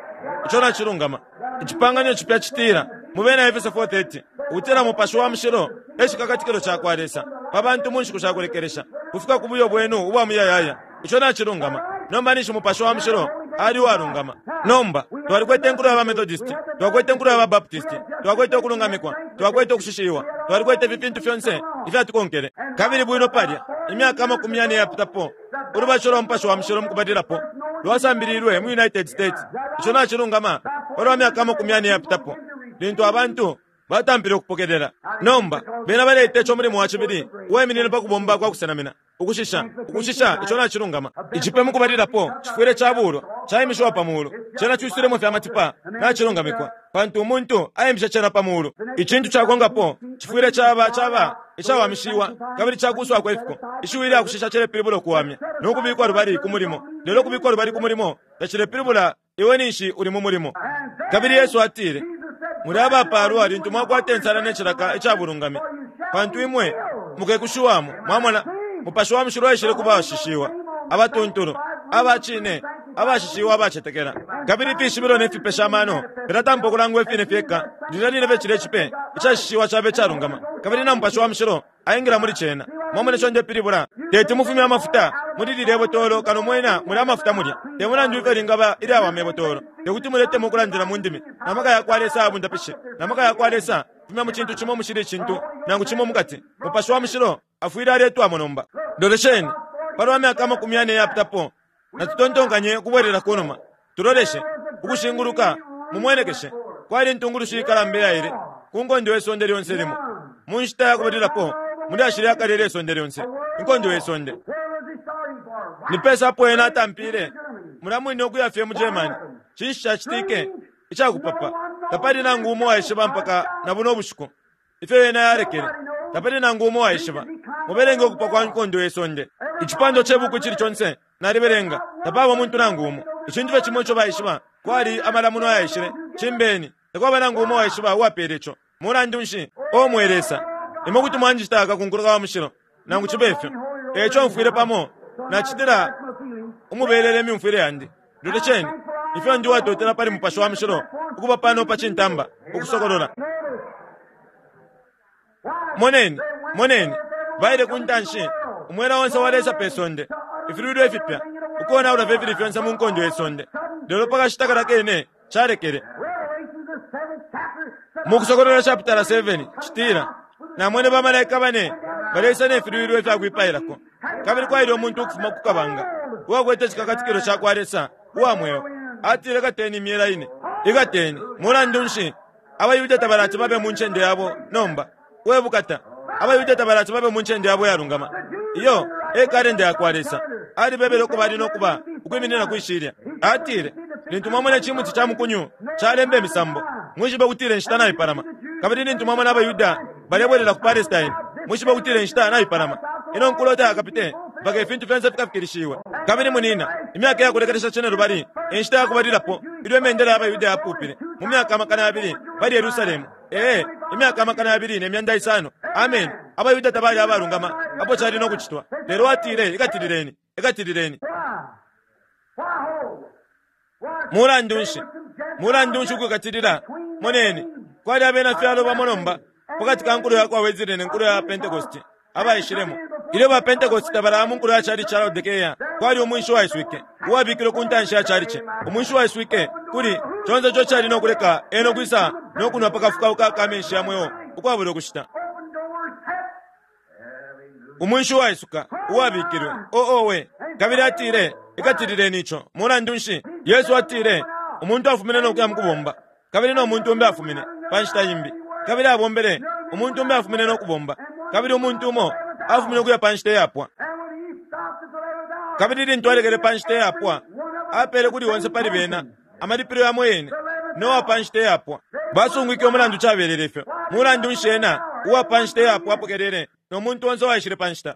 Ico nacilungama. Icipangano cipya citila mu Bena Efeso four thirty ukutila Mupashi wa Mushilo ecikakatikilo cakwa Lesa pa bantu mu nshiku shakulekelesha kufika ku buyo bwenu ubwa muyayaya. Ico nacilungama. Nomba ninshi Mupashi wa Mushilo ali uwalungama. Nomba twalikwete inkulo ya ba Methodist, twakwete inkulo ya ba Baptist, twakwete ukulungamikwa, twakwete ukushishiwa, twalikwete ifi fintu fyonse ifyatukonkele. Kabili bwino palya imyaka amakumi yane yapitapo ulubatisho lwa Mupashi wa Mushilo mukubalilapo lwasambililwe mu United States. Ico nacilungama palwa myaka amakumi yane yapitapo lintu abantu batampile ukupokelela. Nomba bena baleita ico mulimo wa cibili uwaiminine pa kubomba kwa kusenamina, ukushisha, ukushisha. Ico nacilungama. Icipe mukubalilapo cifwile cabulwa, caimishiwa pa mulu, cena cuisulemo fya matipa, nacilungamikwa, pantu umuntu aimisha cena pa mulu. Icintu cakongapo cifwile caba caba icawamishiwa kabili cakuswako ifiko. Ishiwi lya kushisha cilepilibula ukuwamya no kubikwa lubali ku mulimo. Lelo kubikwa lubali ku mulimo tacilepilibula iwe ninshi uli mu mulimo. Kabili Yesu atile, muli abapalwa lintu mwakwata insala ne cilaka icabulungami, pantu imwe mukekushiwamo. Mwamona, Mupashi wa Mushilo aishile kuba abashishiwa, abatuntulu, abacine, abashishiwa, abacetekela. Kabili ifishibilo ne fipesha amano filatampa ukulangwa ifine fyeka lilya line fye cilya cipe icashishiwa cabe icalungama, kabili na Mupashi wa Mushilo aingila muli cena. Mwamona ico ndepilibula? Teti mufumye amafuta muli lilya botolo kano mwena muli amafuta mulya. Te mulandu ifyo lingaba ilyawama ibotolo, tekuti muletemo ukulandila mu ndimi na maka yakwa Lesa abundapishe na maka yakwa Lesa fumya mu cintu cimo mushili icintu nangu cimo mukati. Mupashi wa Mushilo afwile aletwamo nomba. Lolesheni palwa myaka amakumi yane yapitapo, natutontonkanye ukubwelela kunuma, tuloleshe ukushinguluka, mumwenekeshe kwali intungulushi ikalamba iyaile ku nkondo ye sonde lyonse limo mu nshita yakubalilapo muli ashili akale lyesonde lyonse, inkondo ye sonde. Ni pesa apo ena atampile mulya mwine ukuya fye mu Germany. Cinshi cacitike icakupapa? Tapali nangu umo waishiba mpaka na buno bushiku ifyo ena yalekele. Tapali nangu umo waishiba. Mubelenge ukupwa kwa nkondo ye sonde. Icipando ce buku icili conse nalibelenga, tapaba umuntu nangu umo. Icintu fye cimo ico baishiba kwali amalamuno ayaishile cimbeni, takwaba nangu umo waishiba uwapele ico. Mulandu nshi o mwe Lesa, imwe kuti mwanjita akakunkuluka wa mushilo nangu cibe ifyo. Eco mfwile pamo nacitila umubelele imyumfwile yandi. Lolesheni ifyo ndi watotela pali Mupashi wa Mushilo ukuba pano pa cintamba ukusokolola. Moneni, moneni baile ku ntanshi umwela onse wa Lesa pe sonde, ifilwilo ifipya ukonaula fye fili fyonse mu nkondo ye sonde. Lelo pakashita kala kene calekele. Mu Kusokolola chapitala seven citila, namwene bamalaika bane baleisa ne filwilo ifyakwipailako, kabili kwaile umuntu ukufuma ku kabanga uwakwete icikakatikilo cakwa Lesa uwa mweo. Atile, ikateni imyela ine, ikateni. Mulandu nshi abayuda tabalati babe mu ncende yabo nomba? Webukata, abayuda tabalati babe mu ncende yabo yalungama. Iyo e kalenda yakwa Lesa. Alibebele uko bali nokuba ukwiminina kwishilya. Atile, lintu mwamona icimuti ca mukunyu calemba imisambo, mwishibe kutila inshita naipalama. Kabili lintu mwamona abayuda balebwelela ku Palestine, mwishibe kutila inshita naipalama. Ino nkulo tayakapite mpaka ifintu fyonse fikafikilishiwe. Kabili munina, imyaka yakulekelesha cene lubali, inshita yakubalilapo ilyo imendela y'abayuda yapupile mu myaka amakana yabili pali Yerusalemu. Ee, imyaka amakana yabili ne myanda isano. Amen. Abayuda tabali abalungama apo cali no kucitwa, lelo atile, ikatilileni, ikatilileni. Mulandu nshi? Mulandu nshi ukukatilila? Moneni, kwali abena fyalo bamo nomba pakati ka nkulo yakwa Wesley ne nkulo ya Pentecost abaishilemo. Ilyo ba Pentecost tabalaya mu nkulo ya cali ca Laodicea, kwali umwinshi waiswike uwabikilwe ku ntanshi ya calice. Umwinshi waiswike kuli conse ico cali no kuleka ena ukwisa no kunwa pa kafukauka ka menshi ya mweo ukwabula ukushita. Umwinshi waisuka uwabikilwe oowe. Kabili atile, ikatilileni ico. Mulandu nshi? Yesu atile, umuntu afumine no kuya mukubomba, kabili no muntu umbi afumine pa nshita imbi, kabili abombele. Umuntu umbi afumine no kubomba, kabili umuntu umo afumine ukuya pa nshita iyapwa. Kabili lintu alekele pa nshita iyapwa, apele kuli onse pali bena amalipilo yamo yene nowa pa nshita iyapwa. Basungwike umulandu cabelele ifyo. Mulandu nshi ena uwa pa nshita iyapwa apokelele no muntu onse waishile pa nshita?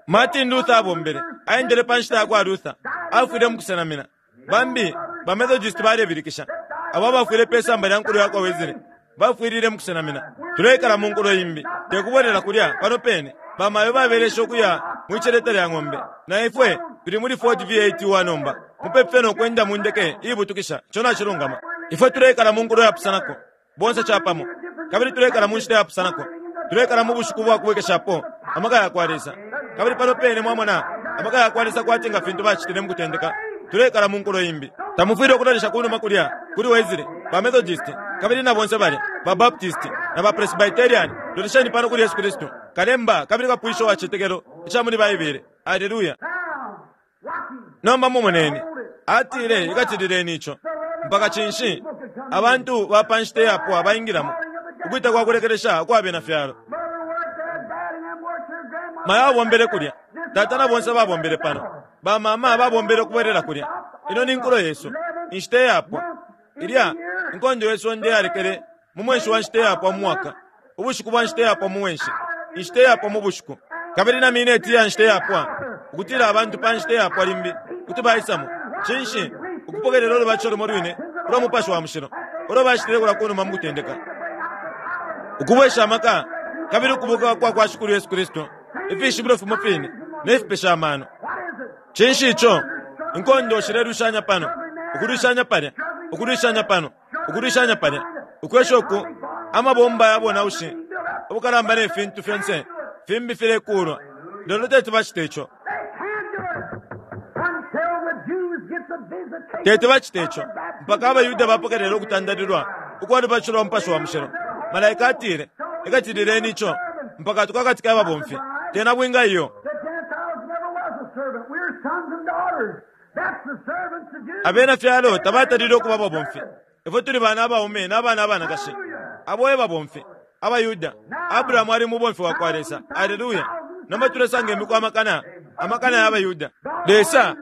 Martin Luther abombele, aendele pa nshita yakwa Luther, afwile mukusenamina. Bambi ba Methodist balebilikisha, abo abafwile pe samba lya nkulo yakwa Wesley bafwilile mukusenamina. Tuleikala mu nkulo imbi, Tekubwelela kulya pano pene. Bamayo babelesha ukuya mwiceleta lya ng'ombe. Na ifwe tuli muli Ford V eight wa nomba. Mupepe no kwenda mu ndeke ibutukisha. Ico nacilungama. Ifwe tulekala mu nkulo yapusanako. Bonse capamo. Kabili tulekala mu nshita yapusanako. Tulekala mu bushiku bwa kubwekeshapo amaka ya kwa Lesa. Kabili pano pene mwamona amaka ya kwa Lesa kwati nga fintu bacitile mu kutendeka. Tulekala mu nkulo imbi. Tamufwile ukulolesha kunuma kulya kuli Wesley, ba Methodist, kabili na bonse balya, ba Baptist na ba Presbyterian. Lolesheni pano kuli Yesu Kristu, kalemba kabili kapwisho wa citetekelo ica muli Baibele. Haleluya. Nomba mumoneni. Atile ikatilileni ico. Mpaka cinshi abantu ba pa nshita yapwa baingilamo ukwita kwa kulekelesha kwa bena fyalo. Mayo abombele kulya, tata na bonse babombele pano, ba mama babombele ukubwelela kulya. Ino ni nkulo yesu, inshita yapwa. Ilya inkondo yesu nde yalekele mu mwenshi wa nshita yapwa mu mwaka, ubushiku bwa nshita yapwa mu mwenshi, inshita yapwa mu bushiku. Kabili na mineti ya nshita yapwa, ukutila abantu pa nshita yapwa limbi kuti baisamo. Cinshi ukupokelela ulubatisho lumo lwine ulwa Mupashi wa Mushilo ulo bacitile kulya kunuma mu kutendeka, ukubwesha amaka kabili ukubuka kwa kwa Shikulu Yesu Kristu, ifishibilo fimo fine ne fipesha amano. Cinshi ico? Inkondo shilelwishanya pano, ukulwishanya palya, ukulwishanya pano, ukulwishanya palya, ukwesha uku amabomba ya bonaushi ubukalamba ne fintu fyonse fimbi filekulwa. Lelo teti bacite ico. Teti bacite ico mpaka abayuda bapokelela ukutandalilwa ukwa lubatisho lwa Mupashi wa Mushilo. Malaika atile ikatilileni ico mpaka tukakatika ababomfi. Tena bwinga iyo. Abena fyalo tabatalile ukuba ababomfi. Ifwe tuli bana abaume n'abana abanakashi. Abo e babomfi abayuda. Abrahamu ali mubomfi wa kwa Lesa. Haleluya. Nomba tulesanga imiku amakana amakana y'abayuda. Lesa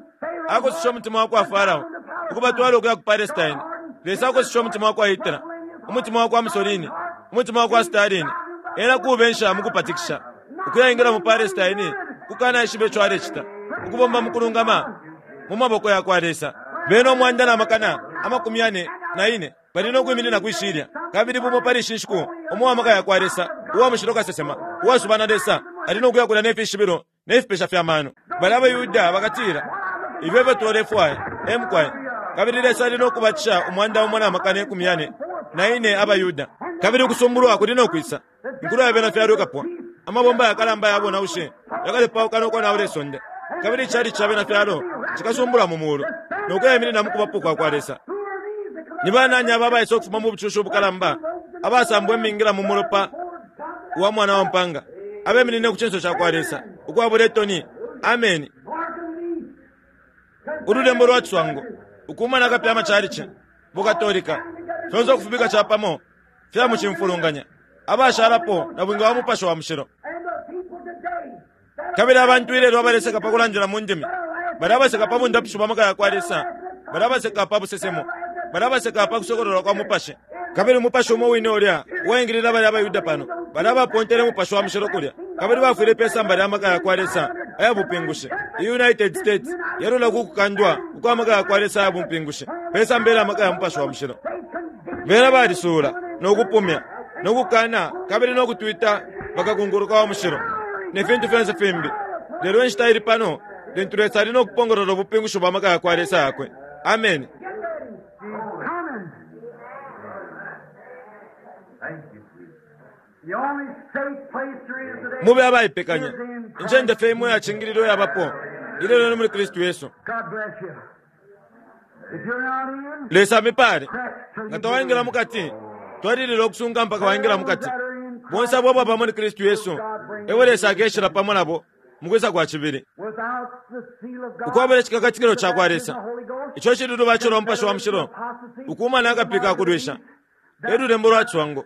akosesha umutima wa kwa Farao ukubatwala ukuya ku Palestine. Lesa akosesha umutima wa kwa Hitler, umutima wa kwa Mussolini, umutima wa kwa Stalin. Ena kubensha mukupatikisha ukuyaingila mu Palestine kukana ishibe ico alecita, ukubomba mukulungama mu maboko ya kwa Lesa. Bena umwanda na makana amakumi ane na ine bali no kwiminina kwishilya, kabili bumo pali ishi nshiku umo wa maka ya kwa Lesa uwa mushilo kasesema uwasubana Lesa ali no kuya kulya ne fishibilo ne fipesha fya mano. Bali abayuda bakatila ifyo efyo twalefwaya emukwaye. Kabili Lesa ali no kubatisha umwanda umo na makana ikumi yane na ine abayuda. Kabili ukusumbulwa kuli no kwisa inkulo ya bena fyalo ikapwa. Amabomba yakalamba yabo naushe yakalepauka no konaula isonde. Kabili icali ca bena fyalo cikasumbulwa mu mulu no kuyayiminina mu kubapo kwa kwa Lesa. Ni banani aba abaisa ukufuma mu bucushi ubukalamba abasambwa imingila mu mulopa wa mwana wa mpanga abeminine ku cinso ca kwa Lesa ukwabula itoni. Ameni. Ululembo lwa ciswango ukumana kapya amacalici bukatolika fyonse ukufubika capamo fya mucimfulunganya abashalapo na bwinga wa Mupashi wa Mushilo. Kabili abantu ilelo abaleseka pa kulandila mu ndimi, bali abaseka pa bundapisho bwa maka ya kwa Lesa, bali abaseka pa busesemo, bali abaseka pa kusokololwa kwa Mupashi. Kabili Mupashi umo wine ulya uwaingilila bali abayuda pano, bali abapontele Mupashi wa Mushilo kulya, kabili bafwile pe samba lya maka ya kwa Lesa aya bupingushi. United States yalula kukukandwa ukwa maka ya kwa Lesa aya bupingushi pe samba lya maka ya Mupashi wa Mushilo. Bena balisuula no kupumya no kukana kabili no kutwita bakakunguruka wa mushilo ne fintu fyonse fimbi. Lelo inshita ili pano lintu Lesa ali no kupongolola ubupingushi bwa maka ya kwa Lesa yakwe. Amen. Mube abaipekanya. Incende fye imwe yacingililwe yabapo ilelo ni muli Kristu Yesu. Lesa amipale. Nga tawaingila mukati, twalilila ukusunga mpaka waingila mukati. Bonse abo ababa muli Kristu Yesu ewe Lesa akeshela pamo nabo mukwisa kwa cibili. Ukwabula icikakatikilo ca kwa Lesa ico cili lubatisho lwa Mupashi wa Mushilo ukumana akapika akulwisha elulembo lwa ciswango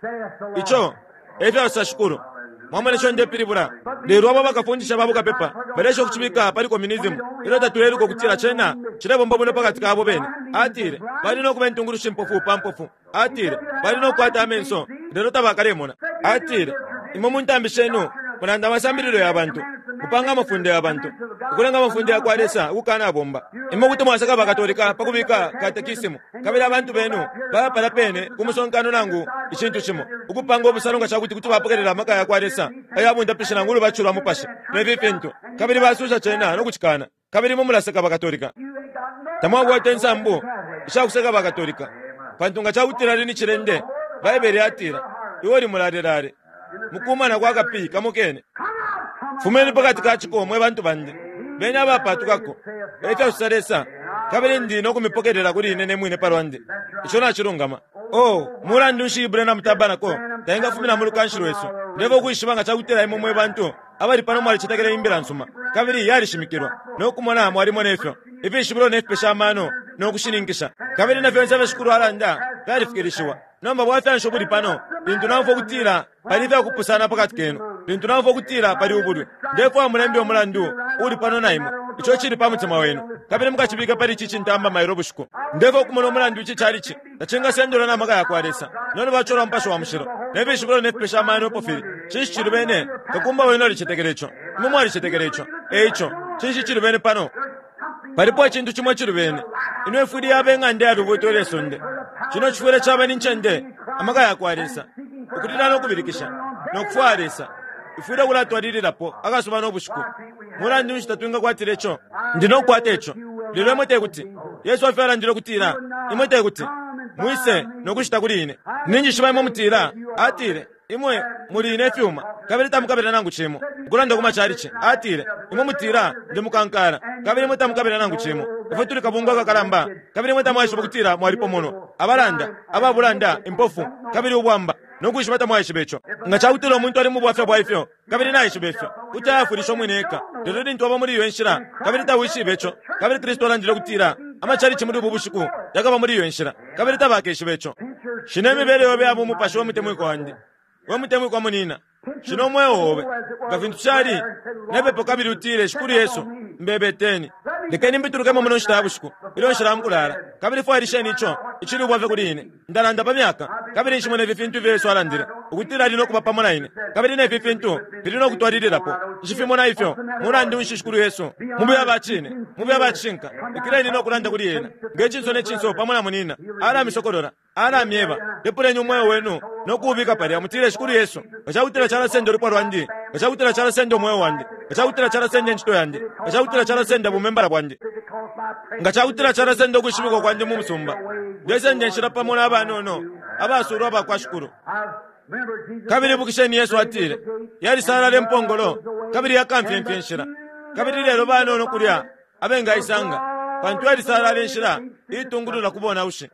ico efyo Shikulu. Mwamona ico ndepilibula. Lelo abo bakafundisha babo kapepa balesha ukucibika pali communism ilyo tatuleluka ukutila cena cilebomba bwino pakati kabo bene. Atile bali no kuba intungulushi mpofu pa mpofu. Atile bali no kukwata amenso lelo tabakalemona. Atile imwe muntambi shenu mulanda amasambililo ya bantu, mupanga amafundo ya bantu, Ukulenga amafunde yakwa Lesa ukukanabomba. Imwe kuti mwaseka Bakatolika pa kubika katekisimu, kabili abantu benu baba palya pene ku musonkano nangu icintu cimo, ukupanga ubusalo nga cakuti kuti bapokelela amaka yakwa Lesa aya bundapishi nangu ulubatisho lwa Mupashi, ne fi fintu, kabili basusha cena no kucikana. Kabili imwe mulaseka Bakatolika. Tamwakwata insambu ishakuseka Bakatolika, pantu nga cakutila ali ni cilende, Baibele yatila, iwe uli mulalelale mukumana kwa kapi kamo kene. Fumeni pakati ka ciko, mwe bantu bandi, beni abapatukako, efyo sosa Lesa, kabili ndi no kumipokelela kuli ine ne mwine palwandi. Ico nacilungama. Oh, mulandu nshi Branham Tabernacle taingafumina mu lukanshi lwesu? Ndefwaya ukwishiba nga cakutila imwe mwe bantu abali pano mwalicetekela imbila nsuma, kabili yalishimikilwa, no kumona mwalimona ifyo ifishibilo ne fipesha amano no kushininkisha, kabili na fyonse ifyo Shikulu alanda fyalifikilishiwa. Nomba bwafya nshi ubuli pano? Lintu naumfwa ukutila pali ifyakupusana pakati kenu, lintu naumfwa ukutila pali ubulwi, ndefwaya mulembe umulandu uuli pano na imwe, ico cili pa mutima wenu, kabili mukacibike pali ici cintamba mailo bushiku. Ndefwaya ukumona umulandu ici calici tacingasendelwa na maka yakwa Lesa no lubatisho lwa Mupashi wa Mushilo ne fishibilo ne fipesha amano epo fili. Cinshi cilubene? Kakumba wenu alicetekela ico. Imwe mwalicetekela ico. E ico, cinshi cilubene pano? Palipo icintu cimo icilubene. Ino ifwile yaba ing'anda ya lubuuto ilye sonde. Cino cifwile caba ni ncende, amaka yakwa Lesa, ukulila no kubilikisha, no kufwaya Lesa. Ifwile ukulatwalililapo akasuba no bushiku. Mulandu nshi tatwingakwatila ico? Ndi no kukwata ico. Lelo imwe tekuti. Yesu afyo alandile ukutila, imwe tekuti mwise no kushita kuli ine. Ninjishiba imwe mutila, atile, imwe muli ne fyuma, kabili tamukabila nangu cimo. Ukulanda ku macalici, atile, imwe mutila, ndi mukankala, kabili imwe tamukabila nangu cimo. Ifwe tuli kabungwe akakalamba, kabili imwe tamwaishiba ukutila mwalipomonwa, abalanda, ababulanda, impofu, kabili ubwamba, no kwishiba tamwaishiba ico. Nga cakutila umuntu ali mu bwafya bwa ifyo, kabili naishiba ifyo, kuti ayafwilisha umwine eka. Lelo lintu waba muli iyo nshila, kabili tawishibe ico, kabili Kristu alandile ukutila amacalici muli ubu bushiku yakaba muli iyo nshila, kabili tabakeshiba ico. Shina imibele yobe ya bumupashi, we mutemwikwa wandi, we mutemwikwa munina. Shina umweo obe nga fintu cali nepepo, kabili utile, Shikulu Yesu, mbebeteni, lekeni mbitulukemo muno nshita ya bushiku ilyo nshila mukulala, kabili fwailisheni ico icili ubwafya kuli ine. Ndalanda pa myaka, kabili nshimona ifi fintu ifyo Yesu alandile ukutila ali no kuba pamo na ine, kabili nefi fintu fili no kutwalililapo. Nshifimona ifyo. Mulandu nshi, Shikulu Yesu, mube abacine, mube abacishinka, ikileni no kulanda kuli ena nge cinso ne cinso pamo na munina. Alamisokolola, alamyeba. Lepuleni umweo wenu no kuubika palya, mutile, Shikulu Yesu, nga cakutila calasenda ulupwa lwandi, nga cakutila calasenda umweo wandi, nga cakutila calasenda incito yandi, nga cakutila calasenda bumembala bwandi, nga cakutila calasenda ukwishibikwa kwandi mu musumba, ndesenda inshila pamo n'abanono abasulwa abakwa Shikulu. Kabili ibukisheni, Yesu atile, yalisalala impongolo, kabili yakamfyemfye inshila, kabili lelo banono kulya abengaisanga, pantu yalisalala inshila iitungulula ku bonaushi.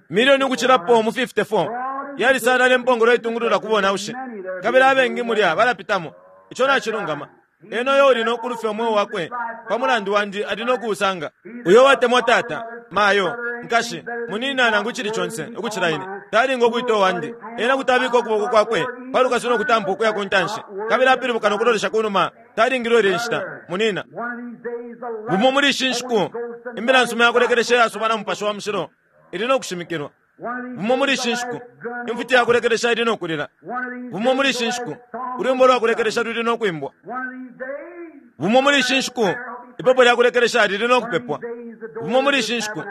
Milioni ukucilapo mu fifty-four. Yalisalala impongolo iitungulula ku bonaushi, kabili abengi mulya balapitamo. Ico nacilungama. Ena uyo uli no kulufya umweo wakwe pa mulandu wandi ali no kuusanga. Uyo watemwa tata, mayo, nkashi, munina nangu icili conse ukucila ine, talinga ukuita uwandi. Ena kuti abika ukuboko kwakwe pa lukasu no kutampa ukuya ku ntanshi, kabili apilibuka no kulolesha ku numa, talingilwe ilya nshita, munina. Bumo muli ishi nshiku, imbila nsuma yakulekelesha iyasuba na Mupashi wa Mushilo ili no kushimikilwa. Bumo muli ishi nshiku, imfuti yakulekelesha ili no kulila. Bumo muli ishi nshiku, ulwimbo lwa kulekelesha luli no kwimbwa. Bumo muli ishi nshiku, ipepo lya kulekelesha lili no kupepwa. Bumo muli ishi nshiku,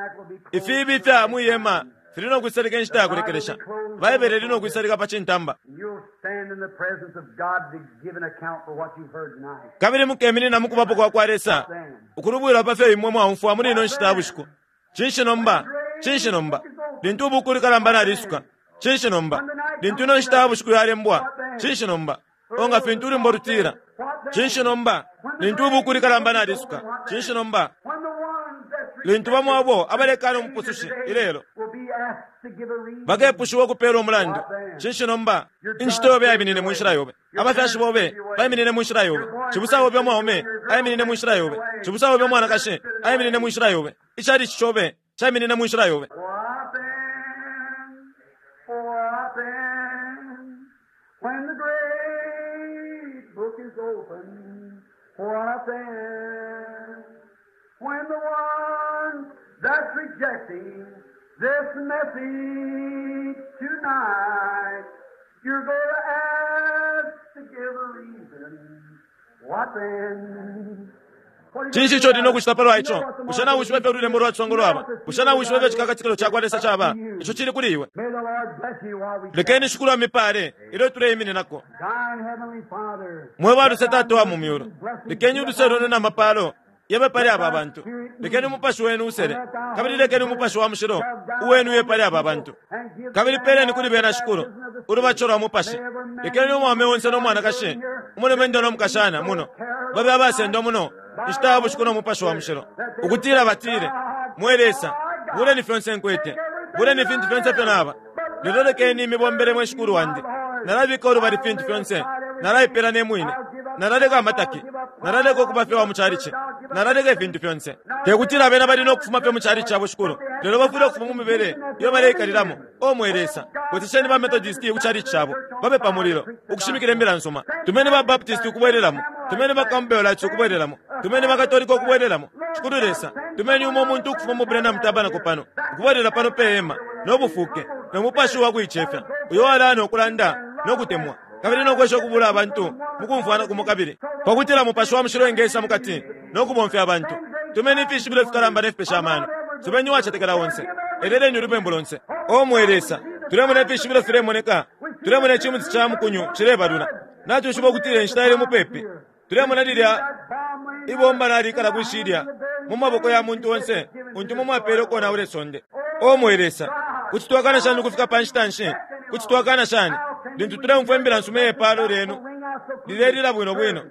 ifiibi ifya mwihema fili no kwisalika inshita ya kulekelesha. Baibele ili no kwisalika pa cintamba, kabili mukeminina mu kubapo kwa kwa Lesa ukulubwilwa pa fyo imwe mwaumfwa muli ino nshita ya bushiku. Cinshi nomba? Cinshi nomba? Lintu ubuku likalamba nalisuka, cinshi nomba? Lintu ino nshita ya bushiku yalembwa, cinshi nomba? O nga fintu ulwimbo lutila, cinshi nomba? Lintu ubuku likalamba nalisuka, cinshi nomba? Lintu bamo abo abalekana umupusushi ilelo bakepushiwa ukupeela umulandu, cinshi nomba? Incito yobe yaiminine mu nshila yobe, abafyashi bobe baiminine mu nshila yobe, cibusa obe umwaume aiminine mu nshila yobe, cibusa obe umwanakashi aiminine mu nshila yobe, icalici cobe caiminine mu nshila yobe. What then? What then? When the great book is opened, what then? When the one that's rejecting this message tonight, you're going to ask to give a reason. Cinshi ico uli nokucita palwa ico? Bushe nawishiba ifyo ululembo lwa ciswango lwaba? Bushe nawishiba ifyo icikakatikilo cakwa Lesa caba? Ico cili kuli iwe. Lekeni Shikulu amipale ilyo tuleimininako. Mwe ba luse Tata wa mu myulu, lekeni uluse lwenu na mapalo yabe pali aba bantu. Lekeni umupashi wenu usele, kabili lekeni umupashi wa mushilo uwenu uye pali aba bantu. Kabili peleni kuli bena, Shikulu, ulubatisho lwa mupashi. Lekeni umwaume onse no mwanakashi, umulumendo no mukashana muno, babe abasendwa muno inshita ya bushiku no mupashi wa mushilo, ukutila batile, Mwe Lesa, buleni fyonse nkwete, buleni ifintu fyonse ifyo naba, lelo lekeni imibombele mwe Shikulu wandi. Nalabika ulubali fintu fyonse, nalaipela ne mwine, nalaleka amataki, nalaleka ukuba fye wa mu calici, nalaleka ifintu fyonse. Te kutila bena bali no kufuma fye mu calici cabo, Shikulu, lelo bafwile ukufuma mu mibele iyo baleikalilamo. O mwe Lesa, bwesesheni ba Methodist ku calici cabo, babe pa mulilo ukushimikila imbila nsuma. Tumeni ba Baptist ukubwelelamo, tumeni ba Campbellites ukubwelelamo, tumeni ba Katolika ukubwelelamo. Shikulu Lesa, tumeni umo umuntu ukufuma mu Branham Tabernacle pano, ukubwelela pano pe hema no bufuke no mupashi wa kuicefya, uyo walaya no kulanda no kutemwa kabili no kwesha ukubula abantu mu kumfwana kumo, kabili pakutila mupashi wa mushilo engesa mukati no kubomfya abantu. Tumeni ifishibilo fikalamba ne fipesha amano. Subeni uwacetekela onse, eleleni ulubembu lonse. O mwe Lesa, tulemona ifishibilo filemoneka, tulemona icimuti ca mukunyu cilebalula. Natwishiba ukutila inshita ili mupepi. Tulemona lilya ibomba nalikala kwishilya mu maboko ya muntu onse untu mumwapele ukonaula isonde. O mwe Lesa, kuti twakana shani ukufika pa nshita nshi? Kuti twakana shani lintu tuleumfwa imbila nsuma yepalo lyenu lilelila bwino bwino?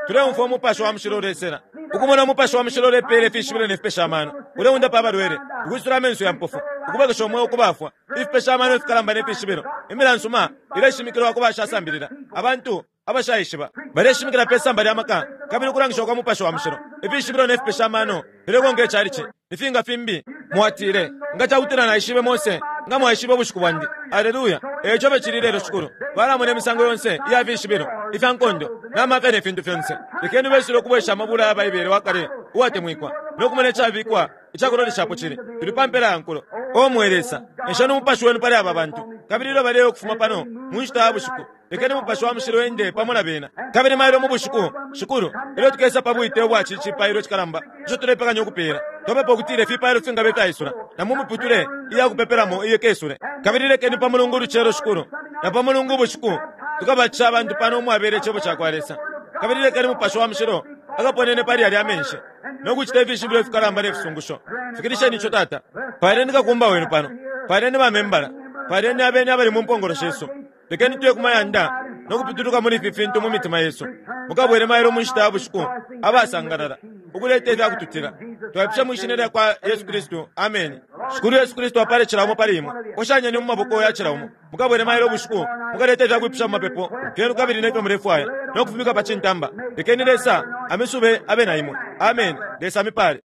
Tuleumfwa umupashi wa mushilo ulesela, ukumona umupashi wa mushilo ulepela ifishibilo ne fipesha amano, uleundapa abalwele, ukwisula amenso ya mpofu, ukubwekesha umweo ku bafwa, ifipesha amano ifikalamba ne fishibilo. Imbila nsuma ileshimikilwa ku bashasambilila, abantu abashaishiba baleshimikila pe samba lya maka kabili ukulangisha kwa mupashi wa mushilo. Ifishibilo ne fipesha amano filekonka icalici. Ifinga fimbi mwatile, nga cakutila naishibe Mose, nga mwaishibe ubushiku bwandi. Aleluya! Eco becili lelo, Shikulu, balamona imisango yonse iya fishibilo ifya nkondo n'amafya ne fintu fyonse. Lekeni besile ukubwesha amabula ya Baibele wa kale uwatemwikwa no kumona icabikwa icakuloleshapo cili. Tuli pa mpela ya nkulo. O mwe Lesa, esheni umupashi wenu pali aba bantu, kabili ilyo baleya ukufuma pano mu nshita ya bushiku, lekeni umupashi wa mushilo ende pamo na bena. Kabili mailo mu bushiku, Shikulu, ilyo tukesa pa bwite ubwa ci cipailo cikalamba ico tulepekanya ukupeela, twapepa ukutila ifipailo fingabe fyaisula na mu miputule iya kupepelamo iye kesule. Kabili lekeni pa Mulungu ulucelo, Shikulu, na pa Mulungu ubushiku, tukabatisha abantu pano umwabela icebo cakwa Lesa. Kabili lekeni umupashi wa mushilo akaponene pali yalya amenshi no kucita ifishibilo ifikalamba ne fisungusho. Fikilisheni ico, Tata. Paleni kakumba wenu pano, paleni bamembala, paleni abeni abali mu mpongolo shesu. Lekeni tuye ku mayanda no kupituluka muli ifi fintu mu mitima yesu. Mukabwele mailo mu nshita ya bushiku abasangalala, ukuleta ifya kututila. Twaipusha mwi shina lya kwa Yesu Kristu, ameni. Shikulu Yesu Kristu apale cila umo pali imwe. Koshanyeni mu maboko ya cila umo. Mukabwele mailo ubushiku, mukaleta ifya kwipusha mu mapepo fyenu kabili nefyo mulefwaya no kufimika pa cintamba. Lekeni Lesa amisube abe na imwe. Ameni. Lesa amipale.